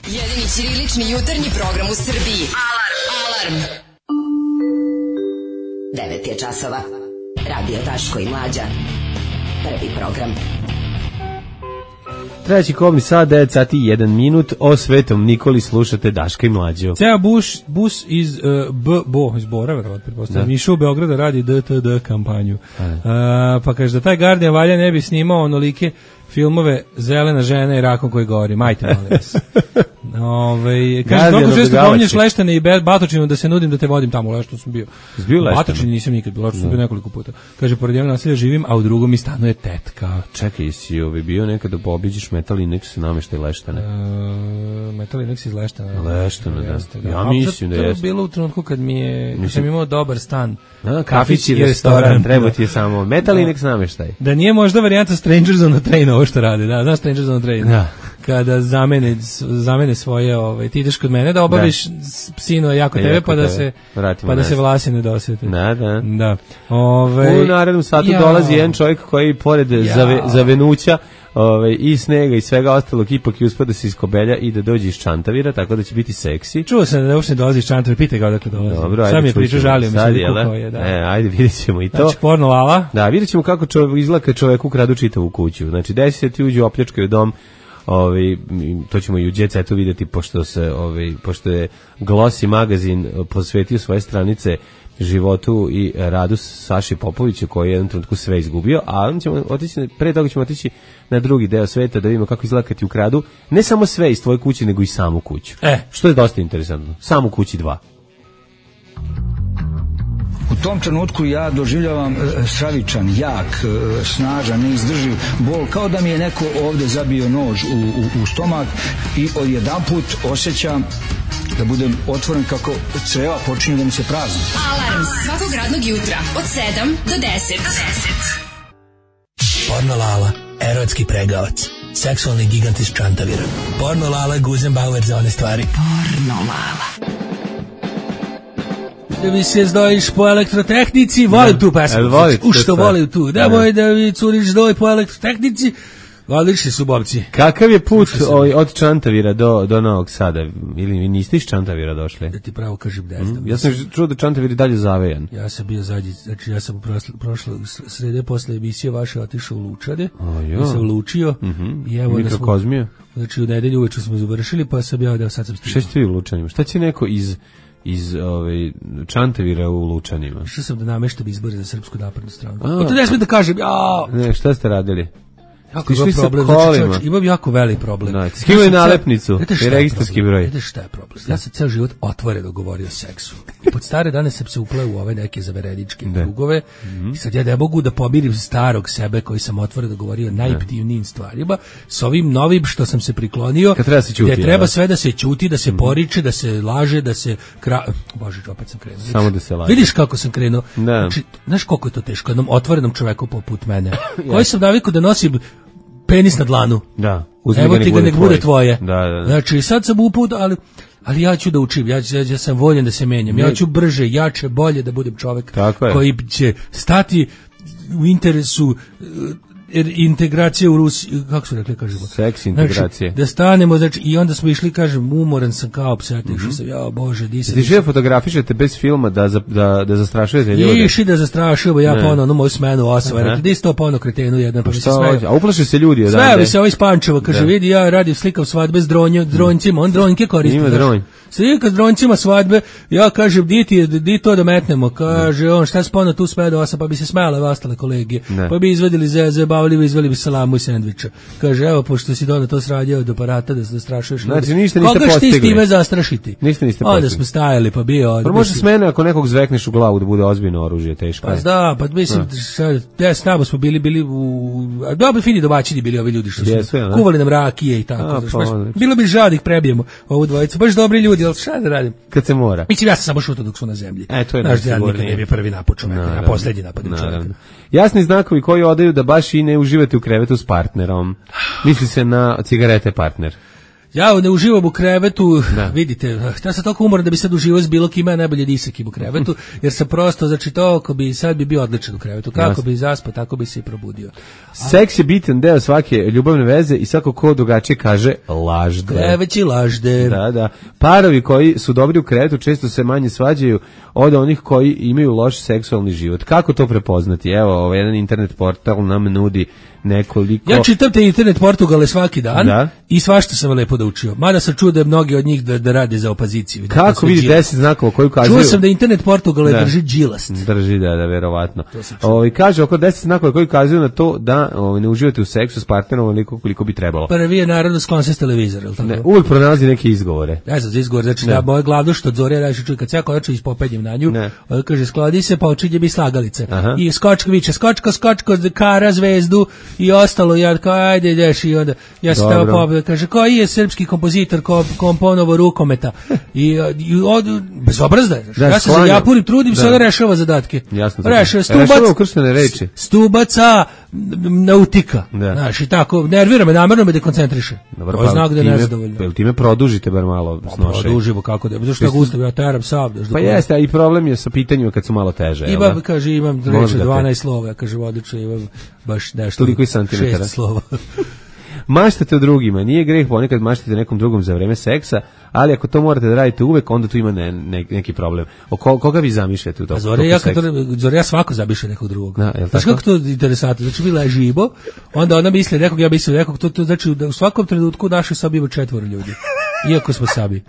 Jedini ćirilični jutarnji program u Srbiji. Alarm. Alarm. devet je časova. Radio Daško i Mlađa. Prvi program. Treći kobni sat, devet sati i jedan minut, o Svetom Nikoli slušate Daška i Mlađu. Ceo bus, bus iz uh, B, Bo, iz Bora, verovatno, pretpostavljam, išao u Beograda radi D T D kampanju. Uh, pa kaže da taj Guardian valja ne bi snimao onolike filmove Zelena žena i rakom koji govori. Majte, molim vas. Ove, kaže, toliko često pominješ Leštane i Batočinu da se nudim da te vodim tamo, u Leštanu sam bio. Zbio Leštanu? Batočini nisam nikad bio, Leštanu sam bio nekoliko puta. Kaže, pored jednog naselja živim, a u drugom mi stanuje tetka. Čekaj, si ovi bio nekada da obiđeš Metal Inex nameštaj Leštane? Uh, Metal Inex iz Leštana. Leštana, da. Ja mislim da je. To je bilo u trenutku kad mi je, kad sam imao dobar stan. A, kafić i restoran, treba ti je samo Metal Inex nameštaj. Da nije možda varijanta Strangers on the Train ovo što rade, da, znaš Strangers on the Train? Da. Kada zamene, zamene svoje, ovaj, ti ideš kod mene da obaviš da. Sino jako tebe, jako pa da se pa da se vlasi ne dosete. Da, da. Da. Ove, u narednom satu ja. dolazi jedan čovjek koji pored ja. zave, zavenuća Ove, i snega i svega ostalog ipak i uspio da se iskobelja i da dođe iz Čantavira, tako da će biti seksi. Čuo sam da uopšte dolazi iz Čantavira, pitaj ga odakle dolazi. Dobro, ajde. Sam je pričao, žalio mi se da kukao je. Da. E, ajde, vidjet ćemo i to. Znači, porno lala. Da, vidjet ćemo kako čovjek izgleda kad čovjek ukradu čitavu kuću. Znači, desi se ti uđu, opljačkaju dom, Ovi, to ćemo i u Jet Setu vidjeti, pošto, se, ovi, pošto je Glossy magazin posvetio svoje stranice životu i radu Saši Popovića koji je u jednom trenutku sve izgubio, a on ćemo otići, pre toga ćemo otići na drugi deo sveta da vidimo kako izgleda kad ti ukradu ne samo sve iz tvoje kuće, nego i samu kuću. E. Što je dosta interesantno. Samu kući dva. U tom trenutku ja doživljavam e, stravičan, jak, e, snažan, neizdrživ bol, kao da mi je neko ovde zabio nož u, u, u stomak i odjedanput osjećam da budem otvoren kako creva počinju da mi se prazni. Alarm svakog radnog jutra od sedam do deset. Porno Lala, erotski pregavac. seksualni gigant iz Čantavira. Porno Lala, Guzenbauer za one stvari. Porno Lala. Da mi se zdojiš po elektrotehnici, volim tu pesmu. U što volim tu. Nemoj da mi curiš zdoj po elektrotehnici. Odlični su bobci. Kakav je put o, od Čantavira do, do Novog Sada? Ili vi niste iz Čantavira došli? Da ti pravo kažem, ne znam. Mm, ja sam čuo da Čantavir je dalje zavejan. Ja sam bio zadnji, znači ja sam u prošle srede posle emisije vaše otišao u Lučane. Ja sam lučio. Mm-hmm. I evo Mikrokozmio. Smo, znači u nedelju uveče smo završili, pa sam ja da sad sam stigao. Šta ćete vi u Lučanima? Šta će neko iz iz ovaj Čantavira u Lučanima? Što sam da nameštam izbore za Srpsku naprednu stranku. Pa to ne smijem da kažem. Ja. Ne, šta ste radili? Jako je problem, znači čovječ, imam jako velik problem. Da, skivali nalepnicu i registarski broj. Vidite šta je problem? Ja sam ceo život otvoreno govorio o seksu. I pod stare dane sam se upleo u ove neke zavereničke krugove i sad ja ne mogu da pomirim starog sebe koji sam otvoreno govorio najptivnijim stvarima s ovim novim što sam se priklonio, treba se ćuti, gdje treba sve da se ćuti, da se poriče, da se laže, da se... Kra... Bože, opet sam krenuo. Samo da se laže. Vidiš kako sam krenuo? Znači, znaš koliko je to teško jednom otvorenom čoveku poput mene, koji sam navikao da nosim penis na dlanu. Da. Evo ti ga nek bude tvoje. Da, da, da. Znači sad sam uput, ali ali ja ću da učim, ja, ja, ja sam voljen da se menjam. Ja ću brže, jače, bolje da budem čovjek koji će stati u interesu integracije u Rusiji, kako su rekli, kažemo? Seks integracije. Znači, da stanemo, znači, i onda smo išli, kažem, umoran sam kao psetiš, mm-hmm. sam, ja, Bože, di se... Ti žive fotografišete bez filma da, da, da zastrašujete ljude? Iši da zastrašujemo, ja ponovno, ono moju smenu osava, rekli, di si to ponovno kretenu jedan, pa mi se smeju. A uplaše se ljudi odande? Sve, mi se ovaj Spančeva, kaže, vidi, ja radim slikav svadbe s dronje, dronjcima, on dronjke koristi. Ima dronj. Slika s dronjcima svadbe, ja kažem, di ti, di to da metnemo, kaže on, šta spona tu sme do osam, pa bi se smijale ostale kolege, pa bi izvedili zeze, bavili bi, izveli bi salamu i sendviča. Kaže, evo, pošto si do to sradio od aparata da se zastrašuješ ljudi. Znači, ništa niste postigli. Koga šti s time zastrašiti? Ništa niste postigli. Onda smo stajali, pa bio... Pa može s mene ako nekog zvekneš u glavu da bude ozbiljno oružje, teško pa je. Da, pa mislim, ja s nama smo bili, bili u... Dobro, fini domaćini bili ovi ljudi što su Jesu, kuvali nam rakije i tako. A, znaš, pa, baš, bilo bi žad ih prebijemo, ovu dvojicu. Baš dobri ljudi, ali šta da radim? Kad se mora. Mislim, ja sam samo šutao dok su na zemlji. E, to je naš dan nikad ne bi prvi napad čoveka, a posljednji napad čoveka. Jasni znakovi koji odaju da baš i ne uživate u krevetu s partnerom. Misli se na cigarete partner. Ja ne uživam u krevetu, da. Vidite, ja sam toliko umoran da bi sad uživao s bilo kime, najbolje nisam u krevetu, jer sam prosto, znači to, ako bi sad bi bio odličan u krevetu, kako Jasne. bi zaspao, tako bi se i probudio. Seks je bitan deo svake ljubavne veze i svako ko drugačije kaže lažde. Kreveći lažde. Da, da. Parovi koji su dobri u krevetu često se manje svađaju od onih koji imaju loš seksualni život. Kako to prepoznati? Evo, ovaj jedan internet portal nam nudi nekoliko... Ja čitam te internet portugale svaki dan da. I svašta sam lepo da učio. Mada sam čuo da mnogi od njih da, da rade za opoziciju. Kako vidi deset znakova koji ukazuju? Čuo sam da internet portugale da. Drži džilast. Drži, da, da, verovatno. Ovi, kaže oko deset znakova koji ukazuju na to da ovi, ne uživate u seksu s partnerom onoliko koliko bi trebalo. Prvi je naravno sklon se s televizora. Ne, uvijek pronalazi neke izgovore. Ja znam za izgovor, znači da moje glavno što od Zorija radiš čuj, kad se ja konačno ispopenjem na nju, on kaže skladi se pa očinje bi slagalice. Aha. I skočka viče, skočko, skočko, kara, zvezdu i ostalo, ja kao ajde ideš i onda ja se tamo pobjeda, kaže koji je srpski kompozitor ko komponovo rukometa i, i od, bezobrazda je, ja se za japurim, trudim se da rešava zadatke. Jasno, rešava stubac, reči. stubaca nautika, da. Znaš, i tako, nervira me, namerno me dekoncentriše. Dobar, to je znak da je nezadovoljno. Pa time produžite bar malo snošaj. Produžimo, kako da, zašto ga ustavim, ja teram sam. Pa jeste, a i problem je sa pitanjima kad su malo teže. Imam, kaže, imam reči dvanaest slova, ja kaže, odlično, imam baš nešto, šest slova. Maštate o drugima, nije greh ponekad maštate nekom drugom za vreme seksa, ali ako to morate da radite uvek, onda tu ima ne, ne, neki problem. O ko, koga vi zamišljate u to? Zore, ja, kad, zore, ja svako zamišlja nekog drugog. Da, znači kako to interesantno? Znači bila je živo, onda ona misli nekog, ja mislim nekog, to, to znači da u svakom trenutku u našoj sobi ima četvoro ljudi. Iako smo sami.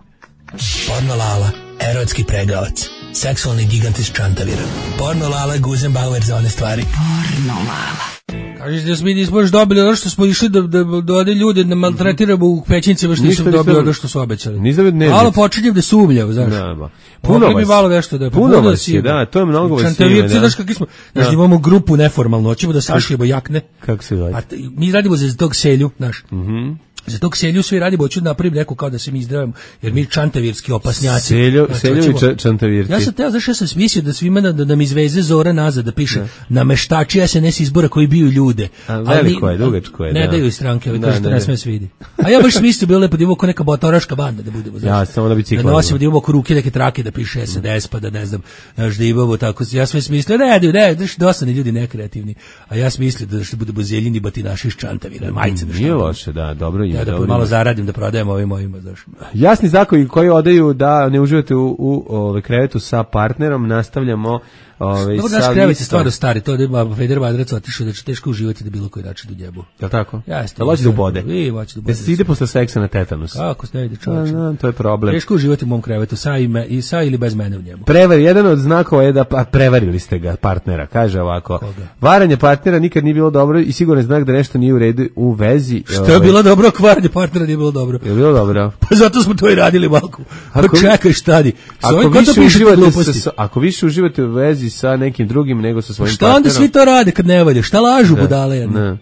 Porno Lala, erotski pregavac, seksualni gigant iz Čantavira. Porno Lala, Guzenbauer za one stvari. Porno Lala. Kažeš da smo mi nismo još dobili ono što smo išli da, da, da ode ljude da maltretiramo u pećincima što nismo dobili ono što su obećali. Malo počinjem da sumnjam, znaš. Da, puno vas. Mi malo nešto da je. Puno vas je, da, to je mnogo vas. Čantavirci, znaš kakvi smo. Znaš, da. Imamo grupu neformalno, hoćemo da sašijemo jakne. Kako se zove? Mi radimo za tog selju, znaš. Mhm. Za tog Selju svi radi, hoću da napravim neku kao da se mi izdravimo, jer mi čantavirski opasnjaci. Selju, Selju i čantavirci. Ja sam teo, znaš, ja sam smislio da svima da, da nam izveze Zora nazad, da piše, nameštači S N S izbora koji biju ljude. A veliko je, dugačko je. Ne da. daju i stranke, ali kažu da ne sme se vidi. A ja baš smislio, bilo lepo da imamo ko neka botoraška banda da budemo. Ja, samo da bicikla. Da nosimo, da imamo oko ruke neke trake, da piše S D S, pa da ne znam, znaš, da imamo tako. Ja sam smislio, ne, ne, ne, znaš, dosadni ljudi nekreativni. A ja sam mislio da što budemo zeljini batinaši iz Čantavira, majice da nije loše, da, dobro je. Ja da malo zaradim da prodajem ovim mojima, znaš. Jasni zakoni koji odaju da ne uživate u, u ove, krevetu sa partnerom, nastavljamo. Ove, dobro, naš krevet je stvarno stari, to da ima Feder Madrac otišao da će teško uživati da bilo koji način do njebu. Je li tako? Jeste. Da loći da ubode? I, hoće da ubode. Da se ide posle seksa na tetanus? Kako se ne ide čovječe? No, to je problem. Teško uživati u mom krevetu, sa, ime, i, sa ili bez mene u njemu. Prevar, jedan od znakova je da pa, prevarili ste ga, partnera, kaže ovako. Koga? Varanje partnera nikad nije bilo dobro i sigurno je znak da nešto nije u redu u vezi. Što je ove... bilo dobro, ako varanje partnera nije bilo dobro? Je bilo dobro? Pa zato smo to i radili, Malko. Pa čekaj, šta di? Ako, ako, više uživate sa, ako više uživate u vezi sa nekim drugim nego sa svojim šta partnerom. Šta onda svi to rade kad ne valje? Šta lažu budale jedno?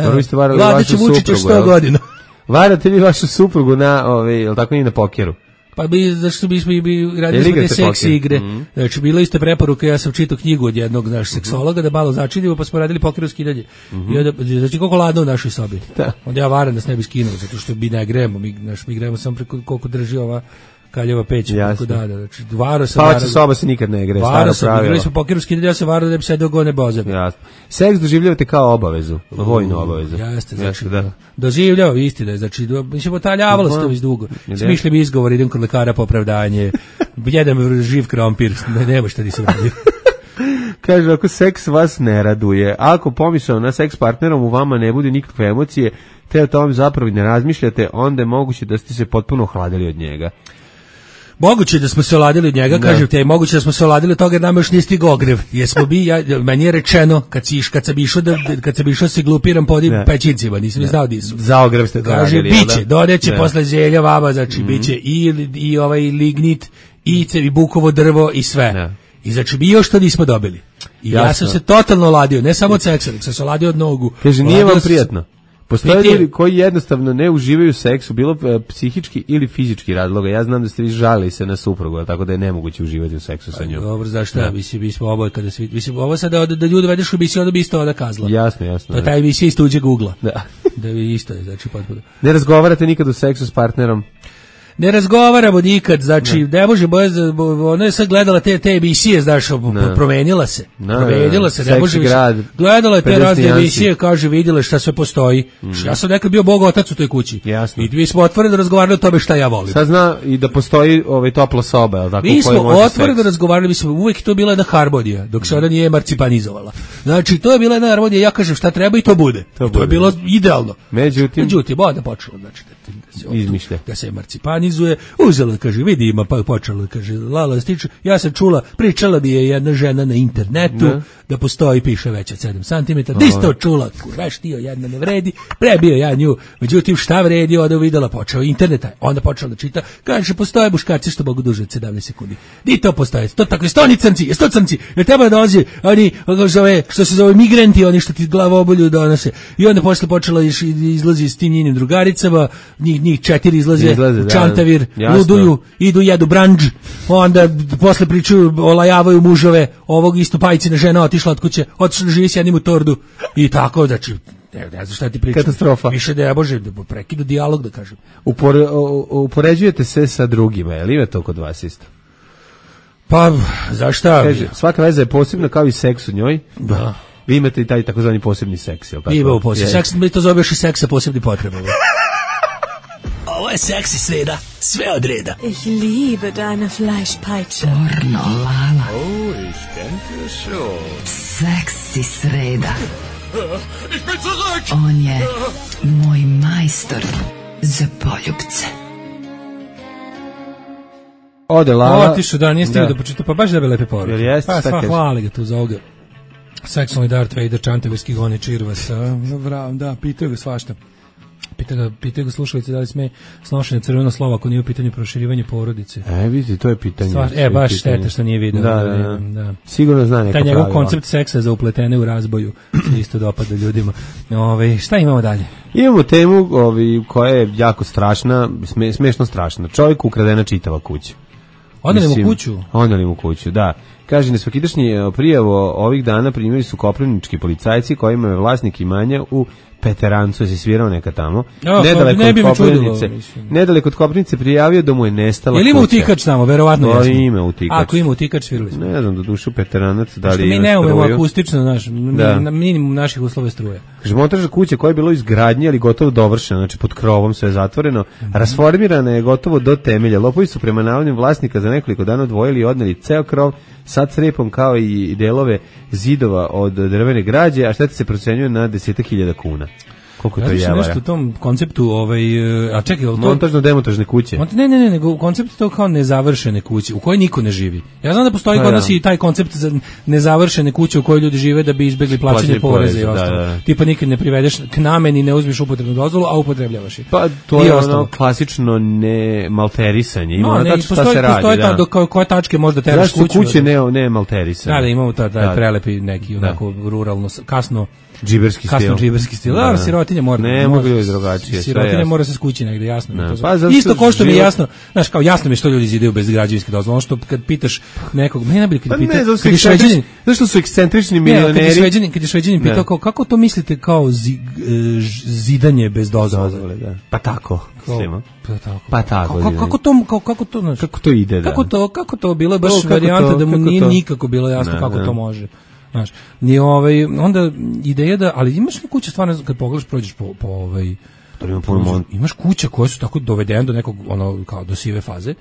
Dobro, vi ste varali vašu suprugu. sto godina. Varate vi vašu suprugu na, ove, je li tako nije na pokeru? Pa bi, zašto bismo bi, bi radili smo te seksi igre. Mm. Znači, bilo isto preporuka, ja sam čitao knjigu od jednog naš seksologa, da malo začinimo, pa smo radili pokeru skidanje. Mm -hmm. I onda, znači, koliko ladno u našoj sobi. Da. Onda ja varam da se ne bi skinuo, zato što mi ne gremo, mi, naš, mi gremo samo preko koliko drži ova kaljeva peć, tako da, da, znači, varo sam... Spavaća soba se nikad ne igre, staro pravilo. Igrali smo pokeru skidanje, ja se varo da bi se dogone bozebe. Jasno. Seks doživljavate kao obavezu, vojnu obavezu. Jeste, znači, da. Doživljao, istina, znači, mislim, otaljavalo se to već dugo. Smišljam izgovor, idem kod lekara po opravdanje, jedem živ krompir, ne, nema šta nisam radio. Kaže, ako seks vas ne raduje, ako pomislio na seks partnerom u vama ne bude nikakve emocije, te o tome zapravo ne razmišljate, onda je moguće da ste se potpuno ohladili od njega. Moguće da smo se oladili od njega, kažem te, moguće da smo se oladili od toga jer nama još nije stigao ogrev. Jesmo bi, ja, meni je rečeno, kad, si, kad sam išao da, kad sam išao se glupiram po odim pećincima, nisam znao di su. Za ogrev ste to radili, jel da? Biće, dodeće posle zelja vama, znači, mm. biće i, i ovaj lignit, i cevi bukovo drvo i sve. Ne. I znači bi još to nismo dobili. I jasno. Ja sam se totalno oladio, ne samo od seksa, nek sam se oladio od nogu. Kaže, nije vam prijatno. Postoje ljudi koji jednostavno ne uživaju u seksu, bilo psihički ili fizički razloga. Ja znam da ste vi žalili se na suprugu, tako da je nemoguće uživati u seksu sa njom. Dobro, zašto? Ja. Mislim, mi smo oboje kada svi... Mislim, ovo sad da, da ljudi vedeš u emisiju, onda bi isto onda kazla. Jasno, jasno. To je ta emisija iz tuđeg ugla. Da. Da bi isto je, znači, potpuno. Ne razgovarate nikad u seksu s partnerom? Ne razgovaramo nikad, znači, ne, ne može, ona je sad gledala te, te emisije, znaš, promenila se, no, promenila se, ne može više, gledala je te razne emisije, kaže, vidjela šta sve postoji, mm. ja sam nekad bio bog otac u toj kući, jasno. I mi smo otvoreno razgovarali o tome šta ja volim. Sad zna i da postoji ovaj topla soba, ali tako, mi smo otvoreno razgovarali, mi smo uvijek to bila jedna harmonija, dok se ona nije emarcipanizovala, znači, to je bila jedna harmonija, ja kažem šta treba i to bude, to, i to bude. Je bilo idealno, međutim, međutim, onda počelo, znači, da se, izmišlja, da se emarcipanizuje, uzela, kaže, vidi ima, pa počela, kaže, Lala stiče, ja sam čula, pričala mi je jedna žena na internetu, ne. Da postoji, piše već od sedam centimetara, di ste to čula, kurveš tio, jedna ne vredi, prebio ja nju, međutim, šta vredi, onda uvidela, počeo interneta, onda počela da čita, kaže, postoje muškarci što mogu duže od sedamnaest sekundi, di to postoje, to takve, sto oni crnci, je sto crnci, jer treba da dolazi, oni, zove, što se zove migranti, oni što ti glavobolju donose, i onda posle počela izlazi s tim njenim drugaricama, njih, njih četiri izlaze, izlaze u Čantavir, da, luduju, idu, jedu branđ, onda posle pričaju, olajavaju mužove, ovog isto pajcina žena otišla od kuće, otišla da živi s jednim u tordu, i tako, znači, ne, ne znam šta ti pričam. Katastrofa. Više da ja bože, da prekidu dijalog, da kažem. Upore, upoređujete se sa drugima, je li ima to kod vas isto? Pa, zašta? Kaže, svaka veza je posebna kao i seks u njoj. Da. Vi imate i taj takozvani posebni seks, je li tako? Imamo posebni seks, mi to zoveš i seksa posebni potrebama. Ovo je seksi sreda, sve od reda. Ich liebe deine Fleischpeitsche. Pornolala. Oh, ich denke schon. Seksi sreda. Ich bin zurück. On je moj majstor za poljubce. Ode Lala. Otišu, da, nije stigao da počita, pa baš da bi lepe poruke. Jer jeste, pa sva hvali ga tu za ovoga. Seksualni Darth Vader, Čantavirski goni Čirvas. Da, pitaju ga svašta. Pita ga, pita ga slušalice da li sme snošenje crveno slovo ako nije u pitanju proširivanje porodice. E, vidite, to je pitanje. Stvar, e, baš šteta što nije vidio. Da, da, da. da. Sigurno zna neka taj njegov pravila. Koncept seksa za upletene u razboju se isto dopada ljudima. Ove, šta imamo dalje? Imamo temu ovi, koja je jako strašna, sme, smešno strašna. Čovjeku ukradena čitava kuća. Onda li mu kuću? Onda li mu kuću, da. Kaže, nesvakidašnji prijavu ovih dana primjeri su koprivnički policajci kojima je vlasnik imanja u Peterancu, se svirao neka tamo. Oh, nedaleko, ne bi od Koprivnice, nedaleko od Koprivnice prijavio da mu je nestala kuća. Je li ima utikač tamo, verovatno no, jesmo. Ima utikač. Ako ima utikač, svirali smo. Ne znam, do dušu Peteranac, da li mi ima ne umemo struju. akustično, znaš, Da. na minimum naših uslova struje. Kaže, montaža kuće koja je bilo izgradnje, ali gotovo dovršena, znači pod krovom sve je zatvoreno, Mhm. rasformirana je gotovo do temelja. Lopovi su prema navodnim vlasnika za nekoliko dana odvojili i odneli ceo krov sa crepom kao i delove zidova od drvene građe, a šteta se procenjuje na desetak hiljada kuna. Koliko to je javara? Nešto u tom konceptu, ovaj, a čekaj, to... Montažno-demontažne kuće. Mont, ne, ne, ne, nego koncept to kao nezavršene kuće, u kojoj niko ne živi. Ja znam da postoji Pa, kod ja. nas i taj koncept za nezavršene kuće u kojoj ljudi žive da bi izbegli plaćanje Plaćanje poreza i poreza, ostalo. da, da. Tipa nikad ne privedeš k nameni, ne uzmeš upotrebnu dozvolu, a upotrebljavaš je. Pa to I je ostalo. ono klasično ne malterisanje. Ima No, ono ne, tačno šta postoji, se radi. postoji Da. ta, do koje, koje tačke možda teraš Zašto su kuću. kuće ne, ne malterisane? Da, da, imamo ta, taj Da. prelepi neki, onako, ruralno, kasno, Džiberski stil. kasno džiberski stil. Da, Da, da. sirotinja mora. Ne mora- mogu ljudi drugačije, sve je Sirotinja jasno. mora se skući negde, jasno. mi Da. je to. Pa, zato Isto što ko što mi je život- jasno, znaš, kao jasno mi je što ljudi zidaju bez građevinske dozvole. Ono što kad pitaš nekog, meni najbolje kad Pa pitaš, ne, zato su kad je ekscentrični- Šveđanin, zašto su ekscentrični ne, kad je milioneri? Šveđanin, kad je Šveđanin pitao Da. kao, kako to mislite kao zi, e, ž- zidanje bez dozvole? Dozvole, da. Pa tako, Kao, mislimo. Pa tako. Pa tako, Kako, kako, kako to, kako, kako to, znaš, Kako to ide, da. kako to, kako to bilo je baš To, kako varijanta to, da mu kako nije to? nikako bilo jasno Da, kako da. to može. Znaš, ni ovaj, onda ideja da, ali imaš li kuće stvarno kad pogledaš prođeš po, po ovaj, To ima puno mon- imaš kuće koje su tako dovedene do nekog, ono, kao do sive faze i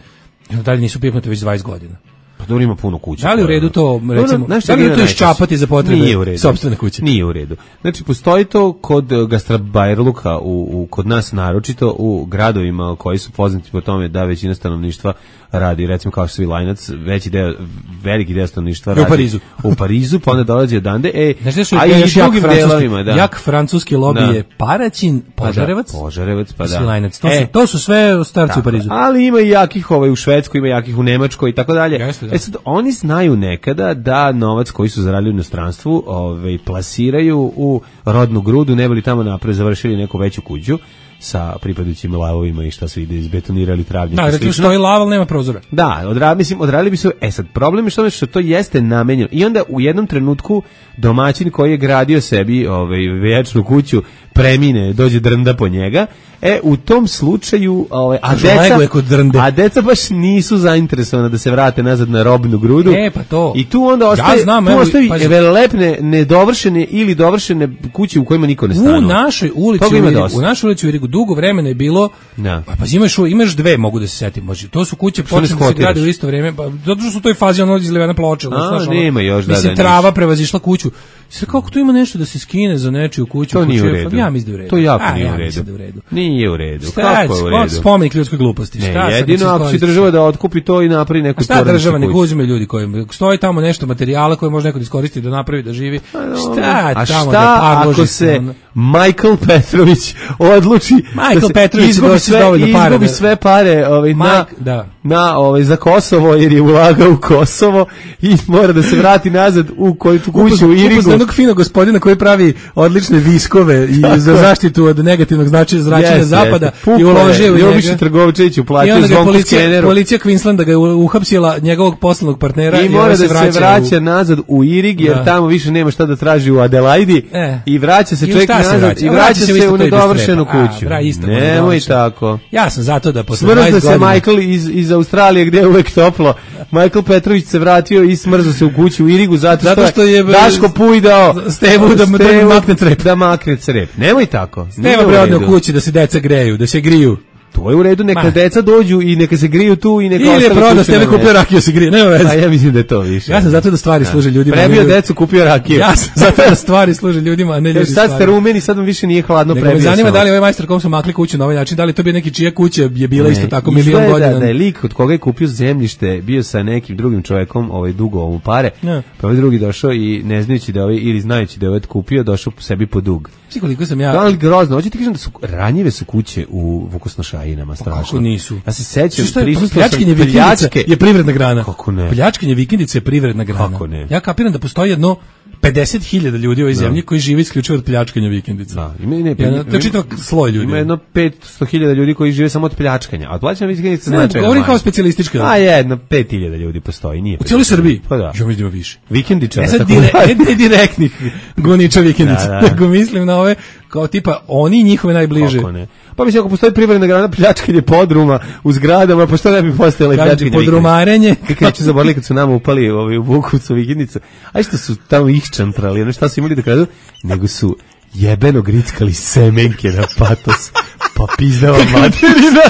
onda dalje nisu pipnute već dvadeset godina. Pa dobro, ima puno kuća. Da li u redu to, Dobro, recimo, znaš šta da li je ima to najčešće? iščapati za potrebe Nije u redu. sopstvene kuće? Nije u redu. Znači, postoji to kod eh, gastrobajrluka, u, u, kod nas naročito, u gradovima koji su poznati po tome da većina stanovništva radi, recimo kao Svilajnac, veći deo, veliki deo stanovništva U radi Parizu. u Parizu, pa onda dolazi odande, e, Znaš gde su a i još jak drugim francuski, delovima, da. jak francuski lobi Da. je Paraćin, Požarevac, Pa da, Požarevac, pa da. Svilajnac. To, E, su, to su sve starci u Parizu. ali ima i jakih ovaj u Švedskoj, ima jakih u Nemačkoj i tako dalje. Jeste, da. E sad, oni znaju nekada da novac koji su zaradili u inostranstvu ovaj, plasiraju u rodnu grudu, ne bi li tamo napred završili neku veću kuću sa pripadajućim lavovima i šta se ide izbetonirali travnjak. Da, i recimo slično. stoji lava, ali nema prozora. Da, odra, mislim, odradili bi se, e sad, problem je što, što to jeste namenjeno. I onda u jednom trenutku domaćin koji je gradio sebi ovaj, večnu kuću premine, dođe drnda po njega, e, u tom slučaju, ovaj, a, Kažu, deca, lego je kod drnde. a deca baš nisu zainteresovana da se vrate nazad na robnu grudu. E, pa to. I tu onda ostaje, Ja znam, tu evo, ostaje pazi. velelepne, nedovršene ili dovršene kuće u kojima niko ne stanuje. U našoj ulici, Toga u, ima Irigu, dosta. u našoj ulici u Irigu dugo vremena je bilo, Da. pa, pa imaš, imaš dve, mogu da se setim, može. To su kuće Što ne počele da se skotiraš? grade u isto vrijeme, pa zato što su u toj fazi ono izlivena ploča. A, znaš, ono, nema još, da, mislim, da, trava prevazišla kuću. Sve kako tu ima nešto da se skine za nečiju kuću? To nije u kuću, redu. Ja mislim da je u redu. To jako A, nije ja u redu. mislim da je u redu. Nije u redu. Šta Kako je je, u redu? spomenik ljudskoj gluposti. Ne, Šta sad jedino se ako će koristi? država da otkupi to i napravi neku A šta porodičnu država, nek kuću. uzme ljudi koji stoji tamo nešto materijala koje može neko da iskoristi da napravi da živi. Šta A tamo šta da parloži ako se, se ono? Michael Petrović odluči Michael da se Petrović izgubi doći sve, dovoljno para izgubi da- sve pare ovaj, na, Mike, da. na ovaj, za Kosovo jer je ulagao u Kosovo i mora da se vrati nazad u koju tu kuću u Irigu. Upoznao jednog finog gospodina koji pravi odlične viskove i Tako za je. zaštitu od negativnog značaja zračenja Jeste, zapada jeste. Pukao i uložio u je, njega. Joviša Trgovčević I uplatio onda ga je zvonku policija, skeneru. policija Queenslanda ga je uhapsila njegovog poslovnog partnera I i mora on da se se vraća, vraća u... nazad u Irig jer Da. tamo više nema šta da traži u Adelaidi E. i vraća se I u čovjek šta se nazad vraća? i A vraća vraća se u se isto u to i bez nedovršenu trepa. A, kuću. bra, isto to Nemoj nedovršeno. tako. Ja sam zato da posle Smrzne dvadeset se godina... Michael iz, iz Australije gdje je uvek toplo. Michael Petrović se vratio i smrzao se u kuću u Irigu zato što, Zato što je Daško Pujdao Stevu da mu- da mu makne crep. Da makne crep. Nemoj tako. Nije Nema u bre odne u redu. kući da se deca greju, da se griju. to je u redu, neka Ma. deca dođu i neka se griju tu i neka ili je prodao, s tebe kupio rakiju se grije, nema veze. A ja mislim da je to više. Ja sam zato da stvari ja. služe ljudima. Prebio decu, kupio rakiju. Ja sam zato da stvari služe ljudima, a ne ljudi. Sad ste rumeni, sad vam više nije hladno, nego prebio. Me zanima da li ovaj majstor kom su makli kuću na ovaj način, da li to bi neki čija kuća je bila ne, isto tako milion godina. Da, da je lik od koga je kupio zemljište bio sa nekim drugim čovjekom, ovaj dugo mu pare, ja. pa ovaj drugi došao i ne znajući da ovaj ili znajući da je ovaj kupio, došao sebi po dug. Svi koliko sam ja. Da li grozno, hoćete ti kažem da su ranjive su kuće u Vukosnošajinama strašno. Kako nisu? Ja se sećam, pljačkanje vikendice je privredna grana. Kako ne? Pljačkanje vikendice je privredna grana. Kako ne? Ja kapiram da postoji jedno pedeset hiljada ljudi u ovoj zemlji koji žive isključivo od pljačkanja vikendica. Da, ima ne, ja, to je čitav sloj ljudi. Ima jedno petsto hiljada ljudi koji žive samo od pljačkanja. A od pljačkanja vikendica znači. Ne, govorim kao specijalistička. A jedno pet hiljada ljudi postoji, nije. U cijeloj Srbiji. Pa da. Ja mislim da više. Vikendičara. Ne sad dire, ne direktnih goniča vikendica, da, da. nego mislim na ove kao tipa oni i njihove najbliže. Kako ne? Pa mislim ako postoji privredna grana pljačkanje podruma u zgradama, pa što ne bi postojala i pljačkanje podrumarenje. Kako neću zaboraviti kad su nama upali ovaj, u Bukovcu vikendicu, a što su tamo ih čantrali, ono šta su imali da kradu, nego su jebeno grickali semenke na patos. Pa pizdava materina,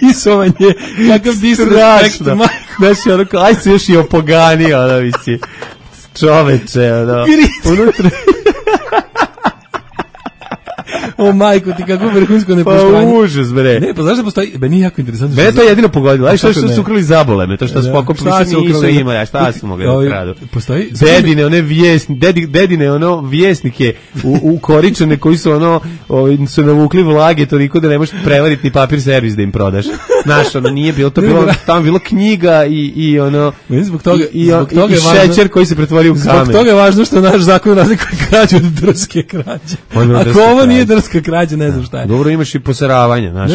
disovanje, kakav disrespekt, majko. Znači, ono, aj se još i opogani, ono, misli, čoveče, ono, unutra... O majko, ti kako vrhunsko nepoštovanje. Pa užas, bre. Ne, pa znaš da postoji, meni je jako interesantno. Mene to je jedino pogodilo. Aj što su su ukrali zabole, me to što su pokopili se nisu imali, a šta su mogli da kradu. Postoji dedine, one vjesni, dedi, dedine, ono vjesnike u, u koričane koji su ono, ovi, su navukli vlage toliko da ne možeš prevariti ni papir servis da im prodaš. Znaš, ono nije bilo, to bilo, tamo bilo knjiga i, i ono, zbog toga, i, i, zbog toga i važno, šećer koji se pretvorio u kamen. Zbog toga je važno što naš zakon razlikuje krađu od drske krađe. Ako ovo nije drska krađa, ne znam šta je. Dobro, imaš i poseravanje, znaš,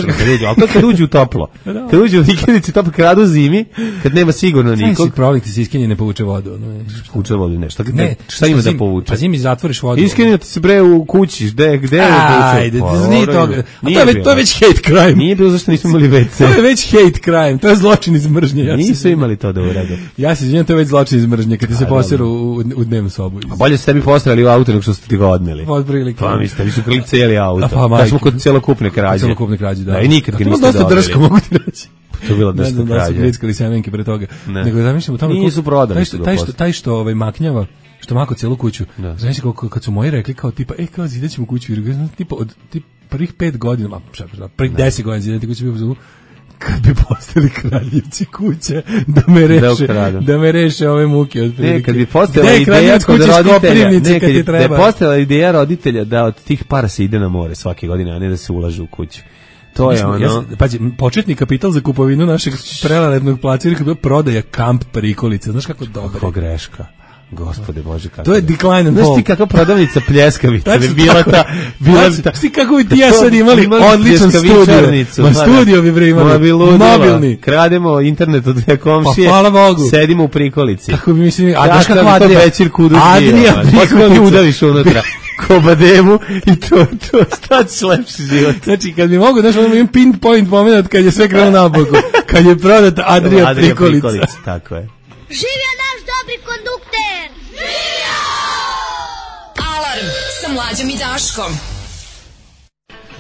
ali to kad uđu u toplo. Kad uđu u vikendici toplo, kradu zimi, kad nema sigurno nikog. Kaj si problem, ti se iskenje ne povuče vodu. No, Povuče vodu, ne, šta, ne, šta ima da povuče? Pa zimi zatvoriš vodu. Iskenje ti se bre u kući, gde, gde je povuče? Ajde, nije toga. A to je već, to je već hate crime. Nije bilo zašto nismo imali ve ce. To je već hate crime, to je zločin iz mržnje. Ja nisu imali to da urade. Ja se izvinjam, to je već zločin iz mržnje, kad ti se poseru u, u dnevnu sobu. A bolje ste sebi postavili u auto nego što ste ti ga odneli. Od prilike. Pa mi ste, vi su krili cijeli auto. Pa, kad smo kod celokupne krađe. Celokupne krađe, da. Da, i nikad ga niste dobili. To je dosta drsko, mogu ti reći. To je bila drska krađa. Da su grickali semenke pre toga. Ne. Nego da mislim u tome... Nisu prodali. Taj što, taj što, taj što ovaj, maknjava, što mako celu kuću. Znaš kako kad su moji rekli kao tipa, e, kao zidaćemo kuću, jer tipa od tip, prvih pet godina, ma, šta, prvih deset godina zidati kuću bio u kad bi postali kraljevci kuće da me reše da, da me reše ove muke od ne, kad bi postojala ideja kod roditelja ne, kad je, da je postojala ideja roditelja da od tih para se ide na more svake godine, a ne da se ulaže u kuću. To je ono. Ja, pazi, početni kapital za kupovinu našeg prelarednog placa kada prodaja kamp prikolice. Znaš kako dobro. Kako greška. Gospode Bože, kako. To je decline and fall. Znaš ti kakva prodavnica pljeskavica bi bila ta, bila bi ta. Znaš ti kako bi ti ja sad imali odličan studio. Ma studio bi bre imali. Mobilni. Krademo internet od dve komšije. Pa hvala Bogu. Sedimo u prikolici. Kako bi mislim, a znaš kako Adrija. Adrija prikolica. Udaviš unutra. Kobademu i to, to, šta ćeš lepši život. Znači, kad bi mogu, znaš, ono imam pinpoint moment kad je sve krenuo na boku. Kad je prodata Adrija, Adrija prikolica. prikolica. Tako je. Živio naš dobri kondukter! Živio! Alarm sa Mlađom i Daškom.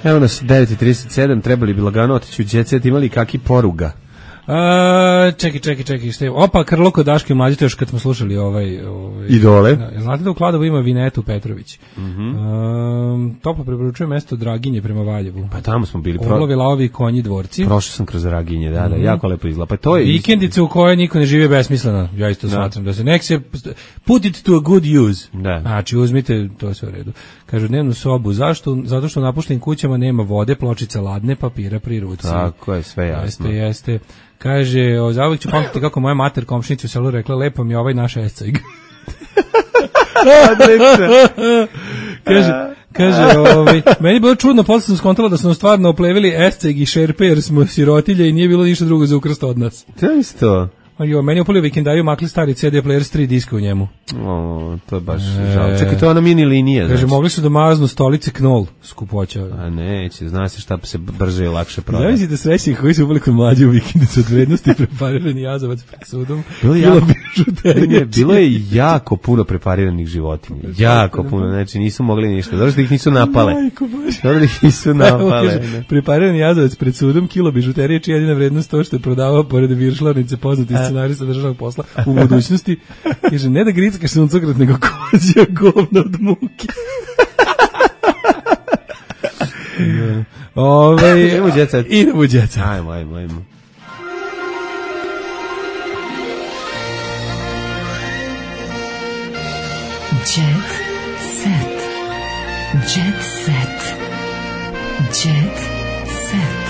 Evo nas, devet i trideset sedam, trebali bi lagano otići u Jet Set, imali kaki poruga? A, čekaj, čekaj, čekaj, šta je? Opa, Krlo kod Daške Mlađe, to još kad smo slušali ovaj... ovaj Idole. Da, znate da u Kladovu ima Vinetu Petrović. Mm -hmm. um, toplo preporučuje mesto Draginje prema Valjevu. Pa tamo smo bili. Pro... Orlovi, laovi, konji, dvorci. Prošao sam kroz Draginje, da, da, mm -hmm. jako lepo izgleda. Pa to je... Vikendice u kojoj niko ne žive besmisleno, ja isto da. Smatram. Da se nek se... Put it to a good use. Da. Znači, uzmite, to je sve u redu. Kažu, dnevnu sobu. Zašto? Zato što u napuštenim kućama nema vode, pločica ladne, papira pri ruci. Tako je, sve jasno. Jeste, jeste. Kaže, o, zavijek ću pamtiti kako moja mater komšnici u selu rekla, lepo mi je ovaj naš escajg. kaže, kaže, ovaj, meni je bilo čudno, posle sam skontala da smo stvarno oplevili escajg i šerpe, jer smo sirotilje i nije bilo ništa drugo za ukrst od nas. To je isto. Jo, meni upali vikendaju makli stari C D player s tri diska u njemu. O, to je baš e, žao. Čekaj, to je ona mini linija. Kaže, znači. Mogli su da maznu stolice Knoll, skupoća. A neće, zna se šta se brže i lakše prodaje. Zamislite srećnih koji su upali kod mlađe u vikendicu od vrednosti preparirani jazavac pred sudom. Bilo je, jako, ne, bilo je jako puno prepariranih životinja. Jako puno, znači nisu mogli ništa. Dobro da ih nisu napale. Dobro da ih nisu napale. Preparirani jazavac pred sudom, kilo bižuterije, čija jedina vrednost to što je prodavao pored viršlarnice poznati scenarista državnog posla u budućnosti. Kaže, ne da grickaš suncokret, nego kozija govna od muke. Ove, idemo u djeca. Idemo u djeca. Ajmo, ajmo, ajmo. Jet set. Jet set. Jet set.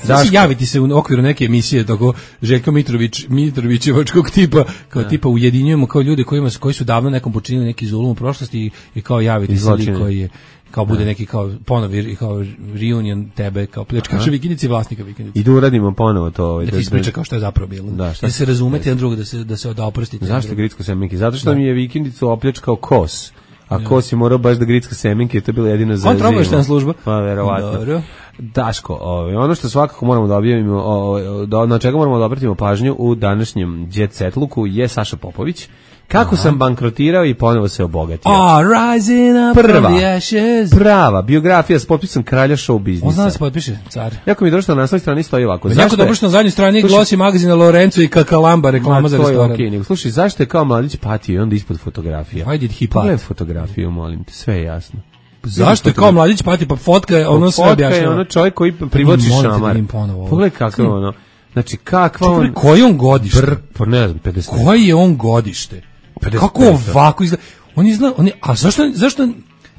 Znači, javiti se u okviru neke emisije tako Željko Mitrović, Mitrovićevačkog tipa, kao ja. Tipa ujedinjujemo kao ljude kojima, koji su davno nekom počinili neki zulum u prošlosti i, i kao javiti se li koji je, kao bude neki kao ponovi, kao reunion tebe, kao pljačkaša vikendice i vlasnika vikendice. I da uradimo ponovo to. Ovaj, da ti ispriča kao što je zapravo bilo. Da, da se razumete jedan drugo, da se, da se odoprostite. Zašto Gricko Semenke? Zato što da. Mi je vikendicu opljačkao Kos. A ja. Kos je morao baš da gricka semenke, to je bila jedina za zimu. On troglaštena služba. Pa, verovatno. Dobro. Daško, ovaj, ono što svakako moramo da objavimo, o, do, na čega moramo da obratimo pažnju u današnjem Jet Set luku je Saša Popović. Kako Aha. sam bankrotirao i ponovo se obogatio. Oh, rising up prva, from the ashes. Prava biografija s potpisom kralja show biznisa. On zna da se potpiše, car. Jako mi je došlo na naslovnoj strani stoji ovako. Zašto jako dobro što na zadnjoj strani glosi magazina Lorenzo i Kakalamba reklama za restoran. Okay, nego, slušaj, zašto je kao mladić patio i onda ispod fotografija? Why did he pat? Pogledaj fotografiju, molim te, sve je jasno. Zašto je kao mladić pati, pa fotka je ono sve objašnjava. Fotka je ono čovjek koji privlači šamar. Pogledaj kako je ono. Znači, kakva on... Čekaj, koji on godište? Br, pa ne znam, pedeset. Koji je on godište? Kako ovako izgleda? On izgleda, on je, a zašto, zašto,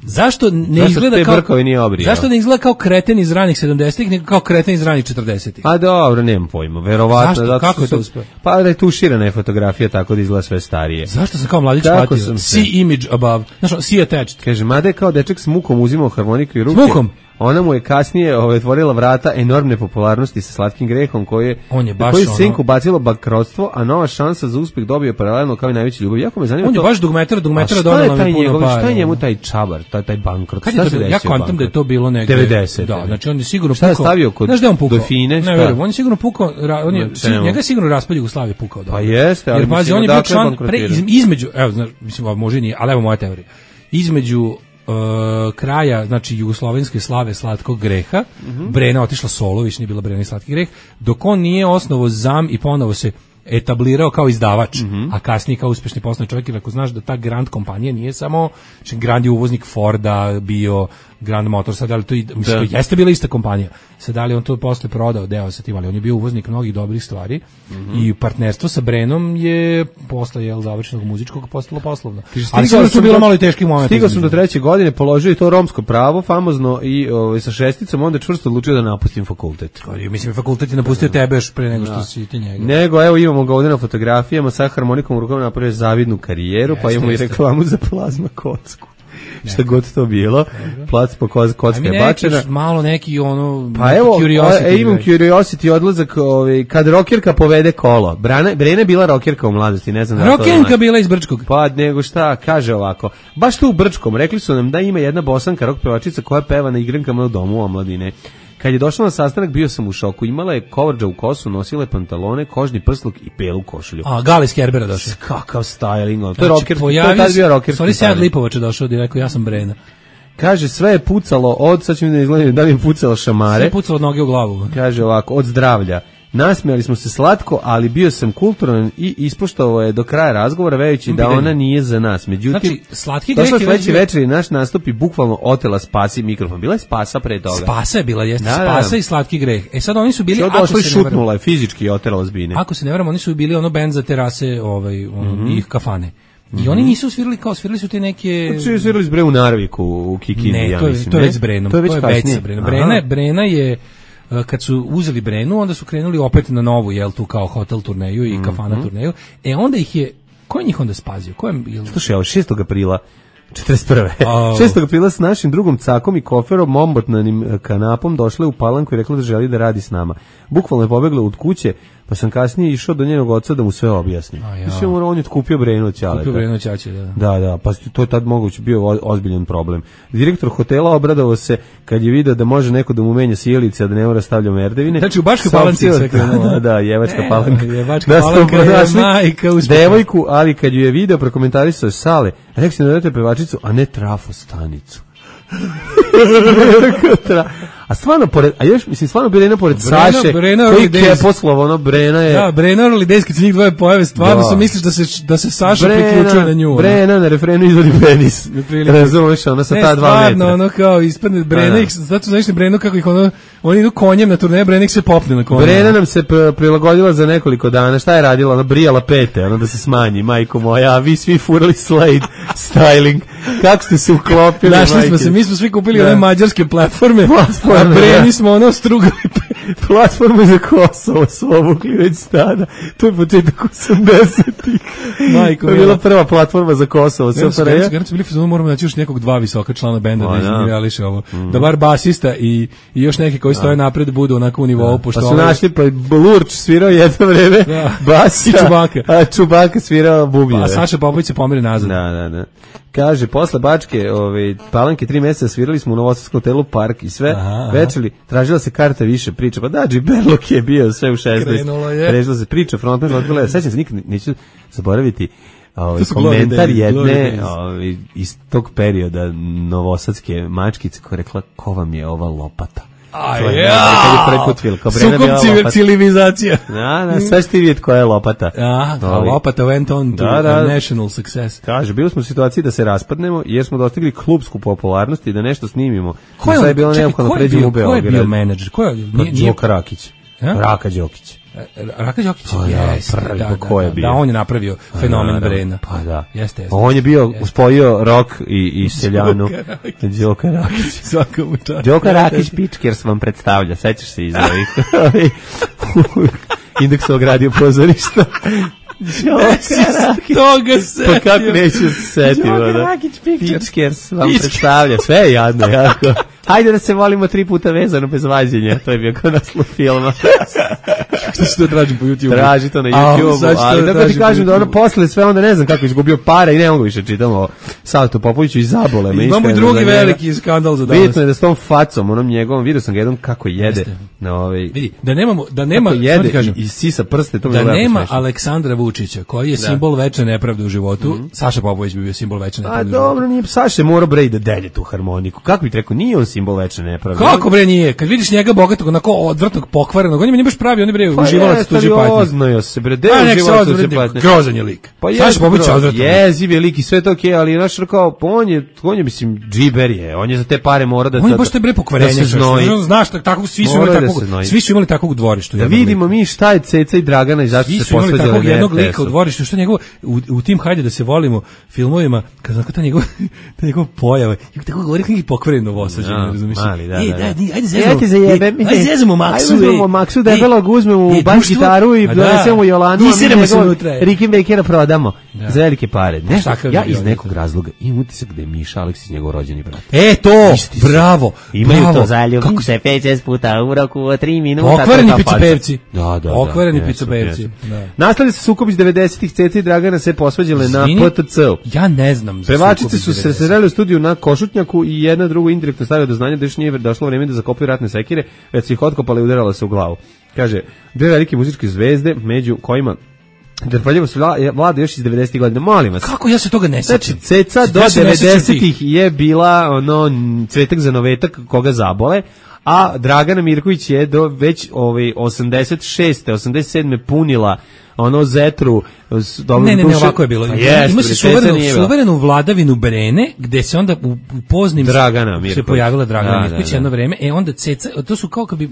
zašto ne zašto izgleda kao... Nije zašto ne izgleda kao kreten iz ranih sedamdesetih, nego kao kreten iz ranih četrdesetih? A dobro, nemam pojma, verovatno. Zašto? Kako je to uspeo? Pa da je tuširana je fotografija tako da izgleda sve starije. Zašto sam kao mladić patio? See image above. Znaš, see attached. Kaže, mada je kao dečak s mukom uzimao harmoniku i ruke. S mukom? Ona mu je kasnije ovaj, otvorila vrata enormne popularnosti sa Slatkim grehom koji je, on je baš koji ono... senku bacilo bankrotstvo, a nova šansa za uspjeh dobio paralelno kao i najveći ljubav. Jako me zanima on to. On je baš dugmetar, dugmetar donela mi puno para. Šta je njemu taj čabar, taj, taj bankrot? Kad je to, ja kontam da je to bilo negde devedeset. Da, znači on je sigurno šta pukao. Je stavio kod znaš da on pukao? Dofine, ne verujem, on je sigurno pukao, on je, si, njega je sigurno raspad Jugoslavije pukao. Pa jeste, ali jer, pazi, on je bio član, pre, iz, između, evo, znaš, mislim, može nije, ali evo moja teorija. Između Uh, kraja, znači jugoslovenske slave Slatkog greha, mm-hmm. Brena otišla solo, više nije bila Brena i Slatki greh, dok on nije osnovo zam i ponovo se etablirao kao izdavač, mm-hmm. a kasnije kao uspešni poslovni čovjek, jer ako znaš da ta Grand kompanija nije samo, znači Grand je uvoznik Forda, bio Grand Motor, sad ali to, i, mislim, to jeste bila ista kompanija, sad ali on to posle prodao deo sa tim, ali on je bio uvoznik mnogih dobrih stvari mm-hmm. i partnerstvo sa Brenom je posle jel, završenog muzičkog postalo poslovno. Ali sigurno su bilo malo i teški moment. Stigao sam do treće godine, položio i to romsko pravo, famozno i ovaj, sa šesticom, onda čvrsto odlučio da napustim fakultet. Koji, mislim, fakultet je napustio da. Tebe još pre nego što da. Si ti njega. Nego, evo imamo ga ovdje na fotografijama, sa harmonikom u rukom napravio zavidnu karijeru, jeste, pa imamo jeste. I reklamu za plazma kocku. Šta god to bilo, plac po kocka je bačena. Malo neki ono pa evo, e, imam curiosity odlazak ovaj, kad rokirka povede kolo. Brana, Brena je bila rokirka u mladosti, ne znam da to. Rokinka bila iz Brčkog. Pa nego šta, kaže ovako. Baš tu u Brčkom, rekli su nam da ima jedna bosanka rok pevačica koja peva na igrankama u domu omladine. Kad je došla na sastanak, bio sam u šoku. Imala je kovrđa u kosu, nosila je pantalone, kožni prsluk i belu košulju. A, Gali iz Kerbera došao. Kakav styling. To je rocker, to je tad bio rocker. Sorry, Sead Lipovač je došao, di rekao, ja sam Brena. Kaže, sve je pucalo od, sad ću mi da izgledati, da li je pucalo šamare. Sve je pucalo od noge u glavu. Kaže ovako, od zdravlja. Nasmijali smo se slatko, ali bio sam kulturan i ispoštovao je do kraja razgovora, vejući da ona nije za nas. Međutim, znači, Slatki greh je sledeći večer i naš nastup i bukvalno otela Spasi mikrofon. Bila je Spasa pre toga. Spasa je bila, jeste, da, Spasa da. I Slatki greh. E sad oni su bili, ako se šutnula je fizički oterala zbine. Ako se ne varam, oni su bili ono bend za terase, ovaj, ono, mm-hmm. ih kafane. I mm-hmm. oni nisu svirali kao, svirali su te neke... Kako su svirali s Bre u Narviku, u Kikindi, ne, ja to je, mislim. To je već s Brenom. To je već kasnije. Brena, Brena je... Kad su uzeli Brenu, onda su krenuli opet na novu, jel tu kao hotel turneju i kafana mm-hmm. turneju. E onda ih je, ko je njih onda spazio? Ko je, jel... Slušaj, evo šestog aprila četrdeset prve Oh. šestog aprila s našim drugom cakom i koferom ombotnanim kanapom došla u Palanku i rekla da želi da radi s nama. Bukvalno je pobegla od kuće, pa sam kasnije išao do njenog oca da mu sve objasnim. A ja. Mislim, on je kupio Brenu od ćaleta. Kupio Brenu od ćaće, da. Da, da, pa to je tad moguće bio ozbiljan problem. Direktor hotela obradovao se kad je video da može neko da mu menja sjelice, a da ne mora stavlja merdevine. Znači u Baškoj Palanci se krenulo. Da, da, Jevačka Palanka. Jevačka Palanka je majka uspeha. Devojku, ali kad ju je video prokomentarisao sale, rekao si da dajete pevačicu, a ne trafostanicu. A stvarno pored, a još mislim stvarno Brena pored Brena, Saše, Brena koji Days. je poslovo, ono Brena je. Da, Brena Early Days, kad se njih dvoje pojave, stvarno se misliš da se da se Saša Brena, priključuje na nju. Brena na refrenu izvodi penis. Razumeš, ona sa ta dva metra. Ne, stvarno, ono kao ispadne Brena, ih, zato znaš li Brenu kako ih ono, oni idu konjem na turneje, Brena ih se popne na konjem. Brena nam se prilagodila za nekoliko dana, šta je radila? Ona brijala pete, ono da se smanji, majko moja, a vi svi furali Slade styling. Kako ste se uklopili, našli majke? smo se, mi smo svi kupili one mađarske platforme, platforme, a Breni smo ono strugali platforme za Kosovo su obukli već tada. To je početak osamdesetih. Majko, to je bila prva platforma za Kosovo. Sve su bili fazonu, moramo naći još nekog dva visoka člana benda da izreališe ovo. Da bar basista i, i još neki koji stoje napred budu onako u nivou. Pa su našli, pa Lurč svirao jedno vreme basa. I Čubaka. A Čubaka svirao bubnjeve. A Saša Popović se pomeri nazad. Da, da, da. Kaže, posle Bačke, ove, Palanke, tri meseca svirali smo u Novosadskom hotelu Park i sve, aha, večeri, tražila se karta više priča, pa da, Džiberlok je bio sve u šesnaest. Krenulo je. Tražila se priča, frontman, odbila, sećam se, nikad neću zaboraviti ovaj, komentar days, jedne ovaj, iz tog perioda novosadske mačkice koja rekla, ko vam je ova lopata? A to je, ja, kad je prvi put film, kao Sukob civilizacija. Da, da, sve ste vidjeti koja je lopata. A, a lopata went on to da, da. national success. Kaže, bili smo u situaciji da se raspadnemo jer smo dostigli klupsku popularnost i da nešto snimimo. Ko je, sad je bilo neophodno pređemo u Beograd. Ko je bio menadžer? Ko je? Đoka Rakić. A? Raka Đokić. Raka Đokić, pa, yes, prvi, da, ko je da, bio? Da, on je napravio fenomen Brena. Pa da. Jeste, jeste. On je bio, jeste. Uspojio rock i, i seljanu. Đoka Rakić. Svakom času. Đoka Rakić Pičkers vam predstavlja, sećaš se iz ovih Indeksovog radio pozorišta. Toga se. Pa kako neću se setiti. Đoka Rakić Pičkers vam predstavlja. Sve je jadno, jako. Hajde da se volimo tri puta vezano bez vađenja. To je bio kao naslov filma. Što se to tražim po YouTube? Traži to na YouTube. Ali tako ti kažem da ono posle sve onda ne znam kako izgubio para i ne mogu više čitamo Savtu Popoviću i zabole me. Imamo i drugi veliki skandal za danas. Bitno je da s tom facom, onom njegovom, vidio sam ga jednom kako jede. Na ovaj, vidi, da nemamo, da nema, jede kažem, i sisa prste. To da nema smešno. Aleksandra Vučića, koji je da. simbol večne nepravde u životu, mm-hmm. Saša Popović bi bio simbol večne nepravde u životu. A dobro, nije Saša mora bre da delje tu harmoniku. Kako bih rekao, nije on simbol večne nepravde. Kako bre nije? Kad vidiš njega bogatog, onako odvrtnog, pokvarenog, on je nije baš pravi, on je bre uživalac tuđe patnje. Oznajo se bre, deo uživalac tuđe patnje. Grozan je lik. Pa Saša Popović je odvratan. Jeziv je lik i sve to okej, ali naš kao on je, on je mislim džiber je, on je za te pare mora da on je baš te bre pokvarenje. Znaš tako svi su imali takvog, svi su imali takvog u dvorištu. Da vidimo mi šta je Ceca i Dragana i zašto se posvađali takvog jednog lika u dvorištu, što njegovo u tim hajde da se volimo filmovima, kad znako ta njegov ta njegov pojava, i tako govori neki pokvaren Novosađanin, razumiješ? Ajde zezamo, ajde zajebem, ajde zezamo Maksu, ajde zezamo Maksu debelog, uzmemo u bas gitaru i donesemo Jolanu, a mi njegov Ricky Bakera prodamo za velike pare. Ja iz nekog razloga imam utisak da je Miša Aleksić njegov rođeni brat. E to, bravo, imaju to zaljubim se pet šest puta u roku od tri minuta. Okvareni picopevci. Da, da, okvareni picopevci. Nastavili se sukob iz devedesetih, Ceca i Dragana se posvađale na P T C-u. Ja ne znam. Pevačice su se sreli u studiju na Košutnjaku i jedna drugu indirektno stavila do znanja da još nije došlo vreme da zakopaju ratne sekire, već su ih otkopali i udarala se u glavu. Kaže, dve velike muzičke zvezde, među kojima Drpaljevo se vlada još iz devedesetih godina, molim vas. Kako ja se toga ne sjećam? Znači, Ceca do devedesetih je bila ono cvetak za novetak koga zabole, a Dragana Mirković je do već ovaj osamdeset šeste, osamdeset sedme punila ono Zetru. Dobro, ne, ne, ne, ovako je bilo. Pa jest, ima se suverenu, suverenu vladavinu Brene, gde se onda u, u poznim Dragana Mirković se pojavila Dragana da, Mirković da, da. jedno vreme, e onda Ceca, to su kao kad bi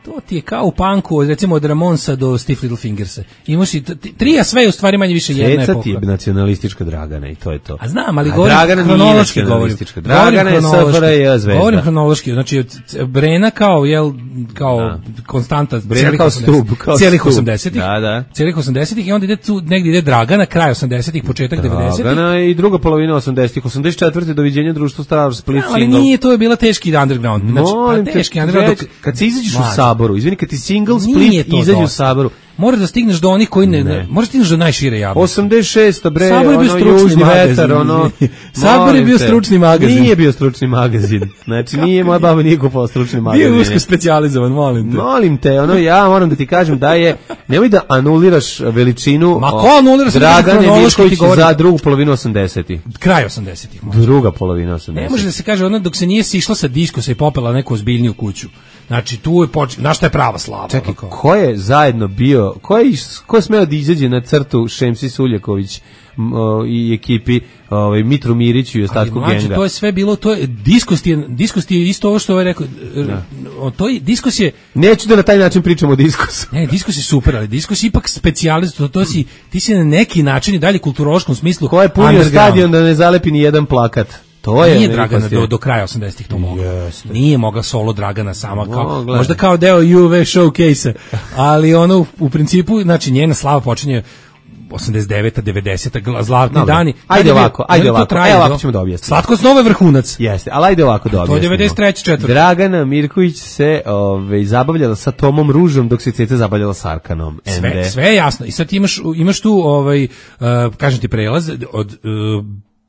To ti je kao u punku, recimo od Ramonsa do Stiff Little Fingersa. Imaš i trija, sve je u stvari manje više jedna epoha. Ceca ti je nacionalistička Dragana i to je to. A znam, ali govorim Dragana hronološki govorim. Dragana je S F R J zvezda. Govorim hronološki, znači Brena kao, jel, kao da. konstanta Brena kao stup, kao cijelih osamdesetih. Da, da. Cijelih osamdesetih i onda ide tu, negdje ide Dragana, kraj osamdesetih, početak devedesetih. Dragana i druga polovina osamdesetih. osamdeset četvrte doviđenja društvo Star Split ali single. Nije, to je bila teški underground. Znači, Molim pa teški te, underground. Dok, kad se izađeš u Saboru, izvini, kad ti single Split izađe u Saboru, moraš da stigneš do onih koji ne, ne. moraš da stigneš do najšire javnosti. osamdeset šest bre, Sabor ono južni vetar, ono. Sabor je bio stručni magazin. Nije bio stručni magazin. Znači nije moja baba nije kupovala stručni magazin. Bio usko specijalizovan, molim te. Molim te, ono ja moram da ti kažem da je nemoj da anuliraš veličinu. Ma ko anuliraš Dragane Mirković za drugu polovinu osamdesetih. Kraj osamdesetih. Druga polovina osamdesetih. Ne može da se kaže ono dok se nije sišla sa diskusa i popela neku ozbiljniju kuću. Znači tu je počeo, znaš šta je prava slava. Čekaj, ko je zajedno bio, ko je, ko je smeo da izađe na crtu Šemsi Suljaković m, o, i ekipi ovaj, Mitru Miriću i ostatku mlađe, genga? To je sve bilo, to je, diskust je, diskust je isto ovo što ovaj rekao, o, to je, diskus je... Neću da na taj način pričamo o diskusu. Ne, diskus je super, ali diskus je ipak specijalist, to, to si, ti si na neki način i dalje kulturološkom smislu. Ko je punio stadion da ne zalepi ni jedan plakat? To je nije Dragana do, do kraja osamdesetih to mogla. Jeste. Nije mogla solo Dragana sama kao Mogla. možda kao deo U V showcase, ali ono u, u principu znači njena slava počinje osamdeset deveta devedeseta zlatni no, dani. Ajde ovako, ajde ovako. Ajde ovako ćemo da objasnimo. Slatko snova je vrhunac. Jeste, al ajde ovako da objasnimo. To je devedeset treće četvrte Dragana Mirković se ovaj zabavljala sa Tomom Ružom dok se Ceca zabavljala sa Arkanom. Sve, sve je jasno. I sad imaš imaš tu ovaj uh, kažem ti prelaz od uh,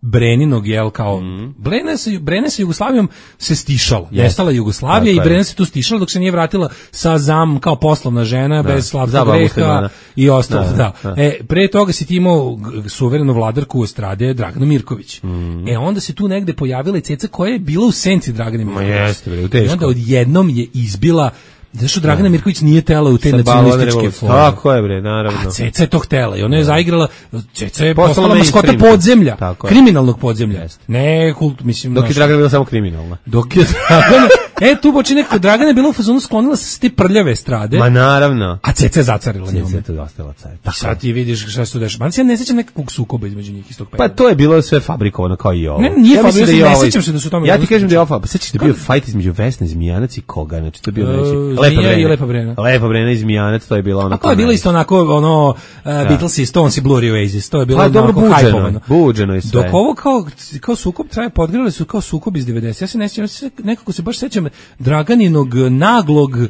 Breninog, jel, kao, mm. Brena se, Brena se Jugoslavijom se stišala, yes. Nestala Jugoslavija i Brena se tu stišala dok se nije vratila sa zam, kao poslovna žena, da. Bez slavskog greha i ostalo, da, da. da. E, pre toga si ti imao suverenu vladarku u estrade Draganu Mirković. Mm. E, onda se tu negde pojavila i Ceca koja je bila u senci Dragane Mirković. Ma jeste, bre, teško. I onda odjednom je izbila. Zašto Dragana Mirković nije tela u te nacionalističke forme? Tako je, bre, naravno. A Ceca je to htela i ona je zaigrala, Ceca je postala maskota podzemlja, kriminalnog podzemlja. Jest. Ne, kult, mislim... Dok je Dragana bila samo kriminalna. Dok je Dragana... E, tu počine nekako, Dragana je bila u fazonu sklonila se s te prljave estrade. Ma naravno. A Ceca je zacarila njome. Ceca je ostala car. I sad ti vidiš šta se tu dešava. Man se ja ne sećam nekakvog sukoba između njih iz tog perioda. Pa to je bilo sve fabrikovano kao i ovo. Ne, nije ja fabrikovano, ne sećam se da su tamo... Ja ti kažem da je ovo, pa sećaš da je bio fajt između Vesne Zmijanac i koga, znači to je bio znači Lepa Brena. Lepa Brena. Lepa Brena i Zmijanac, to je bilo ono. A to je bilo isto onako, ono, uh, Beatles i Stones i Blurry Oasis, to je bilo pa, onako hajpovano. Buđeno je sve. Dok ovo kao, kao sukob traje, podgrali su kao sukob iz devedesetih. Ja se ne sjećam, nekako se baš sećam Draganinog naglog uh,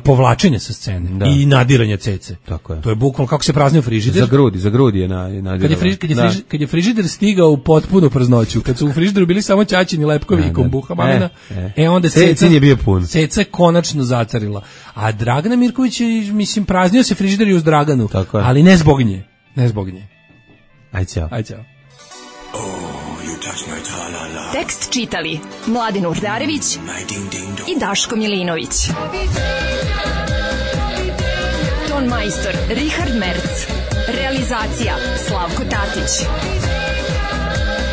povlačenja sa scene da. I nadiranja Cece. Tako je. To je bukvalno kako se praznio frižider. Za grudi, za grudi je na, nadirala. Kad je, friž, kad, je friž, kad je frižider stigao u potpunu praznoću, kad su u frižideru bili samo ćaćini lepkovi i kombuha mamina, e, e. e onda Ceca je bio pun. Ceca je konačno zacarila. A Dragana Mirković je, mislim, praznio se frižider i uz Draganu, ali ne zbog nje. Ne zbog nje. Aj ćao. Aj ćao. Tekst čitali Mladin Urdarević i Daško Milinović. Ton majstor Richard Merc. Realizacija Slavko Tatić.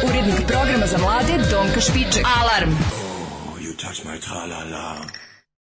Urednik programa za mlade Donka Špiček. Alarm! Oh, you touch my tra-la-la.